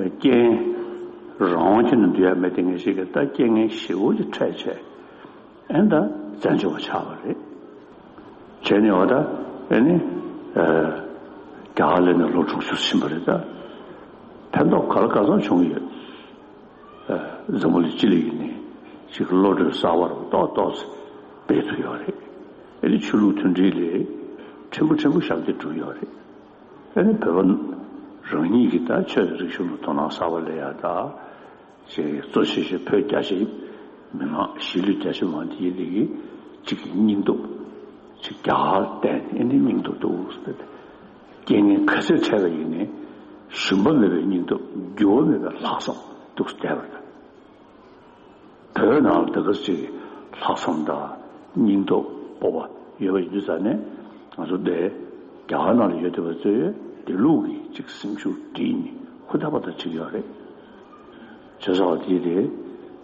རྐྱེན། རང་དབང་ཁྱོན་ནས་འདུལ་ཡ་མེད་དེ་ངེས་ཤེས་ཀྱི་ད་རྐྱེན་ངན་ཞེ་པོ་ཅིག་འཕྲད་བྱས། ཨེ་ད་བཙན་བྱོལ་བ་ཆགས་པ་རེད། བྱས་ནས་འོ་ད་ཨེ་ནི། རྒྱ་གར་ལ་ནས་ལོ་དྲུག་ཅུ་ཕྱིན་པ་རེད་ད། ཕན་ཐོགས་ག་ལ་ག་ཚོད་བྱུང་ཡོད། འཛམ་བུ་གླིང་སྤྱི་ལ་ཡིན་ནས་ཅིག་བློ་གྲོས་གསར་པ་རུ་ཏོག་ཏོག་སྤེལ་ཐུབ་ཡོད་རེད། ཨེ་ནི་ཆོས་ལུགས་མཐུན་སྒྲིལ་ལས་ཕྲན་བུ་ཕྲན་བུ་ཞབས་འདེགས་བསྒྲུབས་ཡོད་རེད། ཨེ་ནི་བོད་པ་རང་ཉིད་ཀྱི་ད་ཆོས་དང་རིག་གཞུང་ལ་དོ་སྣང་གསར་པ་སླེབས་ཡ་ད། ཅེས་གཙོ་ཆེ་ཤོས་བོད་རྒྱ་ཆེའི་མི་མང་གཞིས་ལུས་རྒྱ་ཆེ་མང་དེ་ཡིན་ལས་ཀྱི་གཅིག་གི་སྙིང་སྟོབས་ཅིག་རྒྱ་གར་བསྟན་ནས་ཨེ་ནི་སྙིང་སྟོབས་འདུག་ཟེར་ཏེ། རྐྱེན་ངན་ག་ཚོད་འཕྲད་པ་ཡིན་ནའི་ཞུམ་པ་མེད་པའི་སྙིང་སྟོབས་འགྱུར་བ་མེད་པའི་ལྷག་བསམ་འདུག་བསྡད་པ་དང་། བོད་ནང་ལ་དེ་ག་ཅིག་ལྷག་བསམ་དང་སྙིང་སྟོབས་སྤོབས་པ་ཡོད་པ་ཡིན་དུས་ཙང་ནས། ང་ཚོ་འདི་རྒྱ་གར་ནང་ལ་ཡོད་བསྡད་པ་ཚོས་དེ་ལུགས་ཀྱི་ཅིག་སེམས་ཤུགས་སྤྲད་ནས་ཧུར་ཐག་པ་ཐག་བྱེད་ཀྱི་ཡོད་རེད། བྱས་ཙང་དེ་དེ་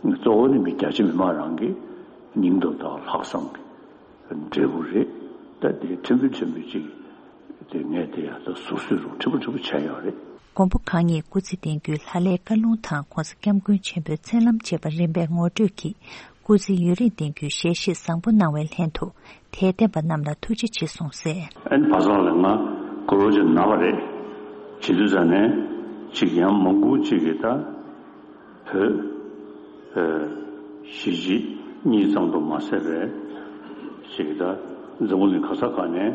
གཙོ་བོ་ནི་མི་རྒྱ་ཆེ་མི་མང་རང་གི་སྙིང་སྟོབས་དང་ལྷག་བསམ་གྱི་འབྲས་བུ་རེད། ད་དེ་ཕྲན་བུ་ཕྲན་བུ་ཅིག་དེ་ངས་དེ་ཡང་ད་ཟུར་ཟུར་རུ་ཕྲན་བུ་ཕྲན་བུ་བྱས་ཡོད་རེད། མགོན་པོ་གང་ཉིད་སྐུ་ཚེ་བརྟན་རྒྱུའི་ལྷ་ལས་བཀའ་ལུང་དང་༸གོང་ས་༸སྐྱབས་མགོན་ཆེན་པོའི་མཚན་ལམ་བཅས་པ་རིམ་པས་ངོ་སྤྲོད་ཀྱིས། སྐུ་ཚེ་ཡུན་རིང་བརྟན་རྒྱུའི་ཞལ་བཞེས་བཟང་པོ་གནང་བའི་ལྷན་དུ། དད་ལྡན་པ་རྣམས་ལ་ཐུགས་རྗེ་ཆེ་གསུངས་གསལ། ཨན་བ་ཚང་ལ་ང་དགུ་ལོ་ཅིག་ན་བ་རེད། བྱེད་དུས་ཙང་ནས་ཅིག་ཡང་མང་པོ་ཅིག་གིས་ད་བོད་ཨ་གཞིས་བྱེས་གཉིས་ཙམ་དུ་མ་ཟད་པའི་ཅིག་ད་འཛམ་བུ་གླིང་ག་ས་ག་ནས་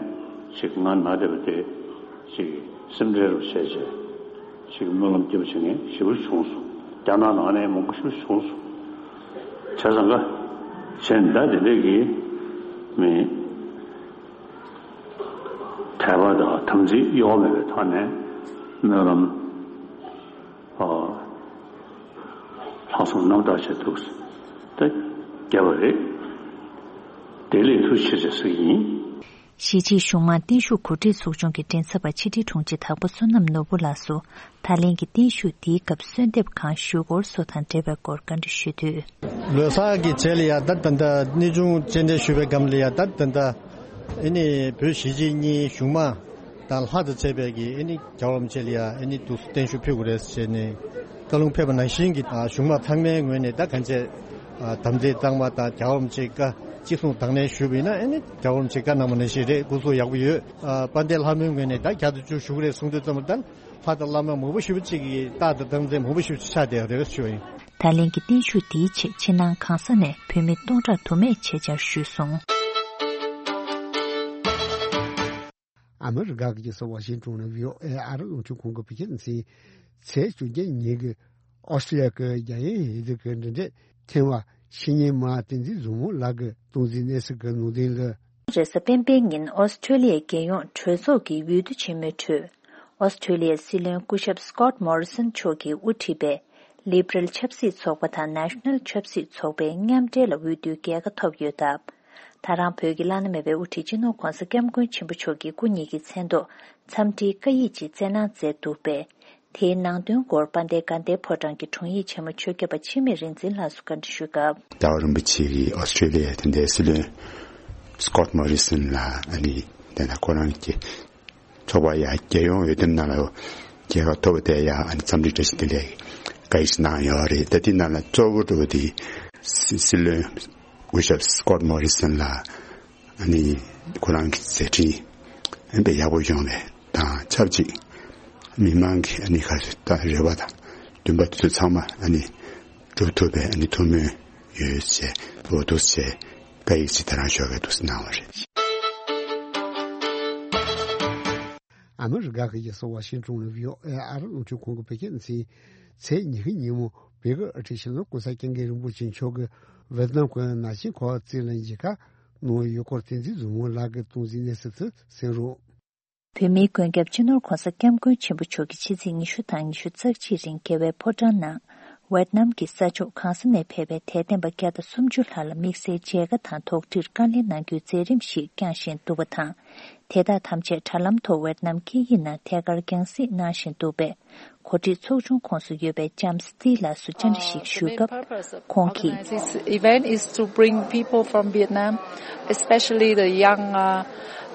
ཅིག་ང་ན་བསྡད་པ་དེ་ཅིག་སེམས་ཁྲལ་རུ་བྱས་བྱས། ཞིག་སྨོན་ལམ་སྐྱེ་བ་བྱེད་མཁན་ཞེ་པོ་བྱུང་སོང་། རྒྱ་ནག་ནང་ནས་མང་པོ་ཞིག་བྱུང་སོང་། བྱས་ཙང་ཀ་གཞན་ད་དེ་འདྲས་ཀྱི་མི་དད་པ་དང་དམ་ཚིག་གཡོ་བ་མེད་པའི་ཐོག་ནས་སྨོན་ལམ་ཨ་ལྷག་བསམ་རྣམ་དག་བྱས་འདུག་ད་བརྒྱབ་པ་རེད། དེ་ལས་ཐུགས་ཆེ་ཆེ་ཟེར་གྱི་ཡིན། གཞིས་བྱེས་གཞུང་མང་བརྟན་བཞུགས་གོ་སྒྲིག་ཚོགས་ཆུང་གི་མགྲིན་ཚབ་པ་ཕྱི་དྲིལ་དྲུང་ཆེ་དྭགས་པོ་བསོད་ནམས་ནོར་བུ་ལགས་སུ། ད་ལན་གྱི་བརྟན་བཞུགས་འདིའི་སྐབས་གསོལ་འདེབས་གང་ཞུ་སྐོར་སོགས་དང་འབྲེལ་བའི་སྐོར་བཀའ་འདྲི་ཞུས་དུས། ལོ་གསར་གྱི་རྗེས་ལ་ཡ་ད་ད་ད་གནས་ཆུང་སྤྱན་འདྲེན་ཞུས་པའི་སྒང་ལ་ཡ་ད་ད་ད་ཨེ་ནི་བོད་གཞིས་བྱེས་གཉིས་གཞུང་མང་དང་ལྷ་དང་བཅས་པའི་གི་ཨེ་ནི་རྒྱལ་བ་རིན་པོ་ཆེ་ལ་ཡ་ཨེ་ནི་འདུག་སེ་བརྟན་བཞུགས་ཕུལ་དགོས་རེད་ཟེར་ནས་བཀའ་ལུང་ཕེབས་པ་ནང་བཞིན་གྱི་གཞུང་མང་ཚང་མའི་ངོས་ནས་ད་གང་བྱས་དམ་ཚིག་གཙང་མ་དང་རྒྱལ་བ་རིན་པོ་ཆེའི་བཀའ་གཅིག་མཚུངས་དང་ལེན་ཞུས་པ་ཡིན་ན་ཨེ་ནི་རྒྱལ་བ་རིན་པོ་ཆེས་བཀའ་གནང་བ་ནང་བཞིན་རེད། སྐུ་གཟུགས་ཡག་པོ་ཡོད། དཔལ་ལྡན་ལྷ་མོའི་ངོས་ནས་ད་བརྒྱ་དང་བཅུ་ཞུ་གི་རེད་གསུང་དུས་ཙམ་པ་ད་ལྷ་དང་བླ་མ་མང་པོ་ཞེ་པོ་ཅིག་གིས་རྟགས་དང་རྟགས་མཚན་མང་པོ་ཞེ་པོ་ཅིག་ཆགས་བསྡད་ཡོད་རེད་ཞུ་བ་ཡིན། ད་ལན་གྱི་བརྟན་བཞུགས་འདིའི་ཆེད་ཕྱི་ནང་གང་ས་ནས་བོད་མི་སྟོང་ཕྲག་དུ་མས་ཆེད་བཅར་ཞུས་སོང་། ཨ་མི་རི་ཀ་གི་རྒྱལ་ས་ཝ་ཤིང་ཏོན་ནས་བྷི་ཨོ་ཨེ་ཨ་རི་རླུང་འཕྲིན་ཁང་གི་བོད་སྐད་སྡེ་ཚན། ཚེས་བཅོ་བརྒྱད་ཉིན་གྱི་ཨོ་སི་ཀྲི་ལི་ཡ་གི་རྒྱལ་ཡོངས་འོས་བསྡུ་གི་འབྲེལ་འདྲིས་ཐེངས་བ་ཕྱི་ཉིན་མ་བསྟན་འཛིན་བཟང་མོ་ལགས་ཀྱིས་སྟངས་འཛིན་གནས་ཚུལ་གྱི་ནང་དོན་ལ། རེས་གཟའ་སྤེན་པའི་ཉིན་ཨོ་སི་ཀྲི་ལི་ཡའི་རྒྱལ་ཡོངས་གྲོས་ཚོགས་ཀྱི་འོས་བསྡུ་ཆེན་མོའི་ཁྲོད། ཨོ་སི་ཀྲི་ལི་ཡའི་སྲིད་བློན་སྐུ་ཞབས་སྐོད་མོ་རི་སོན་མཆོག་གིས་དབུ་ཁྲིད་པའི་ལི་བྷི་རལ་ཆབ་སྲིད་ཚོགས་པ་དང་ནེ་ཤ་ནལ་ཆབ་སྲིད་ཚོགས་པའི་མཉམ་འབྲེལ་ལ་འོས་བསྡུའི་རྒྱལ་ཁ་ཐོབ་ཡོད་སྟབས། ད་རང་བོད་ཀྱི་བླ་ན་མེད་པའི་དབུ་ཁྲིད་སྤྱི་ནོར་༸གོང་ས་༸སྐྱབས་མགོན་ཆེན་པོ་མཆོག་གི་སྐུ་ཉིད་ཀྱི་མཚན་ཐོག་འཚམས་འདྲིའི་བཀའ་ཡིག་ཅིག་བསྩལ་གནང་མཛད་འདུག་པས། དེའི་ནང་དོན་སྐོར་དཔལ་ལྡན་དགའ་ལྡན་ཕོ་བྲང་གི་དྲུང་ཡིག་ཆེན་མོ་ཆོས་སྐྱབས་པ་འཆི་མེད་རིག་འཛིན་ལགས་སུ་བཀའ་འདྲི་ཞུས་སྐབས། རྒྱལ་བ་རིན་པོ་ཆེ་གིས་ཨོ་སི་ཀྲི་ལི་ཡ་དེ་འདྲའི་སྲིད་བློན་སྐོད་མོ་རི་སོན་ལ་ཨ་ནི་དེ་ན་ཁོ་རང་གི་ཚོགས་པ་ཡ་རྒྱལ་ཡོངས་འོས་བསྡུ་ནང་ལ་རྒྱལ་ཁ་ཐོབ་པ་དེ་ཡ་ཨ་ནི་འཚམས་འདྲི་བཀྲ་ཤིས་བདེ་ལེགས་བཀའ་ཡིག་ཞིག་གནང་ཡོད་རེད། ད་དེ་ནང་ལ་གཙོ་བོ་འགྲོ་བ་དེ་སྲིད་བློན་སྐུ་ཞབས་སྐོད་མོ་རི་སོན་ལ། ཨ་ནི་ཁོ་རང་གི་མཛད་འཕྲིན་ཨ་ནི་དཔེ་ཡག་པོ་ཡོང་བའི་དང་ཆབས་ཅིག་མི་མང་གི་ཨ་ནི་ཁ་ད་རེ་བ་དང་འདུན་པ་དེ་ཚོ་ཚང་མ་ཨ་ནི་འགྲུབ་ཐུབ་པའི་ཨ་ནི་ཐུགས་སྨོན་ཡོད་ཅེས་འོ་འདུག་ཅེས་བཀའ་ཡིག་ཅིག་ད་རང་ཞོགས་ཀས་འདུག་སེ་གནང་བ་རེད། ཨ་མི་རི་ཀ་གི་རྒྱལ་ས་ཝ་ཤིང་ཏོན་ནས་བྷི་ཨོ་ཨེ་ཨ་རི་རླུང་འཕྲིན་ཁང་གི་བོད་སྐད་སྡེ་ཚན། ཚེས་ཉི་ཤུ་ཉིན་མོ་བོད་ཀྱི་ཨ་ཁྲིད་ཆེན་མོ་༸གོང་ས་༸སྐྱབས་མགོན་རིན་པོ་ཆེ་མཆོག་གིས་ཝེ་ཏི་ནམ་གྱི་ནང་ཆེན་ཁོག་རྩེད་ལ་མཇལ་ཁ་གནང་ཡོད་སྐོར་བསྟན་འཛིན་བཟང་མོ་ལགས་ཀྱིས་སྟངས་འཛིན་གནས་ཚུལ་དུ་གསན་རོགས། བོད་མིའི་མགོན་སྐྱབས་སྤྱི་ནོར་༸གོང་ས་༸སྐྱབས་མགོན་ཆེན་པོ་མཆོག་གིས་ཕྱི་ཚེས་ཉི་ཤུ་དང་ཉི་ཤུ་རྩ་གཅིག་རིང་རྒྱལ་བའི་ཕོ་བྲང་ནང་། ཝེ་ཏི་ནམ་གྱི་ས་ཕྱོགས་གང་ས་ནས་ཕེབས་པའི་དད་ལྡན་པ་བརྒྱ་དང་སུམ་ཅུ་ལྷག་ལ་དམིགས་བསལ་མཇལ་ཁ་དང་དོགས་འདྲིར་བཀའ་ལན་གནང་རྒྱུའི་མཛད་རིམ་ཞིག་བསྐྱངས་བཞིན་འདུག་པ་དང་། དེ་དག་ཐམས་ཅད་དྲ་ལམ་ཐོག་ཝེ་ཏི་ནམ་སྐད་ཡིག་ནང་ཐད་ཀར་རྒྱང་སྲིང་གནང་བཞིན་འདུག་པས། གོ་སྒྲིག་ཚོགས་ཆུང་ཁོངས་སུ་ཡོད་པའི་ལྕམ་སི་ཏི་ལགས་སུ་བཅར་འདྲི་ཞིག་ཞུས་སྐབས། ཁོང་གིས། This event is to bring people from Vietnam, especially the young, uh,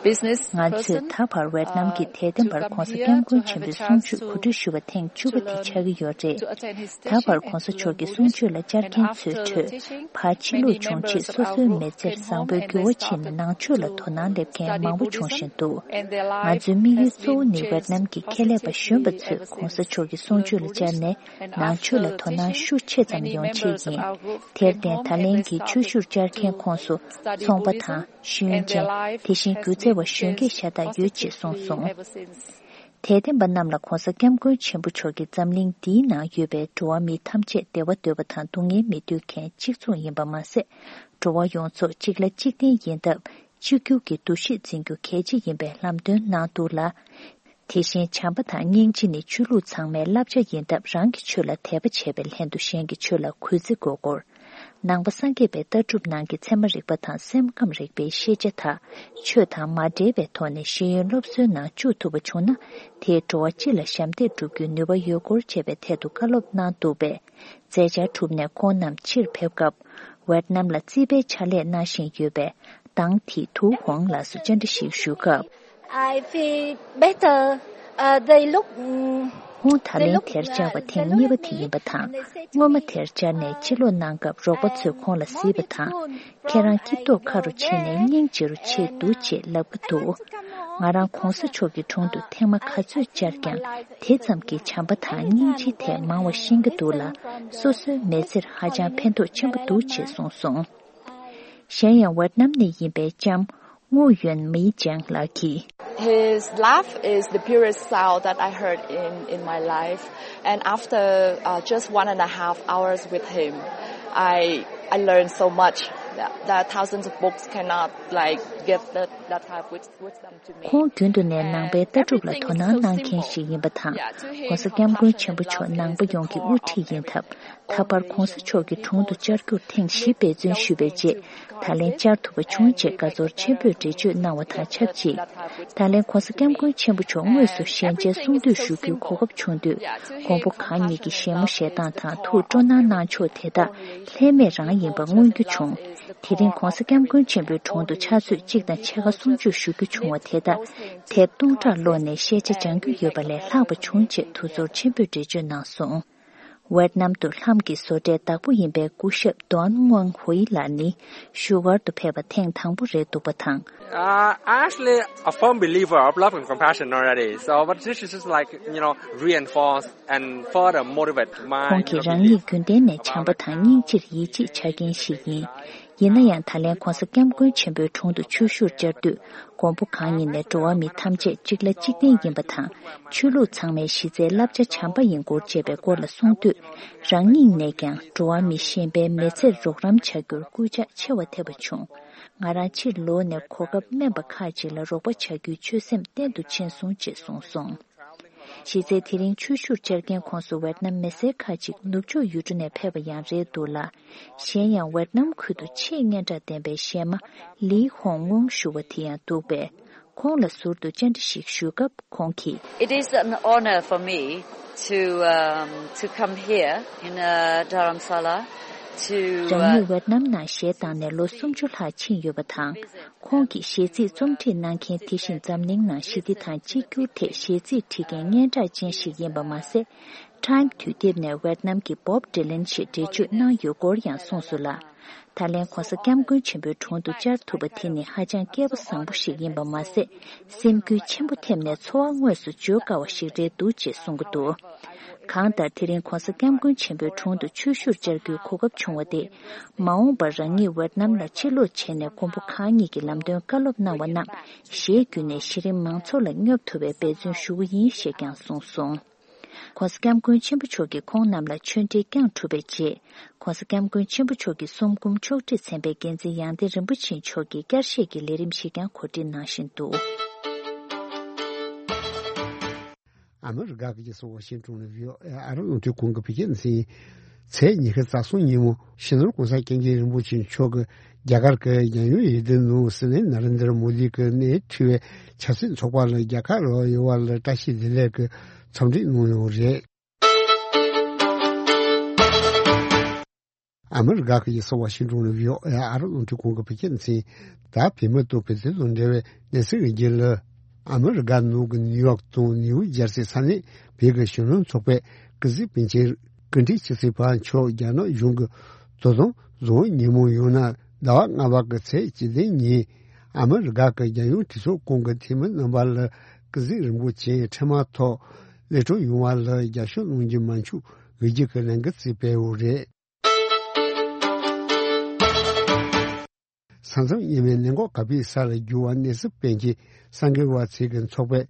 business person, ང་ཚོས་ད་བར་ཝེ་ཏི་ནམ་གྱི་དད་ལྡན་པར་༸གོང་ས་༸སྐྱབས་མགོན་ཆེན་པོའི་གསུང་ཆོས་གོ་སྒྲིག་ཞུ་བ་ཐེངས་བཅུ་པ་དེ་ཆགས་ཀྱི་ཡོད་རེད། ད་བར་༸གོང་ས་མཆོག་གི་གསུང་ཆོས་ལ་བཅར་མཁན་ཚོའི་ཁྲོད། ཕར་ཕྱིན་ལུགས་བྱུང་རྗེས་སོ་སོའི་མི་ཚེར་བཟང་པོའི་འགྱུར་བ་ཕྱིན་ནས་ནང་ཆོས་ལ་དོ་སྣང་སླེབས་མཁན་མང་པོ་བྱུང་བཞིན་འདུག་ང་ཚོའི་དམིགས་ཡུལ་གཙོ་བོ་ནི་ཝེ་ཏི་ནམ་གྱི་ཁྱད་ལས་པ་གཞོན་པ་ཚོས་༸གོང་ས་མཆོག་གི་གསུང་ཆོས་ལ་བཅར་ནས་ནང་ཆོས་ལ་དོ་སྣང་ཤུགས་ཆེ་ཙམ་ཡོང་ཆེད་ཡིན། དེར་བརྟེན་ད་ལན་གྱི་ཆོས་ཞུར་བཅར་མཁན་ཁོངས་སུ་ཚོང་པ་དང་། ཤེས་ཡོན་ཅན། དེ་བཞིན་སྒྱུ་རྩལ་བ་གཞོན་སྐྱེས་ཤ་སྟག་ཡོད་ཅེས་གསུངས་སོང་། དད་ལྡན་པ་རྣམས་ལ་༸གོང་ས་༸སྐྱབས་མགོན་ཆེན་པོ་མཆོག་གིས་འཛམ་གླིང་འདིའི་ནང་ཡོད་པའི་འགྲོ་བ་མི་ཐམས་ཅད་བདེ་བ་འདོད་པ་དང་སྡུག་བསྔལ་མི་འདོད་མཁན་གཅིག་མཚུངས་ཡིན་པ་མ་ཟད། འགྲོ་བ་ཡོངས་རྫོགས་གཅིག་ལ་གཅིག་བརྟེན་ཡིན་སྟབས། གཅིག་གྱུར་གྱི་འདུ་ཤེས་འཛིན་རྒྱུ་གལ་ཆེ་ཡིན་པའི་ལམ་སྟོན་གནང་འདུག་ལ། དེ་བཞིན་བྱམས་པ་དང་སྙིང་རྗེ་ནི་ཆོས་ལུགས་ཚང་མའི་བསླབ་བྱ་ཡིན་སྟབས། རང་གི་ཆོས་ལ་དད་པ་བྱས་པའི་ལྷན་དུ་གཞན་གྱི་ཆོས་ལ་གུས་བརྩི་དགོས་སྐོར། ནང་པ་སངས་རྒྱས་པའི་ལྟ་གྲུབ་ནང་གི་ཚད་མ་རིག་པ་དང་སེམས་ཁམས་རིག་པའི་ཤེས་བྱ་དག་ཆོས་དང་མ་འབྲེལ་བའི་ཐོག་ནས་ཤེས་ཡོན་སློབ་གསོའི་ནང་བཅུག་ཐུབ་པ་བྱུང་ན། དེས་འགྲོ་བ་སྤྱི་ལ་ཞབས་འདེགས་སྒྲུབ་རྒྱུའི་ནུས་པ་ཡོད་སྐོར་བཅས་པའི་ཐད་དུ་བཀའ་སློབ་གནང་འདུག་པས། མཛད་འཆར་གྲུབ་ནས་ཁོང་རྣམས་ཕྱིར་ཕེབས་སྐབས། ཝེད་ནམ་ལ་རྩིས་པའི་ཕྱག་ལས་གནང་བཞིན་ཡོད་པའི་ཏང་ཐི་ཐུའུ་ཧོང་ལགས་སུ་བཅར་འདྲི་ཞིག་ཞུ་སྐབས། I feel better. Uh, they look, mm, ཁོང་ད་ལན་དེར་བཅར་བ་ཐེངས་གཉིས་པ་དེ་ཡིན་པ་དང་། སྔོན་མ་དེར་བཅར་ནས་ཕྱིར་ལོག་གནང་སྐབས་རོགས་པ་ཚོས་ཁོང་ལ་གཟིགས་པ་དང་། ཁྱེད་རང་སྐྱིད་ཏོག་ཁ་རུ་ཕྱིན་ནས་སྙིང་རྗེ་རུ་ཆེ་འདུག་ཅེས་ལབ་ཀྱི་འདུག་ང་རང་གོང་ས་མཆོག་གི་དྲུང་དུ་ཐེངས་མ་ག་ཚོད་བཅར་ཀྱང་དེ་ཙམ་གྱི་བྱམས་པ་དང་སྙིང་རྗེའི་ཐད་མང་བ་ཤེས་ཀྱི་འདུག་ལ། སོ་སོའི་མི་ཚེར་ཧ་ཅང་ཕན་ཐོགས་ཆེན་པོ་འདུག་ཅེས་གསུངས་སོང་། གཞན་ཡང་ཝེད་ནམ་ནས་ཡིན་པའི་ལྕམ་ངུ་ཡོན་མི་ཅང་ལགས་ཀྱིས། His laugh is the purest sound that I heard in, in my life. And after uh, just one and a half hours with him, I, I learned so much. There are thousands of books cannot like give that, that type of wisdom to me. ཁོང་རྒྱུན་དུ་ནས་ནང་པའི་ལྟ་གྲུབ་ལ་དོ་སྣང་གནང་མཁན་ཞིག་ཡིན་པ་དང་།༸གོང་ས་༸སྐྱབས་མགོན་ཆེན་པོ་མཆོག་ནང་པ་ཡོངས་ཀྱི་དབུ་ཁྲིད་ཡིན་སྟབས། ད་བར་༸གོང་ས་མཆོག་གི་དྲུང་དུ་བཅར་རྒྱུར་ཐེངས་བཞི་འབད་བརྩོན་ཞུས་པའི་རྗེས། ད་ལན་བཅར་ཐུབ་པ་བྱུང་ཅེས་དགའ་ཚོར་ཆེན་པོས་འགྲེལ་བརྗོད་གནང་བ་དང་ཆབས་ཅིག་ད་ལན་༸གོང་ས་༸སྐྱབས་མགོན་ཆེན་པོ་མཆོག་དངོས་སུ་ཞལ་མཇལ་གསུང་འདོད་ཞུ་རྒྱུའི་གོ་སྐབས་བྱུང་དུས། མགོན་པོ་གང་ཉིད་ཀྱི་བཞད་མོ་བཞད་སྟངས་དང་ཐུགས་སྤྲོ་སྣང་གནང་ཕྱོགས་དེ་དག་ལྷད་མེད་རང་ཡིན་པ་མངོན་རྒྱུ་བྱུང་། དེ་རིང་༸གོང་ས་༸སྐྱབས་མགོན་ཆེན་པོའི་དྲུང་དུ་ཕྱག་ཚོད་གཅིག་དང་ཕྱེད་ཀ་གསུང་ཆོས་ཞུ་རྒྱུ་བྱུང་བ་དེ་དག་དེབ་སྟོང་ཕྲག་ཀློག་ནས་ཤེས་བྱ་སྦྱང་རྒྱུ་ཡོད་པ་ལས་ལྷག་པ་བྱུང་ཅེས་ཐུགས་ཚོར་ཆེན་པོས་འགྲེལ་བརྗོད་གནང་སོང་། ཝེད་ནམ་དུ་ལྷམ་གྱི་བཟོ་གྲྭའི་བདག་པོ་ཡིན་པའི་སྐུ་ཞབས་ཏོན་ངོང་ཧུའེ་ལགས་ནི་བཞུགས་སྒར་དུ་ཕེབས་པ་ཐེངས་དང་པོ་རེད་འདུག་པ་དང་། Uh, I'm actually a firm believer of love and compassion already. So, but this is just like, you know, reinforce and further motivate my, ཁོང་གིས་རང་ཉིད་རྒྱུན་ལྡན་ནས་བྱམས་པ་དང་སྙིང་རྗེར་ཡིད་ཆེས་བྱ་མཁན་ཞིག་ཡིན། ཡིན་ན་ཡང་ད་ལན་༸གོང་ས་༸སྐྱབས་མགོན་ཆེན་པོའི་དྲུང་དུ་ཆོས་ཞུར་བཅར་དུས། མགོན་པོ་གང་ཉིད་ནས་འགྲོ་བ་མི་ཐམས་ཅད་གཅིག་ལ་གཅིག་བརྟེན་ཡིན་པ་དང་། ཆོས་ལུགས་ཚང་མའི་གཞི་རྩའི་བསླབ་བྱ་བྱམས་པ་ཡིན་སྐོར་བཅས་པའི་སྐོར་ལ་གསུངས་དུས། རང་ཉིད་ནས་ཀྱང་འགྲོ་བ་མི་གཞན་པའི་མི་ཚེར་རོགས་རམ་བྱ་རྒྱུར་སྐུལ་ལྕག་ཆེ་བ་ཐེབས་པ་བྱུང་། ང་རང་ཕྱིར་ལོག་ནས་གོ་སྐབས་དམན་པ་ཁག་ཅིག་ལ་རོགས་པ་བྱ་རྒྱུའི་ཆོད་སེམས་བརྟན་དུ་ཕྱིན་སོང་ཅེས་གསུངས་སོང་། གཞི་རྩའི་དེ་རིང་ཆོས་ཞུར་བཅར་མཁན་ཁོངས་སུ་ཝེད་ནམ་མི་སེར་ཁག་ཅིག་ནུབ་ཕྱོགས་ཡུལ་གྲུ་ནས་ཕེབས་པ་ཡང་རེད་འདུག་ལ། གཞན་ཡང་ཝེད་ནམ་ཁུལ་དུ་ཆེས་སྙན་གྲགས་ལྡན་པའི་གཞས་མ་ལི་ཧོང་ངོང་ཞུ་བ་དེ་ཡང་འདུག་པས། ཁོང་ལ་ཟུར་དུ་བཅར་འདྲི་ཞིག་ཞུས་སྐབས་ཁོང་གིས། It is an honor for me to, um, to come here in, uh, Dharamsala to, uh, རང་ཉིད་ཝེད་ནམ་ནང་གཞས་བཏང་ནས་ལོ་སུམ་ཅུ་ལྷག་ཕྱིན་ཡོད་པ་དང་། ཁོང་གིས་གཞས་ཚིག་རྩོམ་སྒྲིག་གནང་མཁན་དེ་བཞིན་འཛམ་གླིང་ནང་ཞི་བདེ་དང་གཅིག་གྱུར་ཐད་གཞས་ཚིག་བྲིས་མཁན་སྙན་གྲགས་ཅན་ཞིག་ཡིན་པ་མ་ཟད། Time་དུས་དེབ་ནས་ཝེད་ནམ་གྱི་Bob Dylan་ཞེས་འགྲེལ་བརྗོད་གནང་ཡོད་སྐོར་ཡང་གསུངས་སོང་ལ། ད་ལན་༸གོང་ས་༸སྐྱབས་མགོན་ཆེན་པོའི་དྲུང་དུ་བཅར་ཐུབ་པ་དེ་ནི་ཧ་ཅང་སྐལ་པ་བཟང་པོ་ཞིག་ཡིན་པ་མ་ཟད། སེམས་འགུལ་ཆེན་པོ་ཐེབས་ནས་ཚོར་བ་དངོས་སུ་བརྗོད་དཀའ་བ་ཞིག་རེད་འདུག་ཅེས་གསུང་གི་འདུག་གང་ལྟར་དེ་རིང་༸གོང་ས་༸སྐྱབས་མགོན་ཆེན་པོའི་དྲུང་དུ་ཆོས་ཞུར་བཅར་རྒྱུའི་གོ་སྐབས་བྱུང་བ་དེས། མ་འོངས་པར་རང་ཉིད་ཝེད་ནམ་ལ་ཕྱིར་ལོག་བྱས་ནས་མགོན་པོ་གང་ཉིད་ཀྱི་ལམ་སྟོན་བཀའ་སློབ་གནང་བ་རྣམས་གཞས་བརྒྱུད་ནས་གཞི་རིམ་མང་ཚོགས་ལ་སྙོབ་ཐུབ་པའི་འབད་བརྩོན་ཞུ་གི་ཡིན་ཞེས་ཀྱང་གསུངས་སོང་། ༸གོང་ས་༸སྐྱབས་མགོན་ཆེན་པོ་མཆོག་གིས་ཁོང་རྣམས་ལ་ཆོས་འབྲེལ་བསྐྱངས་གྲུབ་པའི་རྗེས། ༸གོང་ས་༸སྐྱབས་མགོན་ཆེན་པོ་མཆོག་གི་གསུང་འབུམ་ཕྱོགས་སྒྲིག་ཚན་པའི་འགན་འཛིན་ཡང་སྟེང་རིན་པོ་ཆེ་མཆོག་གིས་བསྐྱར་བཤད་ཀྱི་ལས་རིམ་ཞིག་ཀྱང་གོ་སྒྲིག་གནང་བཞིན་འདུག་ཨ་མི་རི་ཀ་གི་རྒྱལ་ས་ཝ་ཤིང་ཊོན་ནས་བྷི་ཨོ་ཨེ་ཨ་རབ་རླུང་འཕྲིན་ཁང་གི་བོད་སྐད་སྡེ་ཚན། ཚེས་ཉི་ཤུ་རྩ་གསུམ་ཉིན་མོ་སྤྱི་ནོར་༸གོང་ས་༸སྐྱབས་མགོན་རིན་པོ་ཆེ་མཆོག་གིས་རྒྱ་གར་གྱི་རྒྱལ་ཡོངས་འོས་བསྡུ་ནང་སྲིད་བློན་ནཱ་རེན་དྲ་མོ་དི་གི་སྣེ་ཁྲིད་པའི་ཆབ་སྲིད་ཚོགས་པ་ལ་རྒྱལ་ཁ་རག་ཡོད་པ་ལ་བཀྲ་ཤིས་བདེ་ལེགས་ཀྱི་འཚམས་འདྲི་གནང་ཡོད་རེད། ཨ་མི་རི་ཀ་གི་རྒྱལ་ས་ཝ་ཤིང་ཊོན་ནས་བྷི་ཨོ་ཨེ་ཨ་རབ་རླུང་འཕྲིན་ཁང་གི་བོད་སྐད་སྡེ་ཚན། ད་བོད་མི་དང་བོད་དོན་དང་འབྲེལ་བའི་གནས་ཚུལ་གྱི་རྒྱུན་ལ། ཨ་མི་རི་ཀ་ནང་གི་ནིའུ་ཡོག་དང་ནིའུ་ཇར་སི་ས་གནས་བོད་ཀྱི་གཞོན་ནུ་ཚོགས་པའི་ཀི་ཟི་པིན་ཆེན་སྐུ་ཕྲེང་བཅུ་གཅིག་པ་མཆོག་རྒྱ་ནག་གཞུང་གིས་དོ་དམ་བཟུང་ཉིན་མོ་ཡང་ན་ཟླ་བ་ལྔ་པ་གི་ཚེས་བཅུ་བདུན་ཉིན། ཨ་མི་རི་ཀ་གི་རྒྱལ་ཡོངས་གྲོས་ཚོགས་ཁང་གི་འཐུས་མི་རྣམ་པ་ལ་ཀི་ཟི་རིན་པོ་ཆེའི་འཕྲིན་དམག་ཐོག་ལས་འཕྲོ་ཡོང་བ་ལ་རྒྱབ་སྐྱོར་གནང་རྒྱུ་མ་འཆུག་འོས་བསྡུ་གི་ལས་འགུལ་བརྩིས་པའི་འོག་རེད། ས་མཚམས་གཉིས་མའི་ནད་འགོག་གབ་སྦས་ས་ལ་གྱུར་བ་ནད་སྲུན་སྤེལ་མཁན་གསར་འགོད་པ་ཚོ་གི་ཚོགས་པས་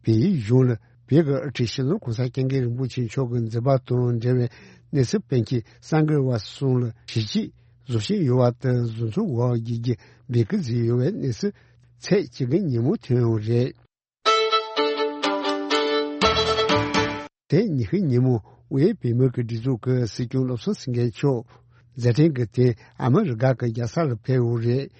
བལ་ཡུལ་གཞུང་ལ་བོད་ཀྱི་དབུ་ཁྲིད་སྤྱི་ནོར་༸གོང་ས་༸སྐྱབས་མགོན་རིན་པོ་ཆེ་མཆོག་གི་མཛད་པ་དང་འབྲེལ་བའི་ནད་སྲུན་སྤེལ་མཁན་གསར་འགོད་པ་གསུམ་ལ་ཞི་བྱེད་བཟོ་བཞིན་ཡོད་པ་དང་། གཟུགས་མཚོ་འོག་བརྒྱུད་ཀྱི་འབོད་སྐུལ་བཟོས་ཡོད་པའི་གནས་ཚུལ་ཚེས་བཅུ་དགུ་ཉིན་མོ་ཐོན་ཡོད་རེད། དེ་ཉི་ཤུ་ཉིན་མོ་དབུས་བོད་མིའི་སྒྲིག་འཛུགས་ཀྱི་སྲིད་སྐྱོང་བློ་བཟང་སེང་གེ་མཆོག་ མཛད་འཕྲིན་གྱི་རྟེན་ཨ་མི་རི་ཀ་གི་རྒྱལ་ས་ལ་ཕེབས་ཡོད་རེད།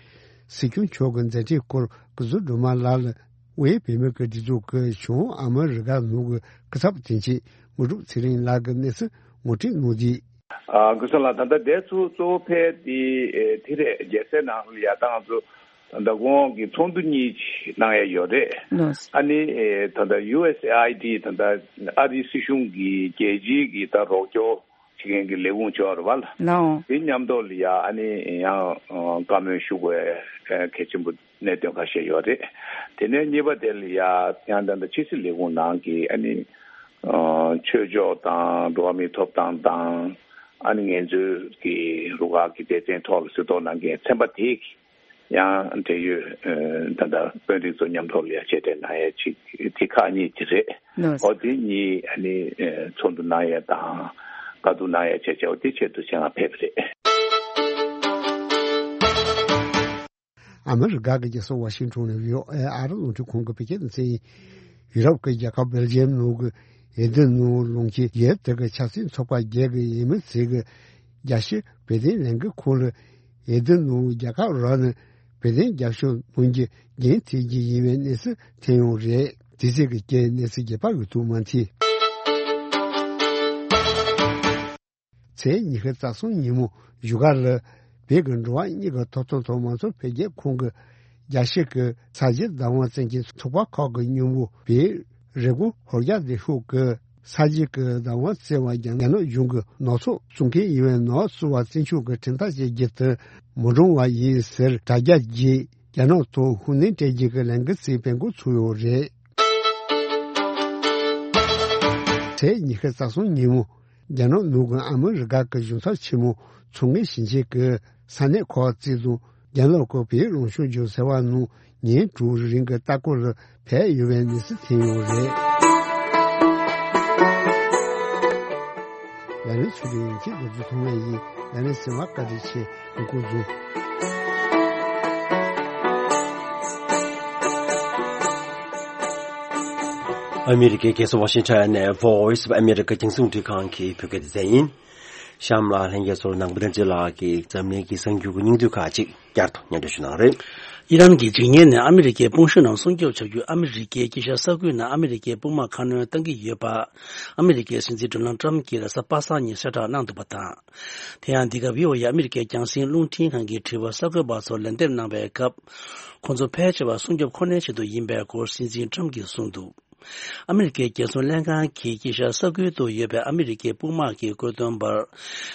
སྲིད་སྐྱོང་མཆོག་གི་མཛད་འཕྲིན་སྐོར་སྐུ་ཟུར་སྒྲོལ་མ་ལགས་ལ་དབུས་བོད་མི་གི་སྒྲིག་འཛུགས་ཀྱི་བྱུང་ཨ་མི་རི་ཀ་ནང་གི་སྐུ་ཚབ་དོན་གཅོད་དངོས་གྲུབ་ཚེ་རིང་ལགས་ཀྱིས་གནས་ཚུལ་ངོ་སྤྲོད་གནང་རྗེས། ཨ། སྐུ་ཞབས་ལགས། ད་ལྟ་དེ་ཚོ་གཙོ་བོ་ཕལ་དེ་ཨེ་དེ་རེད། རྒྱལ་སའི་ནང་ལ་ཡ་ད་ང་ཚོ་ད་ལྟ་གོང་གི་ཚོགས་འདུ་གཉིས་གནང་ཡ་ཡོད་རེད། ལགས། ཨ་ནི་ཨེ་ད་ལྟ་ཡུ་ཨེས་ཨེ་ཨའི་ཌི། ད་ལྟ་ཨ་རིའི་སྲིད་གཞུང་གི་རྒྱལ་སྤྱིའི་གི་ད་རོགས་སྐྱོར་བྱེད་མཁན་གྱི་ལས་ཁུངས་ཅིག་ཡོད་རེད་པ་ལགས། ལགས། དེ་མཉམ་དུ་ལ་ཡ་ཨ་ནི་ཡང་ཨ་བཀའ་མོལ་ཞུ་དགོས་ཨ་གལ་ཆེན་པོ་གནད་དོན་ཁ་ཤས་ཡོད་རེད། དེ་ནས་གཉིས་པ་དེ་ལ་ཡ་ཡང་ད་ལྟ་ཕྱི་སྲིད་ལས་ཁུངས་ནང་གི་ཨ་ནི་ཨ་ཆོས་ཕྱོགས་དང་འགྲོ་བ་མིའི་ཐོབ་ཐང་དང་ཨ་ནི་ངལ་རྩོལ་གྱི་རུ་ཁག་གི་སྡེ་ཚན་ཐོག་ལ་གཟིགས་རྟོག་གནང་མཁན་ཚན་པ་དེ་ཡང་འབྲེལ་ཡོད་ཨ་ད་ལྟ་དཔོན་རིགས་ཚོ་མཉམ་ཐོག་ལ་ཡ་མཇལ་འཕྲད་གནང་ཡ་ཅིག་དེ་ཁག་གཉིས་ཅིག་རེད། ལགས། འོ་དེ་གཉིས་ཨ་ནི་ཨ་ཚོགས་འདུ་གནང་ཡ་དང་བཀའ་བསྡུར་གནང་ཡ་བྱས་བྱས་འོ་དེ་ཆེད་དུ་ཆེད་མངགས་ཕེབས་པ་རེད། ཨ་མི་རི་ཀ་གི་རྒྱལ་ས་ཝ་ཤིང་ཊོན་ནས་བྷི་ཨོ་ཨེ་ཨ་རི་རླུང་འཕྲིན་ཁང་གི་བོད་སྐད་སྡེ་ཚན་ཡིན། ཡུ་རོབ་ཀྱི་རྒྱལ་ཁབ་སྦེལ་ཇི་ཡམ་ནང་གི་ཨེ་ལྡན་ནང་ལུང་ཁྱེར་རྒྱལ་དེ་གི་ཆབ་སྲིད་ཚོགས་པ་བརྒྱད་ཀྱི་འོས་མི་ཚོས་ཀྱི་རྒྱལ་སྤྱིའི་བོད་དོན་ལས་འགུལ་ཁང་ལ་ཨེ་ལྡན་ནང་རྒྱལ་ཁབ་རང་ནས་བོད་དོན་རྒྱབ་སྐྱོར་གནང་རྒྱུ་འགན་འཁྱེར་རྒྱུ་ཡིན་པའི་གནས་ཚུལ་ཐོན་ཡོད་རེད། དེ་ཚོ་གི་རྐྱེན་གནས་ཚུལ་རྒྱས་པ་ཡོད་དུ་མ་མཐུན། ཚེས་ཉི་ཤུ་རྩ་གསུམ་ཉིན་མོ་བཞུགས་སྒར་ལ་བོད་ཀྱི་འགྲོ་བ་མིའི་ཐོབ་ཐང་དང་མང་གཙོ་འཕེལ་རྒྱས་ཁང་གི་རྒྱལ་སྤྱི་གི་ས་བྱི་བདག་དབང་བཙན་གྱིས་ཚོགས་པ་ཁག་གི་མཉམ་པོ་བོད་རེབ་གོང་ཧོར་རྒྱ་སྡེ་ཤོག་གི་ས་བྱི་གི་བདག་དབང་བཙན་བ་རྒྱ་ནག་གཞུང་གི་ནག་ཚོགས་བཙུགས་མཁན་ཡིན་པའི་ནག་བཙུགས་པ་བཙན་བྱོལ་གྱི་ཁྲིམས་ཐག་བཅད་རྒྱུ་དེ་མི་འགྲོ་བ་ཡིན་ཟེར་དྲ་རྒྱ་བརྒྱུད་རྒྱ་ནག་ཐོག་ཤུགས་སྣོན་སྤྲད་རྒྱུ་གི་ལས་འགུལ་ཞིག་སྤེལ་འགོ་ཚུགས་ཡོད་རེད། ཚེས་ཉི་ཤུ་རྩ་གསུམ་ཉིན་མོ། རྒྱ་ནག་ནང་གི་ཨ་མི་རི་ཀ་གི་གཞུང་ཚབ་ཆེན་མོ་ཚོགས་ངེས་ཞིང་ཆེན་གྱི་ས་གནས་ཁག་བརྩིས་ནས་རྒྱ་ནག་གི་བོད་རང་སྐྱོང་ལྗོངས་ཟེར་བ་ནང་ཉིན་དྲུག་རིང་གི་ལྟ་སྐོར་ལ་ཕེབས་ཡོད་པའི་གནས་ཚུལ་ཐོན་ཡོད་རེད། ལ་ལན་ཚུལ་ལེན་གྱི་འགོ་འཛུགས་ཐོག་མའི་ཡིན། ལ་ལན་ཟེར་བ་བཀའ་དྲིན་ཆེ། འགོ་འཛུགས། ཨ་མི་རི་ཀའི་རྒྱལ་ས་ཝ་ཤིང་ཊོན་ནས་Voice of America རྒྱང་སྲིང་རླུང་འཕྲིན་ཁང་གི་བོད་སྐད་སྡེ་ཚན་ཡིན། གཤམ་ལ་ལྷན་རྒྱས་ཚོར་ནང་པ་བསྟན་འཛིན་ལགས་ཀྱིས་འཛམ་གླིང་གི་གསར་འགྱུར་གྱི་སྙིང་བསྡུས་ཁག་ཅིག་བསྐྱར་དུ་སྙན་སྒྲོན་ཞུ་གནང་རེད། ཨི་རན་གྱི་འཇིགས་ཉེན་ནས་ཨ་མི་རི་ཀའི་དཔུང་ཤུགས་རྣམས་སྲུང་སྐྱོབ་བྱ་རྒྱུ། ཨ་མི་རི་ཀའི་དཀྱིལ་ཤར་ས་ཁུལ་ནང་ཨ་མི་རི་ཀའི་དཔུང་དམག་ཁ་སྣོན་གཏང་གི་ཡོད་པ། ཨ་མི་རི་ཀའི་སྲིད་འཛིན་ཌོ་ནལ་ཊམ་གྱིས་རེས་གཟའ་པ་སངས་ཉིན་གསལ་བསྒྲགས་གནང་འདུག་པ་དང་། དེ་ཡང་འདི་ག་བྷི་ཨོ་ཨེ་ཨ་མི་རི་ཀའི་རྒྱང་སྲིང་རླུང་འཕྲིན་ཁང་གི་དྲི་བར་གསར་འགོད་པ་ཚོར་ལན་འདེབས་གནང་བའི་སྐབས། ཁོང་ཚོ་ཕལ་ཆེ་བ་སྲུང་སྐྱོབ་ཁོ་ནའི་ཆེད་དུ་ཡིན་པའི་སྐོར་སྲིད་འཛིན་ཊམ་གྱིས་གསུངས་འདུག་ཨ་མི་རི་ཀའི་རྒྱལ་སྲུང་ལྷན་ཁང་གིས་དཀྱིལ་ཤར་ས་ཁུལ་དུ་ཡོད་པའི་ཨ་མི་རི་ཀའི་དཔུང་དམག་གི་བཀོད་འདོམས་པར་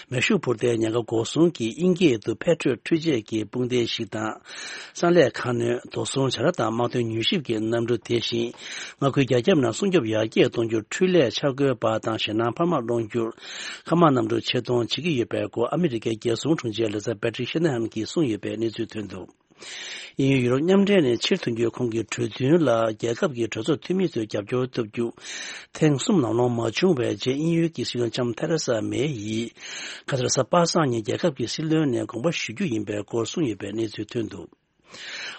མེ་ཤུགས་འཕུར་མདེལ་ཉེན་ཁ་འགོག་སྲུང་གི་ཨིན་སྐད་དུ་Patriot འཕྲུལ་ཆས་ཀྱི་དཔུང་སྡེ་ཞིག་དང་། གསང་ལས་ཁ་སྣོན། དོགས་ཟོན་བྱ་ར་དང་དམག་དོན་མྱུལ་ཞིབ་ཀྱི་གནམ་གྲུ། དེ་བཞིན་མངའ་ཁུལ་རྒྱ་ཁྱབ་ནང་སྲུང་སྐྱོབ་ཡར་རྒྱས་གཏོང་རྒྱུར་འཕྲུལ་ལས་འཆར་འགོད་པ་དང་ཞེད་སྣང་འཕར་མ་སློང་རྒྱུར་མཁའ་དམག་གནམ་གྲུ་ཆེད་གཏོང་བྱེད་ཀྱི་ཡོད་པའི་སྐོར་ཨ་མི་རི་ཀའི་རྒྱལ་སྲུང་དྲུང་ཆེ་ལེ་ས་པེ་ཏྲིག་ཤེ་ན་ཧན་གྱིས་གསུངས་ཡོད་པའི་གནས་ཚུལ་ཐོན་འདུག་དབྱིན་ཡུལ་ཡུ་རོབ་མཉམ་འབྲེལ་ནས་ཕྱིར་ཐོན་རྒྱུའི་ཁོང་གི་གྲོས་མཐུན་ལ་རྒྱལ་ཁབ་ཀྱི་གྲོས་ཚོགས་འཐུས་མི་ཚོས་རྒྱབ་སྐྱོར་ཐོབ་རྒྱུ་ཐེངས་གསུམ་ལམ་ལྷོང་མ་བྱུང་བའི་རྗེས། དབྱིན་ཡུལ་གྱི་སྲིད་བློན་ལྕམ་ཐེ་རེ་ས་མེ་ཡིས་ཁ་སང་རེས་གཟའ་པ་སངས་ཉིན་རྒྱལ་ཁབ་ཀྱི་སྲིད་བློན་ནས་དགོངས་པ་ཞུ་རྒྱུ་ཡིན་པའི་སྐོར་གསུངས་ཡོད་པའི་གནས་ཚུལ་ཐོན་འདུག་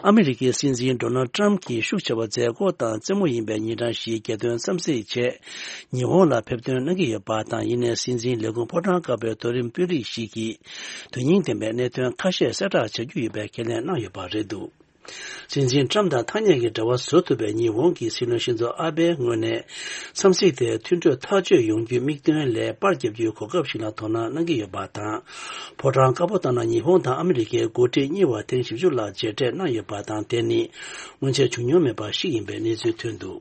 ཨ་མི་རི་ཀའི་སྲིད་འཛིན་ཌོ་ནལ་ཊམ་གྱིས་ཤུགས་ཆེ་བ་མཛད་སྒོ་དང་རྩེད་མོ་ཡིན་པའི་ཉིན་གྲངས་ཤིག་རྒྱལ་དོན་འཚམས་གཟིགས་ཆེད་ཉི་ཧོང་ལ་ཕེབས་ཐོན་གནང་གི་ཡོད་པ་དང་། ཡིན་ནའི་སྲིད་འཛིན་ལས་ཁུངས་ཕོ་བྲང་དཀར་པོའི་མཐོ་རིམ་དཔོན་རིགས་ཤིག་གིས་དོན་སྙིང་ལྡན་པའི་གནད་དོན་ཁ་ཤས་གསལ་བསྒྲགས་བྱ་རྒྱུ་ཡོད་པའི་ཁས་ལེན་གནང་ཡོད་པ་རེད་འདུག་སྲིད་འཛིན་ཊམ་དང་ཐ་སྙད་ཀྱི་འབྲེལ་བ་བཟོ་ཐུབ་པའི་ཉི་ཧོང་གི་སྲིད་བློན་ཤིན་ཛོ་ཨ་བྷེའི་ངོས་ནས་འཚམས་གཟིགས་དེ་མཐུན་གྲོས་ཐག་གཅོད་ཡོང་རྒྱུའི་དམིགས་དོན་ལས་པར་བརྒྱབ་རྒྱུའི་གོ་སྐབས་ཤིག་ལ་དོ་སྣང་གནང་གི་ཡོད་པ་དང་། ཕོ་བྲང་དཀར་པོ་ལྟར་ན་ཉི་ཧོང་དང་ཨ་མི་རི་ཀའི་འགོ་ཁྲིད་གཉིས་བར་ཐེངས་བཞི་བཅུ་ལྷག་མཇལ་འཕྲད་གནང་ཡོད་པ་དང་། དེ་ནི་སྔོན་ཆད་བྱུང་མྱོང་མེད་པ་ཞིག་ཡིན་པའི་གནས་ཚུལ་ཐོན་འདུག་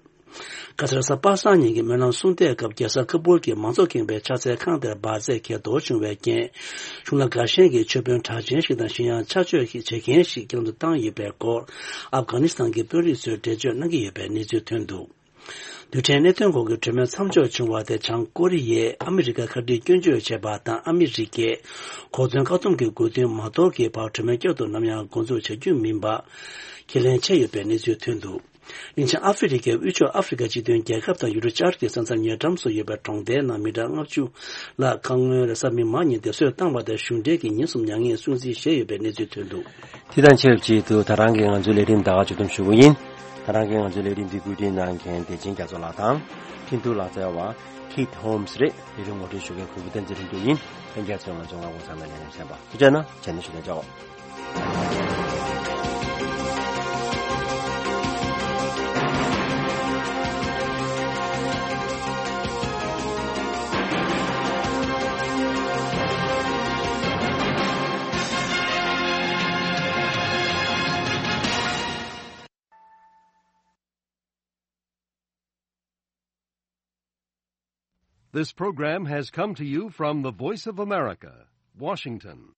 ཁ་སང་རེས་གཟའ་པ་སངས་ཉིན་གྱི་སྨོན་ལམ་གསུང་བཤད་སྐབས་རྒྱལ་ས་ཁ་བུལ་གྱི་མང་གཙོ་ཁེངས་པའི་ཕྱག་འཚལ་ཁང་དེར་འབར་རྫས་འགེལ་ལྡོག་བྱུང་བའི་རྐྱེན། གཞུང་ལ་དགའ་ཞེན་གྱི་མཆོད་དཔོན་གྲགས་ཅན་ཞིག་དང་གཞན་ཡང་ཕྱག་མཆོད་བྱེད་མཁན་ཞིག་བསྐྱར་དུ་བཏང་ཡོད་པའི་སྐོར་ཨབ་གྷ་ནི་སི་ཐན་གྱི་དཔོན་རིགས་ཚོས་འགྲེལ་བརྗོད་གནང་གི་ཡོད་པའི་གནས་ཚུལ་ཐོན་འདུག་རྡུལ་ཕྲན་གནད་དོན་སྐོར་གྱི་གྲོས་མོལ་མཚམས་འཇོག་བྱུང་བ་དེ་བྱང་ཀོ་རི་ཡས་ཨ་མི་རི་ཀར་ཁ་བྲལ་སྐྱོན་བརྗོད་བྱས་པ་དང་། ཨ་མི་རི་ཀས་གོ་མཚོན་བཀག་སྡོམ་གྱི་དགོས་འདུན་མ་དོར་གྱི་བར་གྲོས་མོལ་བསྐྱར་དུ་ནམ་ཡང་འགོ་འཛུགས་བྱ་རྒྱུ་མིན་པ་ཁས་ལེན་བྱས་ཡོད་པའི་གནས་ཚུལ་ཐོན་འདུག་གླིང་ཆེན་ཨ་ཧྥེ་རི་ཁའི་དབུས་ཕྱོགས་ཨ་ཧྥེ་རི་ཁ་སྤྱི་མཐུན་རྒྱལ་ཁབ་དང་ཡུ་རོབ་བཅའ་སྒྲིག་ས་མཚམས་ཉེ་འགྲམ་སུ་ཡོད་པའི་གྲོང་རྡལ་ནང་མི་གྲངས་ལྔ་བཅུ་ལྷག་ཁ་སྔོན་རེས་གཟའ་མིག་དམར་ཉིན་སྡེབ་གསོད་བཏང་བ་དེར་གཞུང་འབྲེལ་གྱིས་ཉིན་གསུམ་མྱ་ངན་སྲུང་བརྩི་བཞེས་ཡོད་པའི་གནས་ཚུལ་ཐོན་འདུག་དེ་དང་ཆབས་ཅིག་ཏུ་ད་རང་གི་ང་ཚོའི་ལས་རིམ་ད་ག་མཇུག་བསྡོམས་ཞུ་གི་ཡིན། ད་རང་གི་ང་ཚོའི་ལས་རིམ་འདི་བཀོད་སྒྲིག་གནང་མཁན་བདེ་ཆེན་རྒྱ་མཚོ་ལགས་དང་། འཕྲིན་གཏོང་ལག་རྩལ་བ་Keith Holmes རེད། ལས་རིམ་ངོ་སྤྲོད་ཞུ་མཁན་གུས་པ་བསྟན་འཛིན་ལྷུན་གྲུབ་ཡིན། ལྷན་རྒྱས་ཚོས་ང་ཚོའི་མངའ་ཁོངས་ཚང་མའི་ལས་རིམ་གསན་པ་ཐུགས་རྗེ་གནང་། རྗེས་ནས་ཞུ་ལན་བྱའོ། This program has come to you from the Voice of America, Washington.